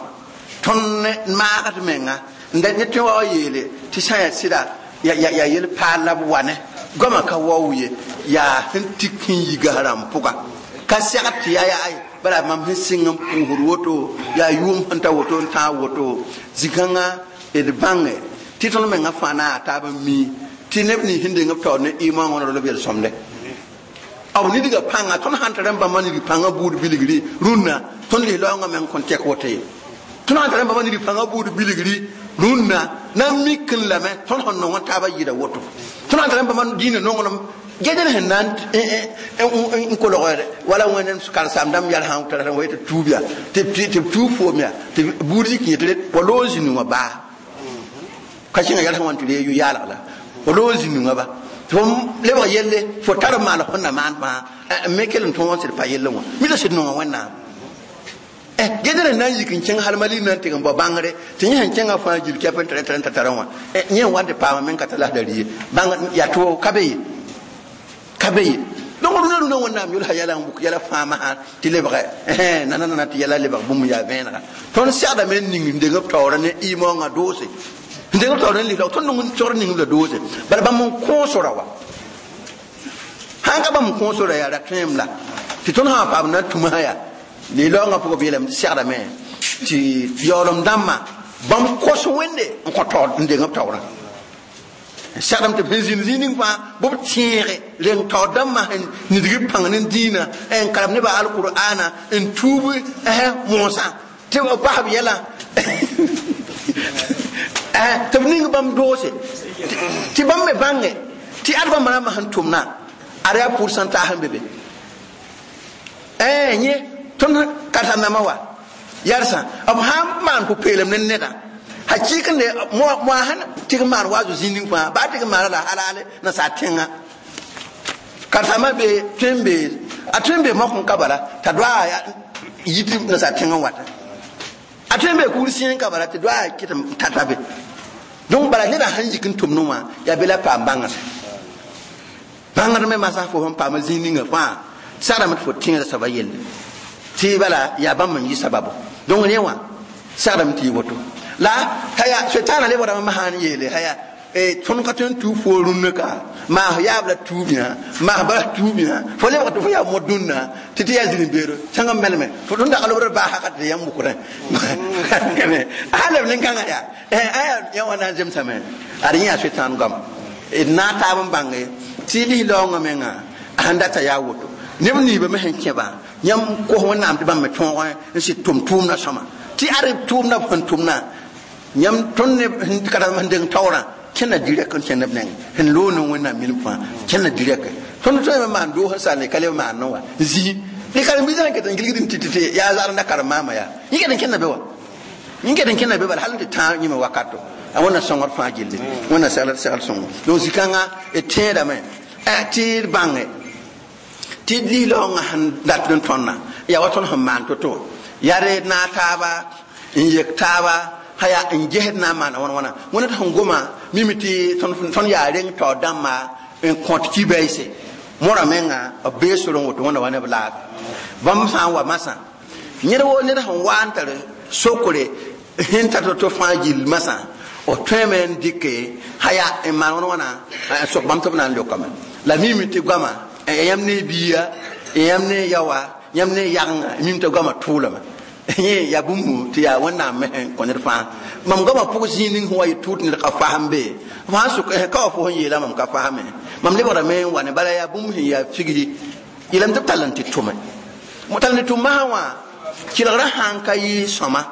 tõnd maagd menga n da ne tõe wa wa yeele tɩ sã yaa sɩda yaa yel paal la b wa ne goamã ka waoog ye yaa sẽn tik sẽn yi gas rãmb pʋga ka segd tɩ yaa yaa bala mam sẽn sɩng n pʋʋsd woto yaa yʋʋm sẽn ta woto n tãag woto. Zĩ-kãngã d bãnge tɩ tõnd mengã fãa na a taab n mi tɩ neb nins sẽn deng b taoor ne ɩ-moongã wã b yel-sõmde b nidgã pãnga tõnd sãn tar n bãmba nidg pãngã buud bilgri rũnnã tõnd lis-laoongã meng kõn tɛk woto ye. Tõnd sãn tar n bãmba nidg pãngã buud bilgri rũnnã na n mik n lame tõnd sẽn nong n taabã yɩɩda woto. Tõnd sãn tar n bãmba dĩinã nonglem ged sẽn na n kolg wala wẽnd karen-saam dãmb yɛl sã tara wa tɩ tuub yaa tɩ b tuub foom yaa tɩ buud zik yẽ tɩ wa loog zĩnu wã baa ka sẽnga yɛl sẽn wa n tɩ ree yʋ-yaalg la wa loog zĩnu wã ba tɩ fo lebg yelle fo tar n maan fõn na maan fãa n me kell n tõog n sɩd pa yelle wã mi la sɩd nonga Wẽnnaam. Ged n na n yik n kẽng hal mali na n tɩg n bao bãngre tɩ yẽ sẽn kẽngã fãa gil kɛp n tara tara n ta tara wã yẽ n wa n tɩ paama meng ka tar lasdar ye bãng yaa tʋ ka be ye ka be ye. Donc rũnã rũnã Wẽnnaam yʋlsa yɛla n wʋk yɛla fãa masã tɩ lebge nanana tɩ yɛla lebg bũmb yaa vẽenega. Tõnd segdame n ning n deng b taoora ne ɩ-maoongã doose n deng b taoora ne lis-laoog tõnd nong sogr ning la doose bala bãmb n kõosora wa sãn ka bãmb n kõosora yaa ra tõem la tɩ tõnd sã paam na n tũmsã yaa lis-laoongã pʋgã b yeelame tɩ segdame tɩ yaoolem dãmbã bãmb kos Wẽnde n kõ taoor n deng b taoorã segdame tɩ b sẽn zĩnd zĩig ning fãa bɩ b tẽege reng taoor dãmbã sẽn nidg b pãng ne dĩinã n karem nebã alqur'ana n tuub moosã tɩ b bas b yɛlã tɩ b ning bãmb doose tɩ bãmb me bãnge tɩ ad bãmb rãmbã sẽn tʋmna ad yaa pʋʋr-sãntaas n be be yẽ tõnd karsa-nambã wa yɛrsã b sã n maan pʋ-peelem ne nedã hakɩɩk ne moa sẽn tɩg n maan waazo zĩig ning fãa baa tɩg n maana la halaale nasaar tẽngã karsãmbã be tõe n be a tõe n be mok n ka bala t'a doa yit nasaar tẽngã wata a tõe n be kugr sẽen ka bala tɩ doa kɩt n tata be. Donc bala neda sãn yik n tʋmdẽ wã yaa be la paam bãngr bãngr me masã fo sẽn paama zĩig ninga fãa sagdame tɩ fo tẽeda soaba yelle tɩ bala yaa bãmb n yɩ sababo. Donc rẽ wã sagdame tɩ yɩ woto la haya setaana lebgrame masã n yeele haya tõnd ka tõe n tuub fo rũnnã ka maas yaab la tuub yã maas bala tuub yã fo lebg tɩ fo yaa mod dũnna tɩ tɩ yaa zĩn-beero sãng n melme fo tõnd dag lobr baa haka tɩ yãmb wʋkrẽ a leb nin-kãngã yaa aya yã wã na n zemsame ad yẽ yaa sʋɩtãan goama d na n taab n bãnge tɩ lis-laoongã menga a sẽn data yaa woto neb niibã me sẽn kẽba yãmb kos Wẽnnaam tɩ bãmb me tõog n sɩd tʋm tʋʋmdã sõma tɩ ad tʋʋmdã b sẽn tʋmnã yãmb tõnd ne karem sẽn deng taoorã kẽnna direct n kẽnd b nengẽ sẽn loog ne Wẽnnaam minim fãa kẽnna direct tõnd tõe me maan doos n sall ka leb maan wa zĩ ne karen-biisã sẽn ket n gilgd n tɩ tɩ yaa zagr n da karen-maamã yaa yẽ ket n kẽnna be wa yẽ ket n kẽnna be bala hal n tɩ tãag yĩmã wakato a Wẽnna sõngr fãa gilli Wẽnna segl segl sõngo. Donc zĩ-kãngã d tẽedame tɩ d bãnge tɩ d lis-laoongã sẽn dat n tõnna yaa wa tõnd sẽn maan to-to yaa d naag taaba n yek taaba haya n gesd na n maana wãn wãna wẽnd sẽn goma mimi tɩ tõnd yaa reng taoor dãmbã n kõt ki-baɩse mora menga b bee sor n woto wẽnda wa ne b laaga bãmb sã n wa masã yẽd woo ned sẽn wa n tar sokre sẽn tar to-to fãa gill masã b tõeme n dɩke haya n maan wãn wãna n sok bãmb tɩ b na n leokame la mimi tɩ goama yãmb ne biiga yãmb ne yaowa yãmb ne yagenga mim tɩ goama tʋʋlame yẽ yaa bũmb tɩ yaa Wẽnnaam me sẽn kõ ned fãa mam goamã pʋg zĩig ning sẽn wa yɩ tʋʋd ned ka fasem be fãa sʋk ka wa fo sẽn yeela mam ka fasme mam lebgrame n wa ne bala yaa bũmb sẽn yaa figsi yeelame tɩ b tall n tɩ tʋme tall n tɩ tʋm masã wã kelgrã sãn ka yɩ sõma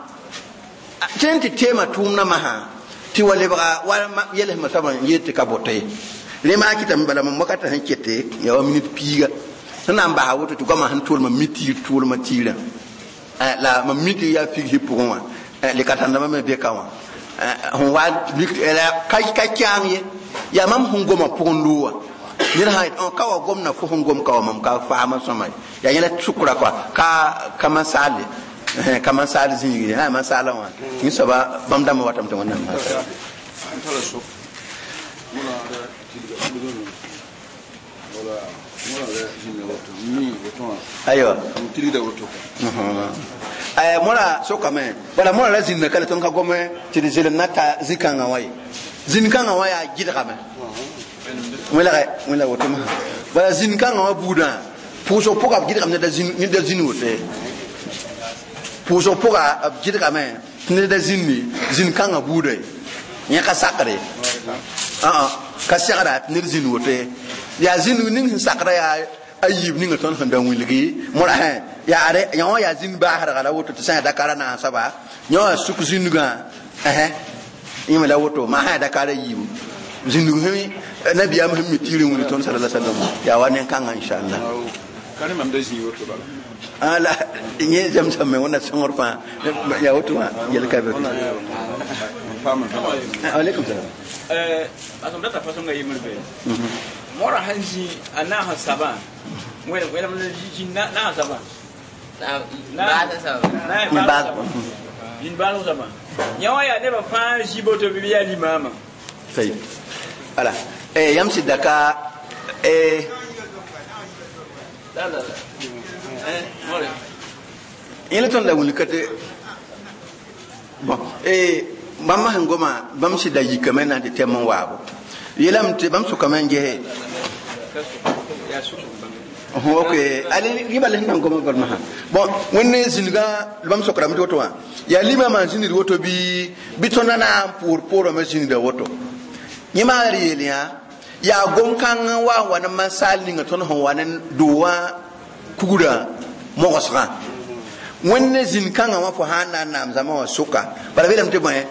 tɩ n tɩ teema tʋʋmdã masã tɩ wa lebga wa yɛlsmã soabã n yeel tɩ ka boto ye rẽ maa kɩtame bala mam wakatã sẽn kete yaa wa minit piiga sẽn na n basa woto tɩ goamã sẽn tʋʋlmã mi tiir tʋʋlmã tiirã la mam mi tɩ yaa figsi pʋgẽ wã lɩka-tãndãmbã me be ka wã sẽn wa ka kãang ye yaa mam sẽn goma pʋgẽ loog wã ned sã ka wa gomna fo sẽn gom ka wa mam ka faama sõma yaa yẽla sʋkra kɔa ka mansaalle ka mansaal zĩigre a mansaalã wã yẽ soaba bãmb dãmbã watame tɩ Wẽnnaam Aywa ay mora sokame wala mora la zinna kala ton ka gome ti di zelem nata zikanga way zinkanga way a gidgame wala wala woto ma wala zinkanga wa buda puso poka gidgame da zin ni da zin wote puso poka gidgame ni da zinni zinkanga buda nya ka sakre a ka sakra ni zin wote ya zin ning sakra ya ayib ninga ton handa wilgi mora he ya are nyawa ya zin ba har gala woto tsa da kara na saba nyawa suk zinuga eh yima la woto ma ha da kara yibu zinugu hemi nabi am hemi tirin wuli ton sallallahu alaihi wasallam ya wannan kan insha Allah
kan mam da zin woto bala
ala nye jam sam me wona sangor fa ya woto ma yel ka be alaikum salam
asam data façon nga yimul be mora hanji ana ha saba wala wala ji na na saba
na saba
na ba in ba saba nyawa ya ne ba fa ji boto bi ya limama
sai ala yamsi daka
la la la more
ile ton la wuli kate bon bãmb sẽn goma bãmb sɩda yikame na tɩ tɛm n waabo yeelame tɩ bãmb sʋkame n gese ok ali rɩba la sẽn na n goma golemsã bon wẽnd zĩnigã bãmb sokrame tɩ woto wã yaa limamã n zĩnd woto bɩ tõnd na n pʋʋr poorame zĩnida woto yẽ maagr yeel yã yaa gom-kãng n wa n wa ne mansaal ninga tõnd sẽn wa ne doowã kugrã mogsgã wẽnd zĩn-kãngã wã fo sã n na n naam zãma wã sʋka bala beelame tɩ bõe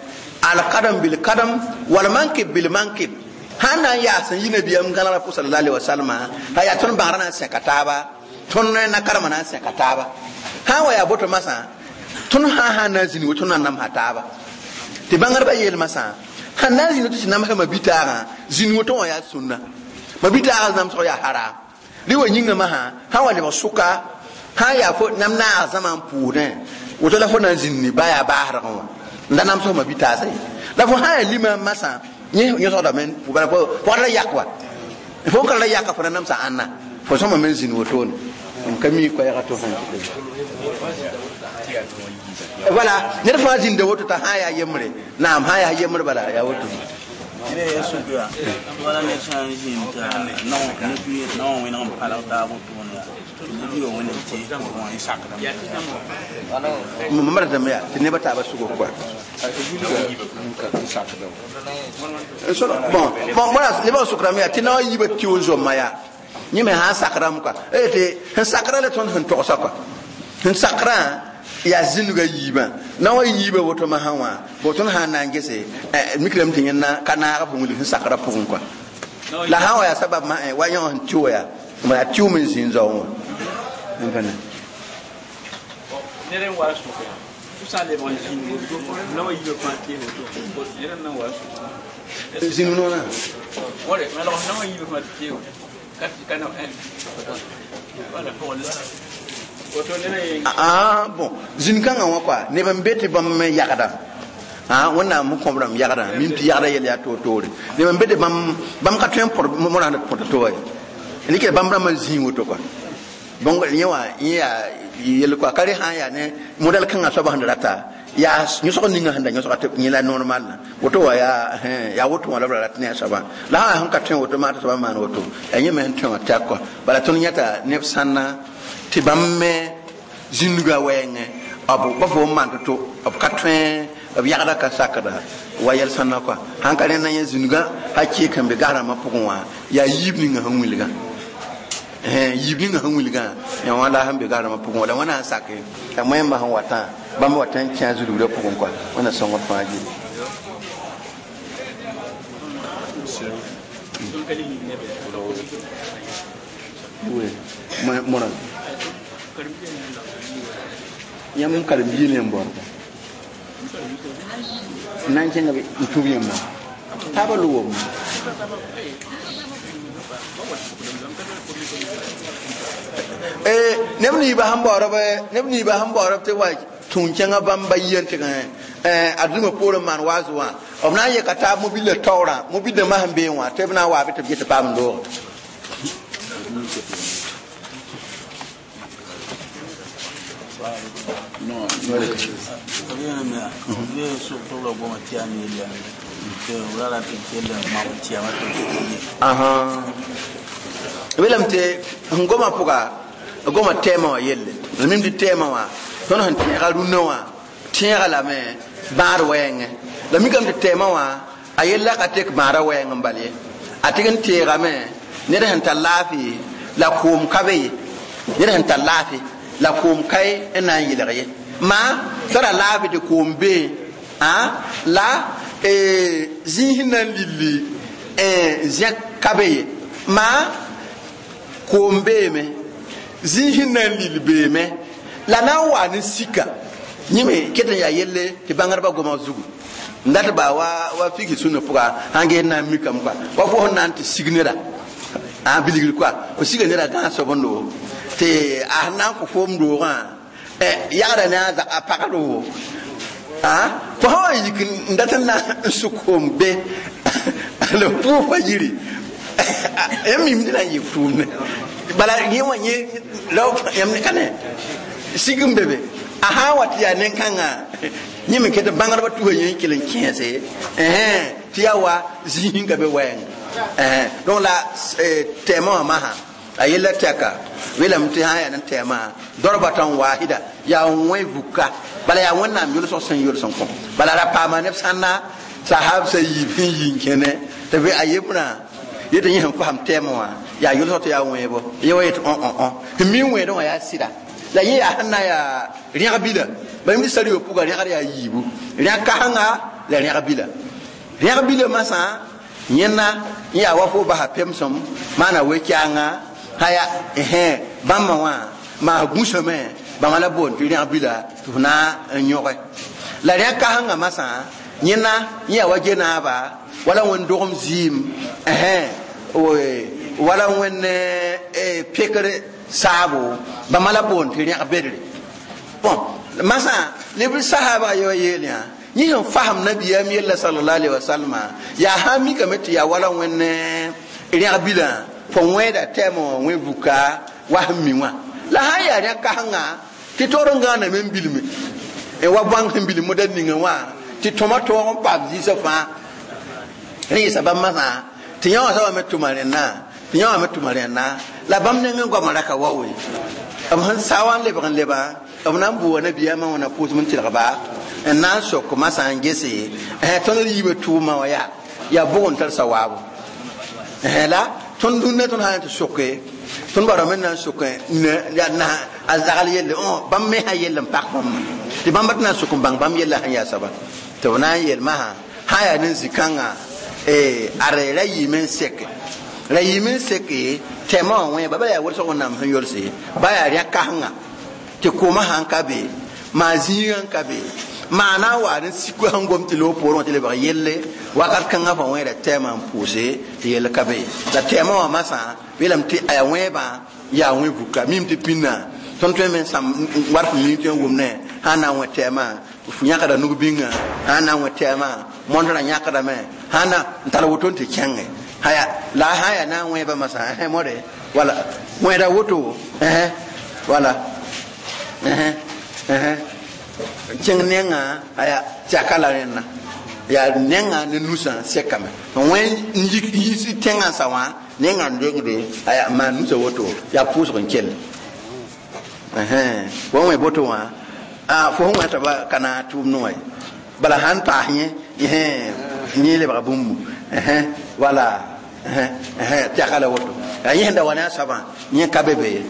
alkadam bil kadam wal mankib bil mankib sãn na n yaas n yi nabiyaam gãnegã pʋg sallallahu alaihi wasallam a yaa tõnd bãgra na n sẽka taaba tõnd na karema na n sẽka taaba sã n wa yaa boto masã tõnd sã sã n na n zĩnd woto na n namsa taaba tɩ bãngrbã yeel masã sãn na n zĩnd woto tɩ namsã mabitaagã zĩnd woto wã yaa sũnna mabitaagã namsg yaa haram rɩ wa yĩnga masã sã wa lebg sʋka sã yaa fo nam naag zãma n pʋʋsdẽ woto la fo na n zĩndi ba yaa baasrgẽ wã n da namsg mabitaasã ye la fo sã yaa lima masã yẽ yõsgdame bala fo la yak wa fo n ka la yaka fo na namsa ãnna fo sõma me n zĩnd wotone n ka mi koɛɛga to sã voilà ned fãa zĩnda woto t'a sã yaa yembre naam sã yaa yembre bala yaa woto
wala ned sã n zĩnd t'a naowã wẽneg n palg taab wotone
mam ratame yaa tɩ nebã taabã sʋgg kɔa bon bon bõna nebã sʋkrame yaa tɩ na wa yiibã tɩ n zomma yaa yẽ me sã n sakrame kɔa tɩ sẽn sakra la tõnd sẽn togsa kɔa sẽn sakrã yaa zĩnga yiibã na wa yiibã woto masã wã bo tõnd sã n na n gese mikrame tɩ yẽnna ka naag f wilg sẽn sakrã pʋgẽ kɔa la sã n wa yaa sabab ma wa yõ sẽn tɩ wa yaa yaa tɩʋm n zĩnd zaoẽ wã
ned n wa sʋka tɩ sã n lebg n zĩnd woto na wa yiibã fãa tee woto ned n na wa sʋka
zĩnd noorã
wala na wa yiibã fãa tɩ tee woto ka na wala pʋgl woto ned n
ah bon zĩn-kãngã wã kɔa neb n be tɩ bãmb me yagda wẽnnaam n kõb rãmb yagdã mim tɩ yagda yɛl yaa toor-toore neb n be tɩ bãmb ka tõe n põd morã põta to wa ye rɩkɛ bãmb rãmbã zĩig woto kɔa bõng yẽ wã yẽ yaa yel kɔa ka re sã n yaa ne modɛl kãngã soabã sẽn rata yaa yõsg ninga sẽn da yõsga tɩ yẽ la normal la woto wa yaa yaa woto wã la b ra rat ne a soabã la sã sẽn ka tõe woto maa t'a soabã maan woto yaa yẽ me sẽn tõe wã tɛk kɔa bala tõnd yãta neb sãnna tɩ bãmb me zĩnnuga wɛɛngẽ b ba fo n maan to-to b ka tõe b yagda ka sakda wa yɛl sãnna kɔa sãn ka rẽnda yẽ zĩnugã a keek n be gas-rãmbã pʋgẽ wã yaa yiib ninga sẽn wilgã yiib ninga sẽn wilgã yaa wã la sẽn be gas-rãmbã pʋgẽ wã la wãna sẽn sake la moẽmbã sẽn watã bãmb wat n kẽ a zulgrã pʋgẽ kɔa wẽnna sõngd fãa gilli morã yãmb n karen-biig ne n baoodba n na n kẽnga n tũb yãmba taabã lʋgame neb niibã sẽn baoodb neb niibã sẽn baoodb tɩ wa tũun kẽngã bãmb ba yia n tɩg adũmã poorẽ maan waaz wã B na n yeka taab mobila taoorã mobil dãmbã sẽn beẽ wã tɩ b na n waa bɩ tɩ b get tɩ paam n dooge. Welame tɩ sẽn goma pʋga goma tɛɛmã wã yelle la mim tɩ tɛɛmã wã tõnd sẽn tẽega rũnnã wã tẽega lame bãad wɛɛngẽ la mikame tɩ tɛɛmã wã a yella ka tek bãada wɛɛng n bal ye a tɩg n teegame ned sẽn tar laafɩ la koom ka be ye ned sẽn tar laafɩ la koom ka ye n na n yelg ye maa tara laafɩ tɩ koom bee la zĩis na n lilli zẽk ka be ye maa koom beeme zĩis na n lil beeme la na n waa ne sika yẽme ket n yaa yelle tɩ bãngdbã goma zugu n dat baa wa fiki sũnã pʋga sãn ges na n mikame kɔa wa fo sẽn na n tɩ sig neda a bilgr kɔa fo siga neda gãag soabendo tɩ a sẽn na n kõ foom doogã yagda ne a pagdo fo sã wa yik n dat n na n sʋk koom be la pʋʋg fa yiri yãmb mim tɩ na n yɩ tʋʋmde bala yẽ wã yẽ yãmb ka ne sig n be be a sã n wa tɩ yaa nen-kãngã yẽ me ket bãngdbã tusa yẽ n kell n kẽese tɩ yaa wa zĩig ka be wɛɛng donc la tɛɛmã wã masã a yella tɛka weelame tɩ sã n yaa ne tɛɛmã darbatan wahida yaa wẽ vuka bala yaa wẽnnaam yʋlsg sẽn yols n kõ bala ra paama neb sãnna sahab sa yiib sẽn yi n kẽne tɩ bɩ a yembrã yetɩ yẽ sẽn fasam tɛɛmã wã yaa yʋlsg tɩ yaa wẽebo ye wa yetɩ õ sẽn mi wẽedẽ wã yaa sɩda la yẽ yaa sẽn na n yaa rẽg bila bala mi sar pʋga rẽgd yaa yiibu rẽg kasengã la rẽg bila rẽg bila masã yẽnna n yaa wa fo basa pemsem maana we-kɛanga haya bãmba wã maa gũsame bãmba la boond tɩ rẽg bila tɩ f na n yõge la rẽg kasengã masã yẽnna n yaa wa genaaba wala wẽnd dogem zɩɩm wala wẽnd pekr saabo bãmba la boond tɩ rẽg bedre bon masã neb sahaba ye wa yeel yã yẽ sẽn fasem nabiyaam yella sallallahu alaihi wasallam yaa sã n mikame tɩ yaa wala wẽnd rẽg bilã fo wẽeda tɛɛmã wã wẽ vuka wa sẽn mi wã la sã n yaa rẽg kasengã tɩ taoor n gãaname n bilme wa bãng sẽn bilm moda ninga wã tɩ tõma tõog n paam zĩisã fãa rẽ yɩsa bãmb masã tɩ yã wã soaba me tʋma rẽnna tɩ yã wã me tʋma rẽnna la bãmb nengẽ goamã ra ka wa we b sẽn sa wã n lebg n leba b na n bʋʋa nabiyaamã wã na pʋʋsem n tɩlgba n na n sok masã n gese tõnd d yiibã tʋʋmã wã yaa bʋg n tar sawaabo la tõnd dũnna tõnd sã n tɩ soke tõnd barame n na n sok a zagl yelle bãmb me sã yell n pak bãmba tɩ bãmba tɩ na n sok n bãng bãmb yella sẽn yaa soaba tɩ b na n yel masã sã yaa ne zĩ-kãngã ad ra yɩɩme n seke ra yɩɩme n seke tɛɛmã wã wẽeba bala yaa wʋlsg wẽnnaam sẽn yolse ba yaa rẽ kasengã tɩ koomã sãn ka be maa zĩigã n ka be maa na n waa ne sik sẽn gom tɩ loog poorẽ wã tɩ lebg yelle wakat kãngã fa wẽeda tɛɛmã n pʋʋse tɩ yell ka be la tɛɛmã wã masã weelame tɩ a yaa wẽebã yaa wẽ vuka mim tɩ pĩnna tõnd tõe me n sãm wat f mim tõe n wʋmne sã n na n wẽ tɛɛmã f yãkda nug-bĩngã sã n na n wẽ tɛɛmã mõndrã yãkdame sã na n tar woto n tɩ kẽnge haya la sã n yaa na n wẽebã masã mõre wala wẽeda woto wala kẽng nengã aya tɩ la rẽnna yaa nengã ne nusã sekame wẽ n yis tẽngã sa wã nengã n dengde aya maan nusã woto yaa pʋʋsg n kell fo wẽ boto wã fo sẽn wẽta ba ka na tʋʋmd wã ye bala sãn paas yẽ yẽ lebga bũmbu wala tɛka la woto yaa yẽ sẽn da wa ne a soabã yẽ ka be be ye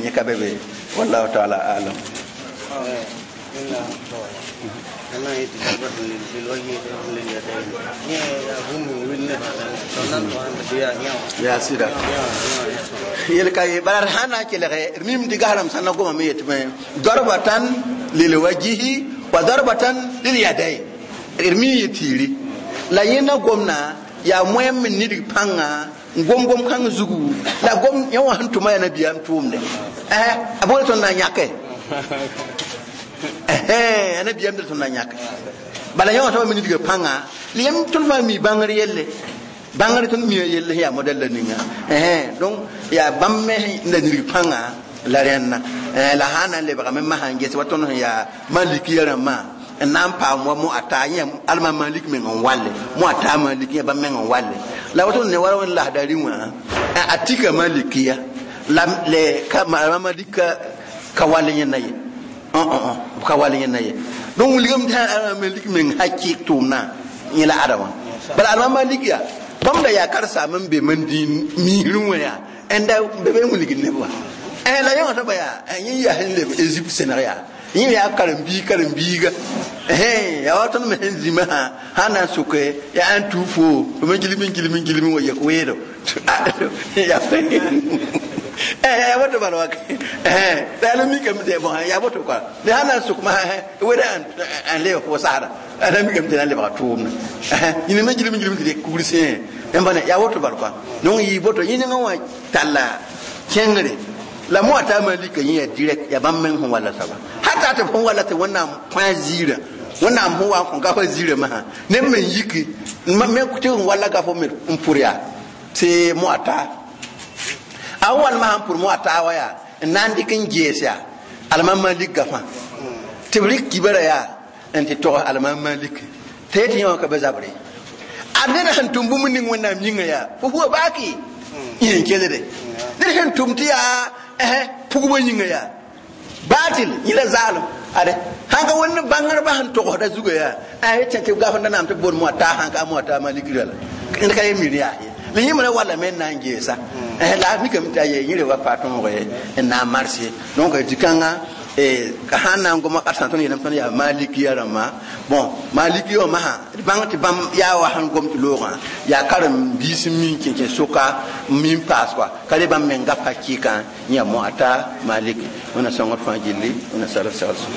yẽ ka be be ye wallahu taala alam. Yaa sɩda yel ka ye bala sã na n kelge mim tɩ gasrãmb sã na goma me yetɩ darbatan lilwajihi wa darbatan lilyadayn d mi yɩ tiiri la yẽnda gomna yaa moẽm n nidg pãnga n gom gom kãng zugu la gom yẽ wã sẽn tʋma yaa nabiyaam tʋʋmde a bõe tõnd na n yãke a nabiyaam d tõnd na n yãke Bala yã wã tõe n nidga pãnga la yãmb tõnd fãa mi bãngr yelle bãngr tõnd mi yelle sẽn yaa modɛl la ninga donc yaa bãmb me la nidg pãnga la rẽnna la sã na n lebgame masã n ges wa tõnd sẽn yaa malikiya rãmbã n na n paam wa mo a taa yẽ alma malik meng n walle mo a taa malik yẽ bãmb meng n walle la woto ne wala wẽn lasdari wã a tika malikiya la le ka alma malik ka wall yẽnda ye ka wall yẽnda ye donc wilgame tɩ alma malik meng hakɩɩk tʋʋmdã yẽ la ada wã bala alma malik yaa bãmb da yaa karsaam n be man dĩin miisrẽ wã yaa ẽnda be be n wilgd neb wã la yã wã soaba yaa yẽ yaa sẽn leb Egypte sẽneg yaa yẽ yaa karen-biiga yaa wa tõnd me sẽn zĩmã sã sã na n soke yaa n tuu fo me gilm gilm gilm wa yek weedo yaa woto bala wake la yaa la mikame tɩ bõn yaa woto koa la sã na n sok masã weda n leb fo saada la mikame tɩ na n lebga tʋʋmdã yĩn me gilm gilm tɩ dɩk kugr sẽe n bãne yaa woto bal koa donc yɩ boto yẽ nengã wã talla kẽngre la mo ata malika yẽ yaa direct yaa bãmb meng sẽn walla soaba hata tɩ fõn walla tɩ wẽnnaam kõ a ziirã wẽnnaam sẽn wa n kõ gafã ziirã masã neb me n yiki me tɩ n walla gafo me n pʋr yaa tɩ mo ata a wall masã n pʋr mo ata wa yaa n na n dɩk n gees yaa alma malik gafã tɩ b rɩk kibara yaa n tɩ tog alma malik tɩ yetɩ yẽ wã ka be zabre a ned sẽn tʋm bũmb ning wẽnnaam yĩnga yaa fo fua baaki yẽ n kelde ned sẽn tʋm tɩ yaa pugba yĩnga yaa baatil yẽ la zaalem ade sãn ka wẽnd bãngrba sẽn togsda zuga yaa a tẽ tɩ gafenda naam tɩ b boond mo taa sãn ka mo taa malikra la ned ka ye mir yaa ye la yẽ me walla me n na n geesa la a mikame tɩ a ye yẽ re wa pa tõog n na n mars ye donc dĩ-kãngã sãn na n goma karsa tõnd yeelame tõnd yaa malikiya rãmbã bon malikiya wã masã d bãng tɩ bãmb yaa wa sẽn gom tɩ loogã yaa karen-biis n min kẽnkẽ soka n min paas koa ka re bãmb meng gap hakɩɩkã yã mo a ta malik wẽna sõngd fãa gilli wẽna sarf segl sõm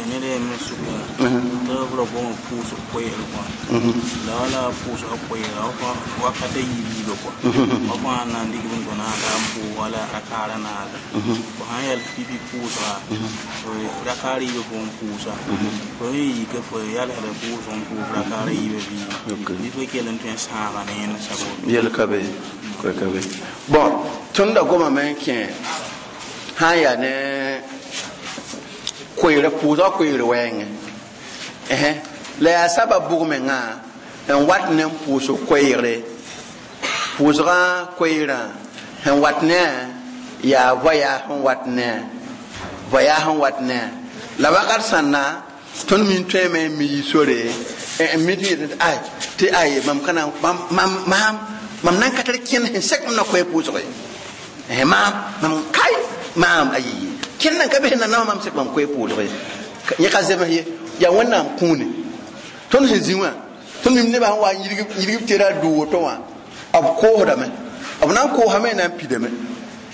ned yem n sʋka tɩ b ra gom pʋʋsg koɛɛg kɔa la wala pʋʋsga koɛɛga wakata yiib yiiba kɔa fa fãa na n dɩk b n tõ naasa n pʋʋg wala rakaara naasa fo sãn yɛl pipi pʋʋsga rakaar yiibã fo n pʋʋsa fo n yika fo yalsda pʋʋsg n pʋʋs rakaara yiibã bɩ bɩ fo kell n tõe n sãaga ne yẽnd sab
yel ka be ka be bon tõnd da gomame n kẽ sã n yaa ne koeerã pʋʋsga koeer wɛɛngẽ la yaa sabab bʋg mengã n wat ne n pʋʋsg koeegre pʋʋsgã koeerã sẽn wat ne a yaa voya sẽn wat ne a voya sẽn wat ne a la wakat sãnna tõnd min tõeme n mi yi sore n mi tɩ ay tɩ ay mam kana mam nan ka tar kẽnd sẽn sɛk m na koɛ pʋʋsge maam mam kai maam ayi kẽnd nan ka bes nanama mam sẽk mam koɛ pʋʋsge yẽ ka zems ye yaa wẽnnaam kũune tõnd sẽn zĩ wã tõnd mim nebã sẽn wa n yirg b tera dʋ woto wã b koosdame b na n koosame n na n pidame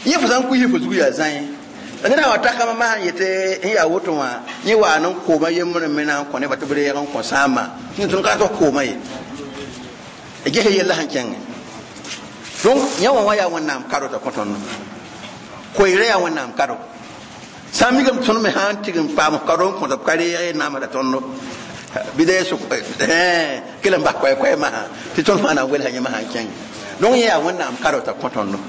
yẽ fo sã n kuis fo zug yaa zãe la ned sã wa takame masã n yetɩ n yaa woto wã yẽ waa n kooma yembre me na n kõ nebã tɩ b reeg n kõ sãamba tõnd ka tɩ kooma ye ges yella sẽn kẽngẽ donc yã wã wã yaa wẽnnaam kado t'a kõ tõndo koeerã yaa wẽnnaam kado sã n mikame tõnd me sã n tɩg n paam kado n kõta b ka reeg namsda tõndo bɩ da sʋk kell n bas koɛ-koɛ masã tɩ tõnd fãa na n welsa yẽ masã n kẽng donc yẽ yaa wẽnnaam kado t'a kõ tõndo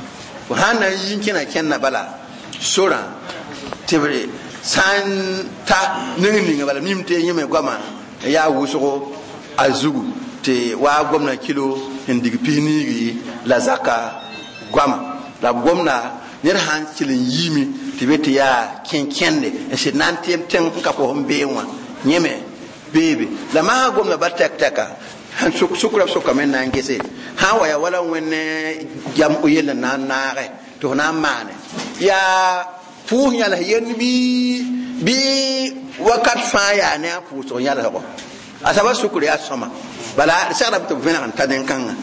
fo sã n na n yi n kẽna kẽnna bala sorã tɩ b sã n ta neng ninga bala mim tɩ yẽ me goama yaa wʋsgo a zugu tɩ waa gomna kilo n dig pis niigi la zaka goama la b gomna ned sã n kell n yiime tɩ be tɩ yaa kẽn-kẽnde n sɩd na n tɩ tẽng n ka fo sẽn bee wã yẽme beebe la masã gomda ba tɛk-tɛka sẽn sʋkra b sʋkame n na n gese sã n wa yaa wala wẽnd jam yell n na n naage tɩ f na n maane yaa pʋʋs yãls yend bɩ wakat fãa yaa ne a pʋʋsg yãlsgo a saba sʋkr yaa sõma bala segrame tɩ b vẽneg n ta nen-kãngã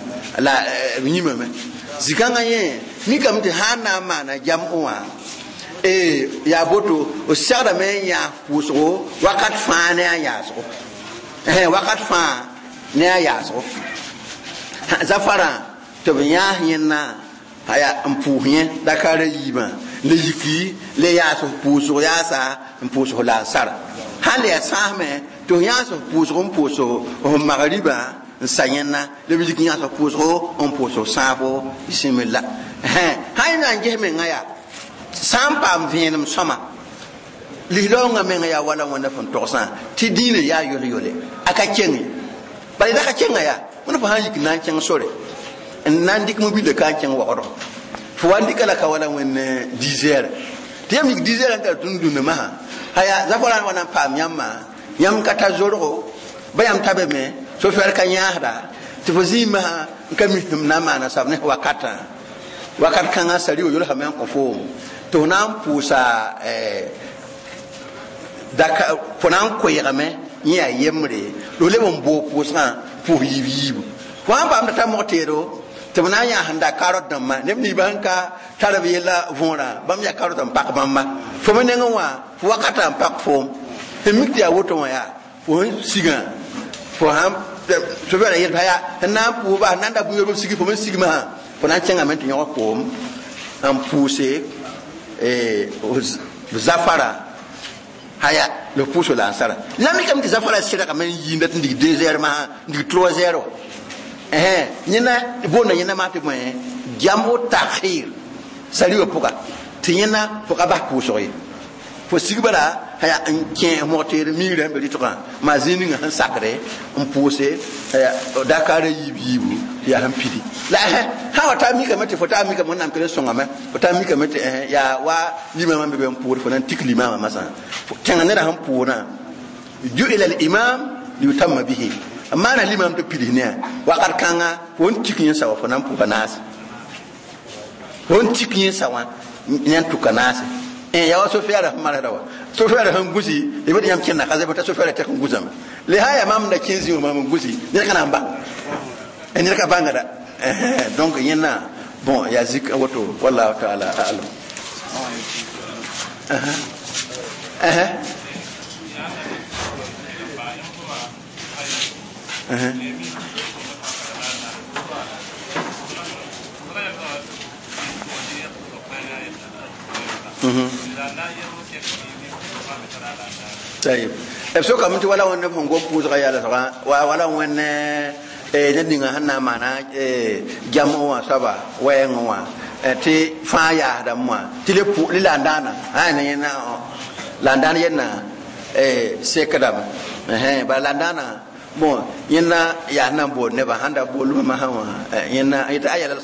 la b yĩmame zĩ-kãngã yẽ mikame tɩ sã n na n maana jam wã yaa boto b segdame n yãas pʋʋsgo wakat fãa ne a yaasgo wakat fãa ne a yaasgo zafarã tɩ b yãas yẽnna aya n pʋʋs yẽ dakaara yiibã la yiki la yaas pʋʋsg yaasa n pʋʋsg la n sara Sãn le yaa sãasme tɩ f yãas f pʋʋsg n pʋʋs f magribã n sa yẽnna la b yik yãas f pʋʋsgo n pʋʋs f sãafo bisimilla. Sã yẽ na n ges menga yaa sã n paam vẽenem sõma lislaoongã menga yaa wala wẽnda fõn togsã tɩ dĩinã yaa yol-yole a ka kenge bala da ka kenga yaa wẽnd fo sã n yik na n kẽng sore n na n dɩk mobile ka n kẽng waoodgo fo wa n dɩka la ka wala wẽnd 10 heures tɩ yãmb yik 10 heures n tar tũnd dũnna masã haya zafara wa na n paam yãmbã yãmb ka tar zorgo ba yãmb ta be me sofɛr ka yãasda tɩ fo zĩig masã n ka mi sẽm na n maana sab ne wakatã wakat kãngã sari wa yolsame n kõ foom tɩ f na n pʋʋsa daka fo na n koeegame yẽ yaa yembre la f leb n boog pʋʋsgã pʋʋs yiib yiibu fo sãn paam t'a ta mog teedo tɩ b na n yãas n da karot dãmbã neb ninsbã sẽn ka tar b yella võorã bãmb yaa karot n pak bãmba fo me nengẽ wã fo wakatã n pak foom sẽn mik tɩ yaa woto wã yaa fo sẽn sigã fo sãn sofɛɛra yel yaa sẽn na n pʋʋs bas n na n da bũn b sigi fo me sigmã fo na n kẽngame tɩ yõg koom n pʋʋse zafara haya le pʋʋso la n sara la mikame tɩ zafara sɩdgame n yiinda tɩ n dig 2 heures masã n dig 3 heures yẽna boonda yẽna maa tɩ bõe jambo takhir sariwa pʋga tɩ yẽna fo ka bas pʋʋsg ye fo sig bala haya n kẽ mog teer migrã sẽn be rɩtgã maa zĩig ninga sẽn sakre n pʋʋse haya dakaarã yiib yiibu tɩ yaa sẽn pidi la sã wa taa mikame tɩ fo taa mikame wẽnnaam kell n sõngame fo taa mikame tɩ yaa wa limamã be be n pʋʋd fo na n tik limaamã masã kẽnga neda sẽn pʋʋdã ju'ila al-imam liyutamma bihi maana limam tɩ pids ne wakat kãnga fo n tik yẽ sawa fo na n pʋga naase fo n tik yẽ sa wã yẽ n tʋka naase yaa wa sofɛɛra sẽn marsda wa sofɛɛra sẽn gũsi b tɩ yãmb kẽnda ka zɛbɛ t'a sofɛɛra tɛk n gũsame le sã yaa maam da kẽ zĩ wã maam n gũsi ned ka na n bãng ned ka bãngda donc yẽnna bon yaa zik woto wallahu taala alam. طيب b sokame tɩ wala wẽnd f sẽn gom pʋʋsgã yaa la wala wẽnd ned ninga sẽn na n maana jam wã soaba wɛɛngẽ wã tɩ fãa yaasdame wã tɩ le la n dãana la n dãan yetna sekdame bala la n dãana bon yẽnna yaa na n bood nebã sãn da boolmã masã wã yẽnna yetɩ a yɛla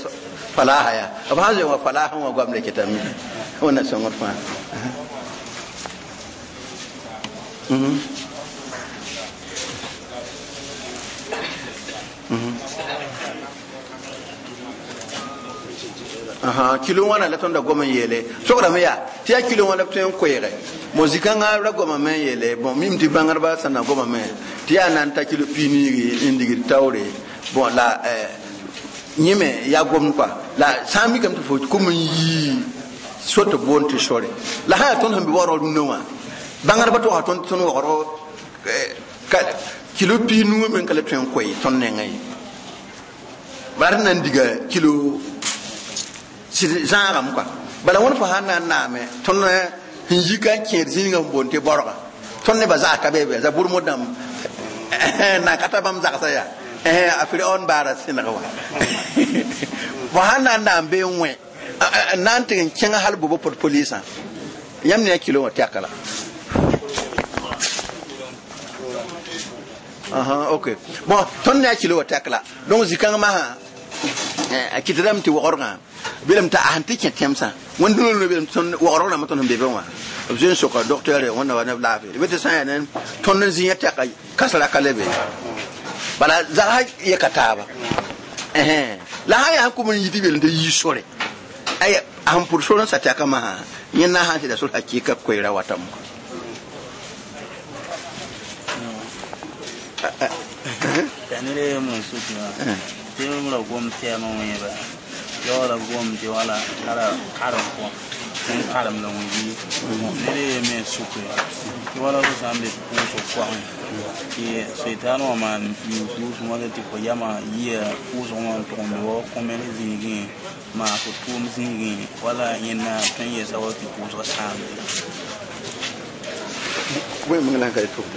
falaasa yaa b sãn zoe wã falaasã wã goam le ketame wẽnna sõngd fãa. Kilo wãna la tõnd da gom n yeele sograme yaa tɩ yaa kilo wã la b tõe n koeege mo zikãngã ra gomame n yeele bon mim tɩ bãngdbã sẽn na gomame tɩ yaa na n ta kilo piig n digd taoore bon la yẽ me yaa gomd kɔa la sã n mikame tɩ fo kum n yii so tɩ boond tɩ sore la sã yaa tõnd sẽn be waoorg rũndã wã bãngdbã tʋgsa tõnd tõnd waoorg kilo piig nu me n ka le tõe n koe tõnd nengã ye bala d na n diga kilo zãagame kɔa bala wẽnd fo sãn na n naame tõnd sẽn yi ka n kẽed zĩigã n boond tɩ borga tõnd nebã zag ka be be zabʋrmd dãmb na ka ta bãmb zagsã yaa a Firaon baara sẽneg wã fo sãn na n naam bee n wẽ n na n tɩg n kẽng hal bobo pot polisã yãmb ne a kilo wã tɛka la. Ok bon tõnd ne a kilo wã tɛk la donc zĩ-kãng masã a kɩtdame tɩ waoodgã belem t'a sẽn tɩ kẽ tẽmsã wẽnd dũnã belem tõnd waoodg rãmbã tõnd sẽn be be wã b zoe n soka docteur wẽnna wa neb laafɩ d be tɩ sã n yaa ne tõnd n zĩ yã tɛka kãsra ka le be bala zagsã yɛka taaba la sã yaa sẽn kum n yit belem tɩ yii sore aya a sẽn pʋd sor n sa tɛka masã yẽnna sã n tɩ da sor hakɩɩka koeera watame.
T'a ned a yembr n suk wã tɩ b ra gom tɛɛmã wẽeba yaoola gom tɩ wala tara karem kɔ n karem la wẽbi ned a yem me n suke tɩ wala fo sã n be pʋʋsg koagẽ tɩ seitan wã maan yʋʋs wãla tɩ fo yama yia pʋʋsg wã n tʋg n be wa kõmel zĩigẽ maa fo tʋʋm zĩigẽ wala yẽnna tõe n yɛsa wa tɩ pʋʋsgã sãamde.
Wẽn meng la n ka tʋm.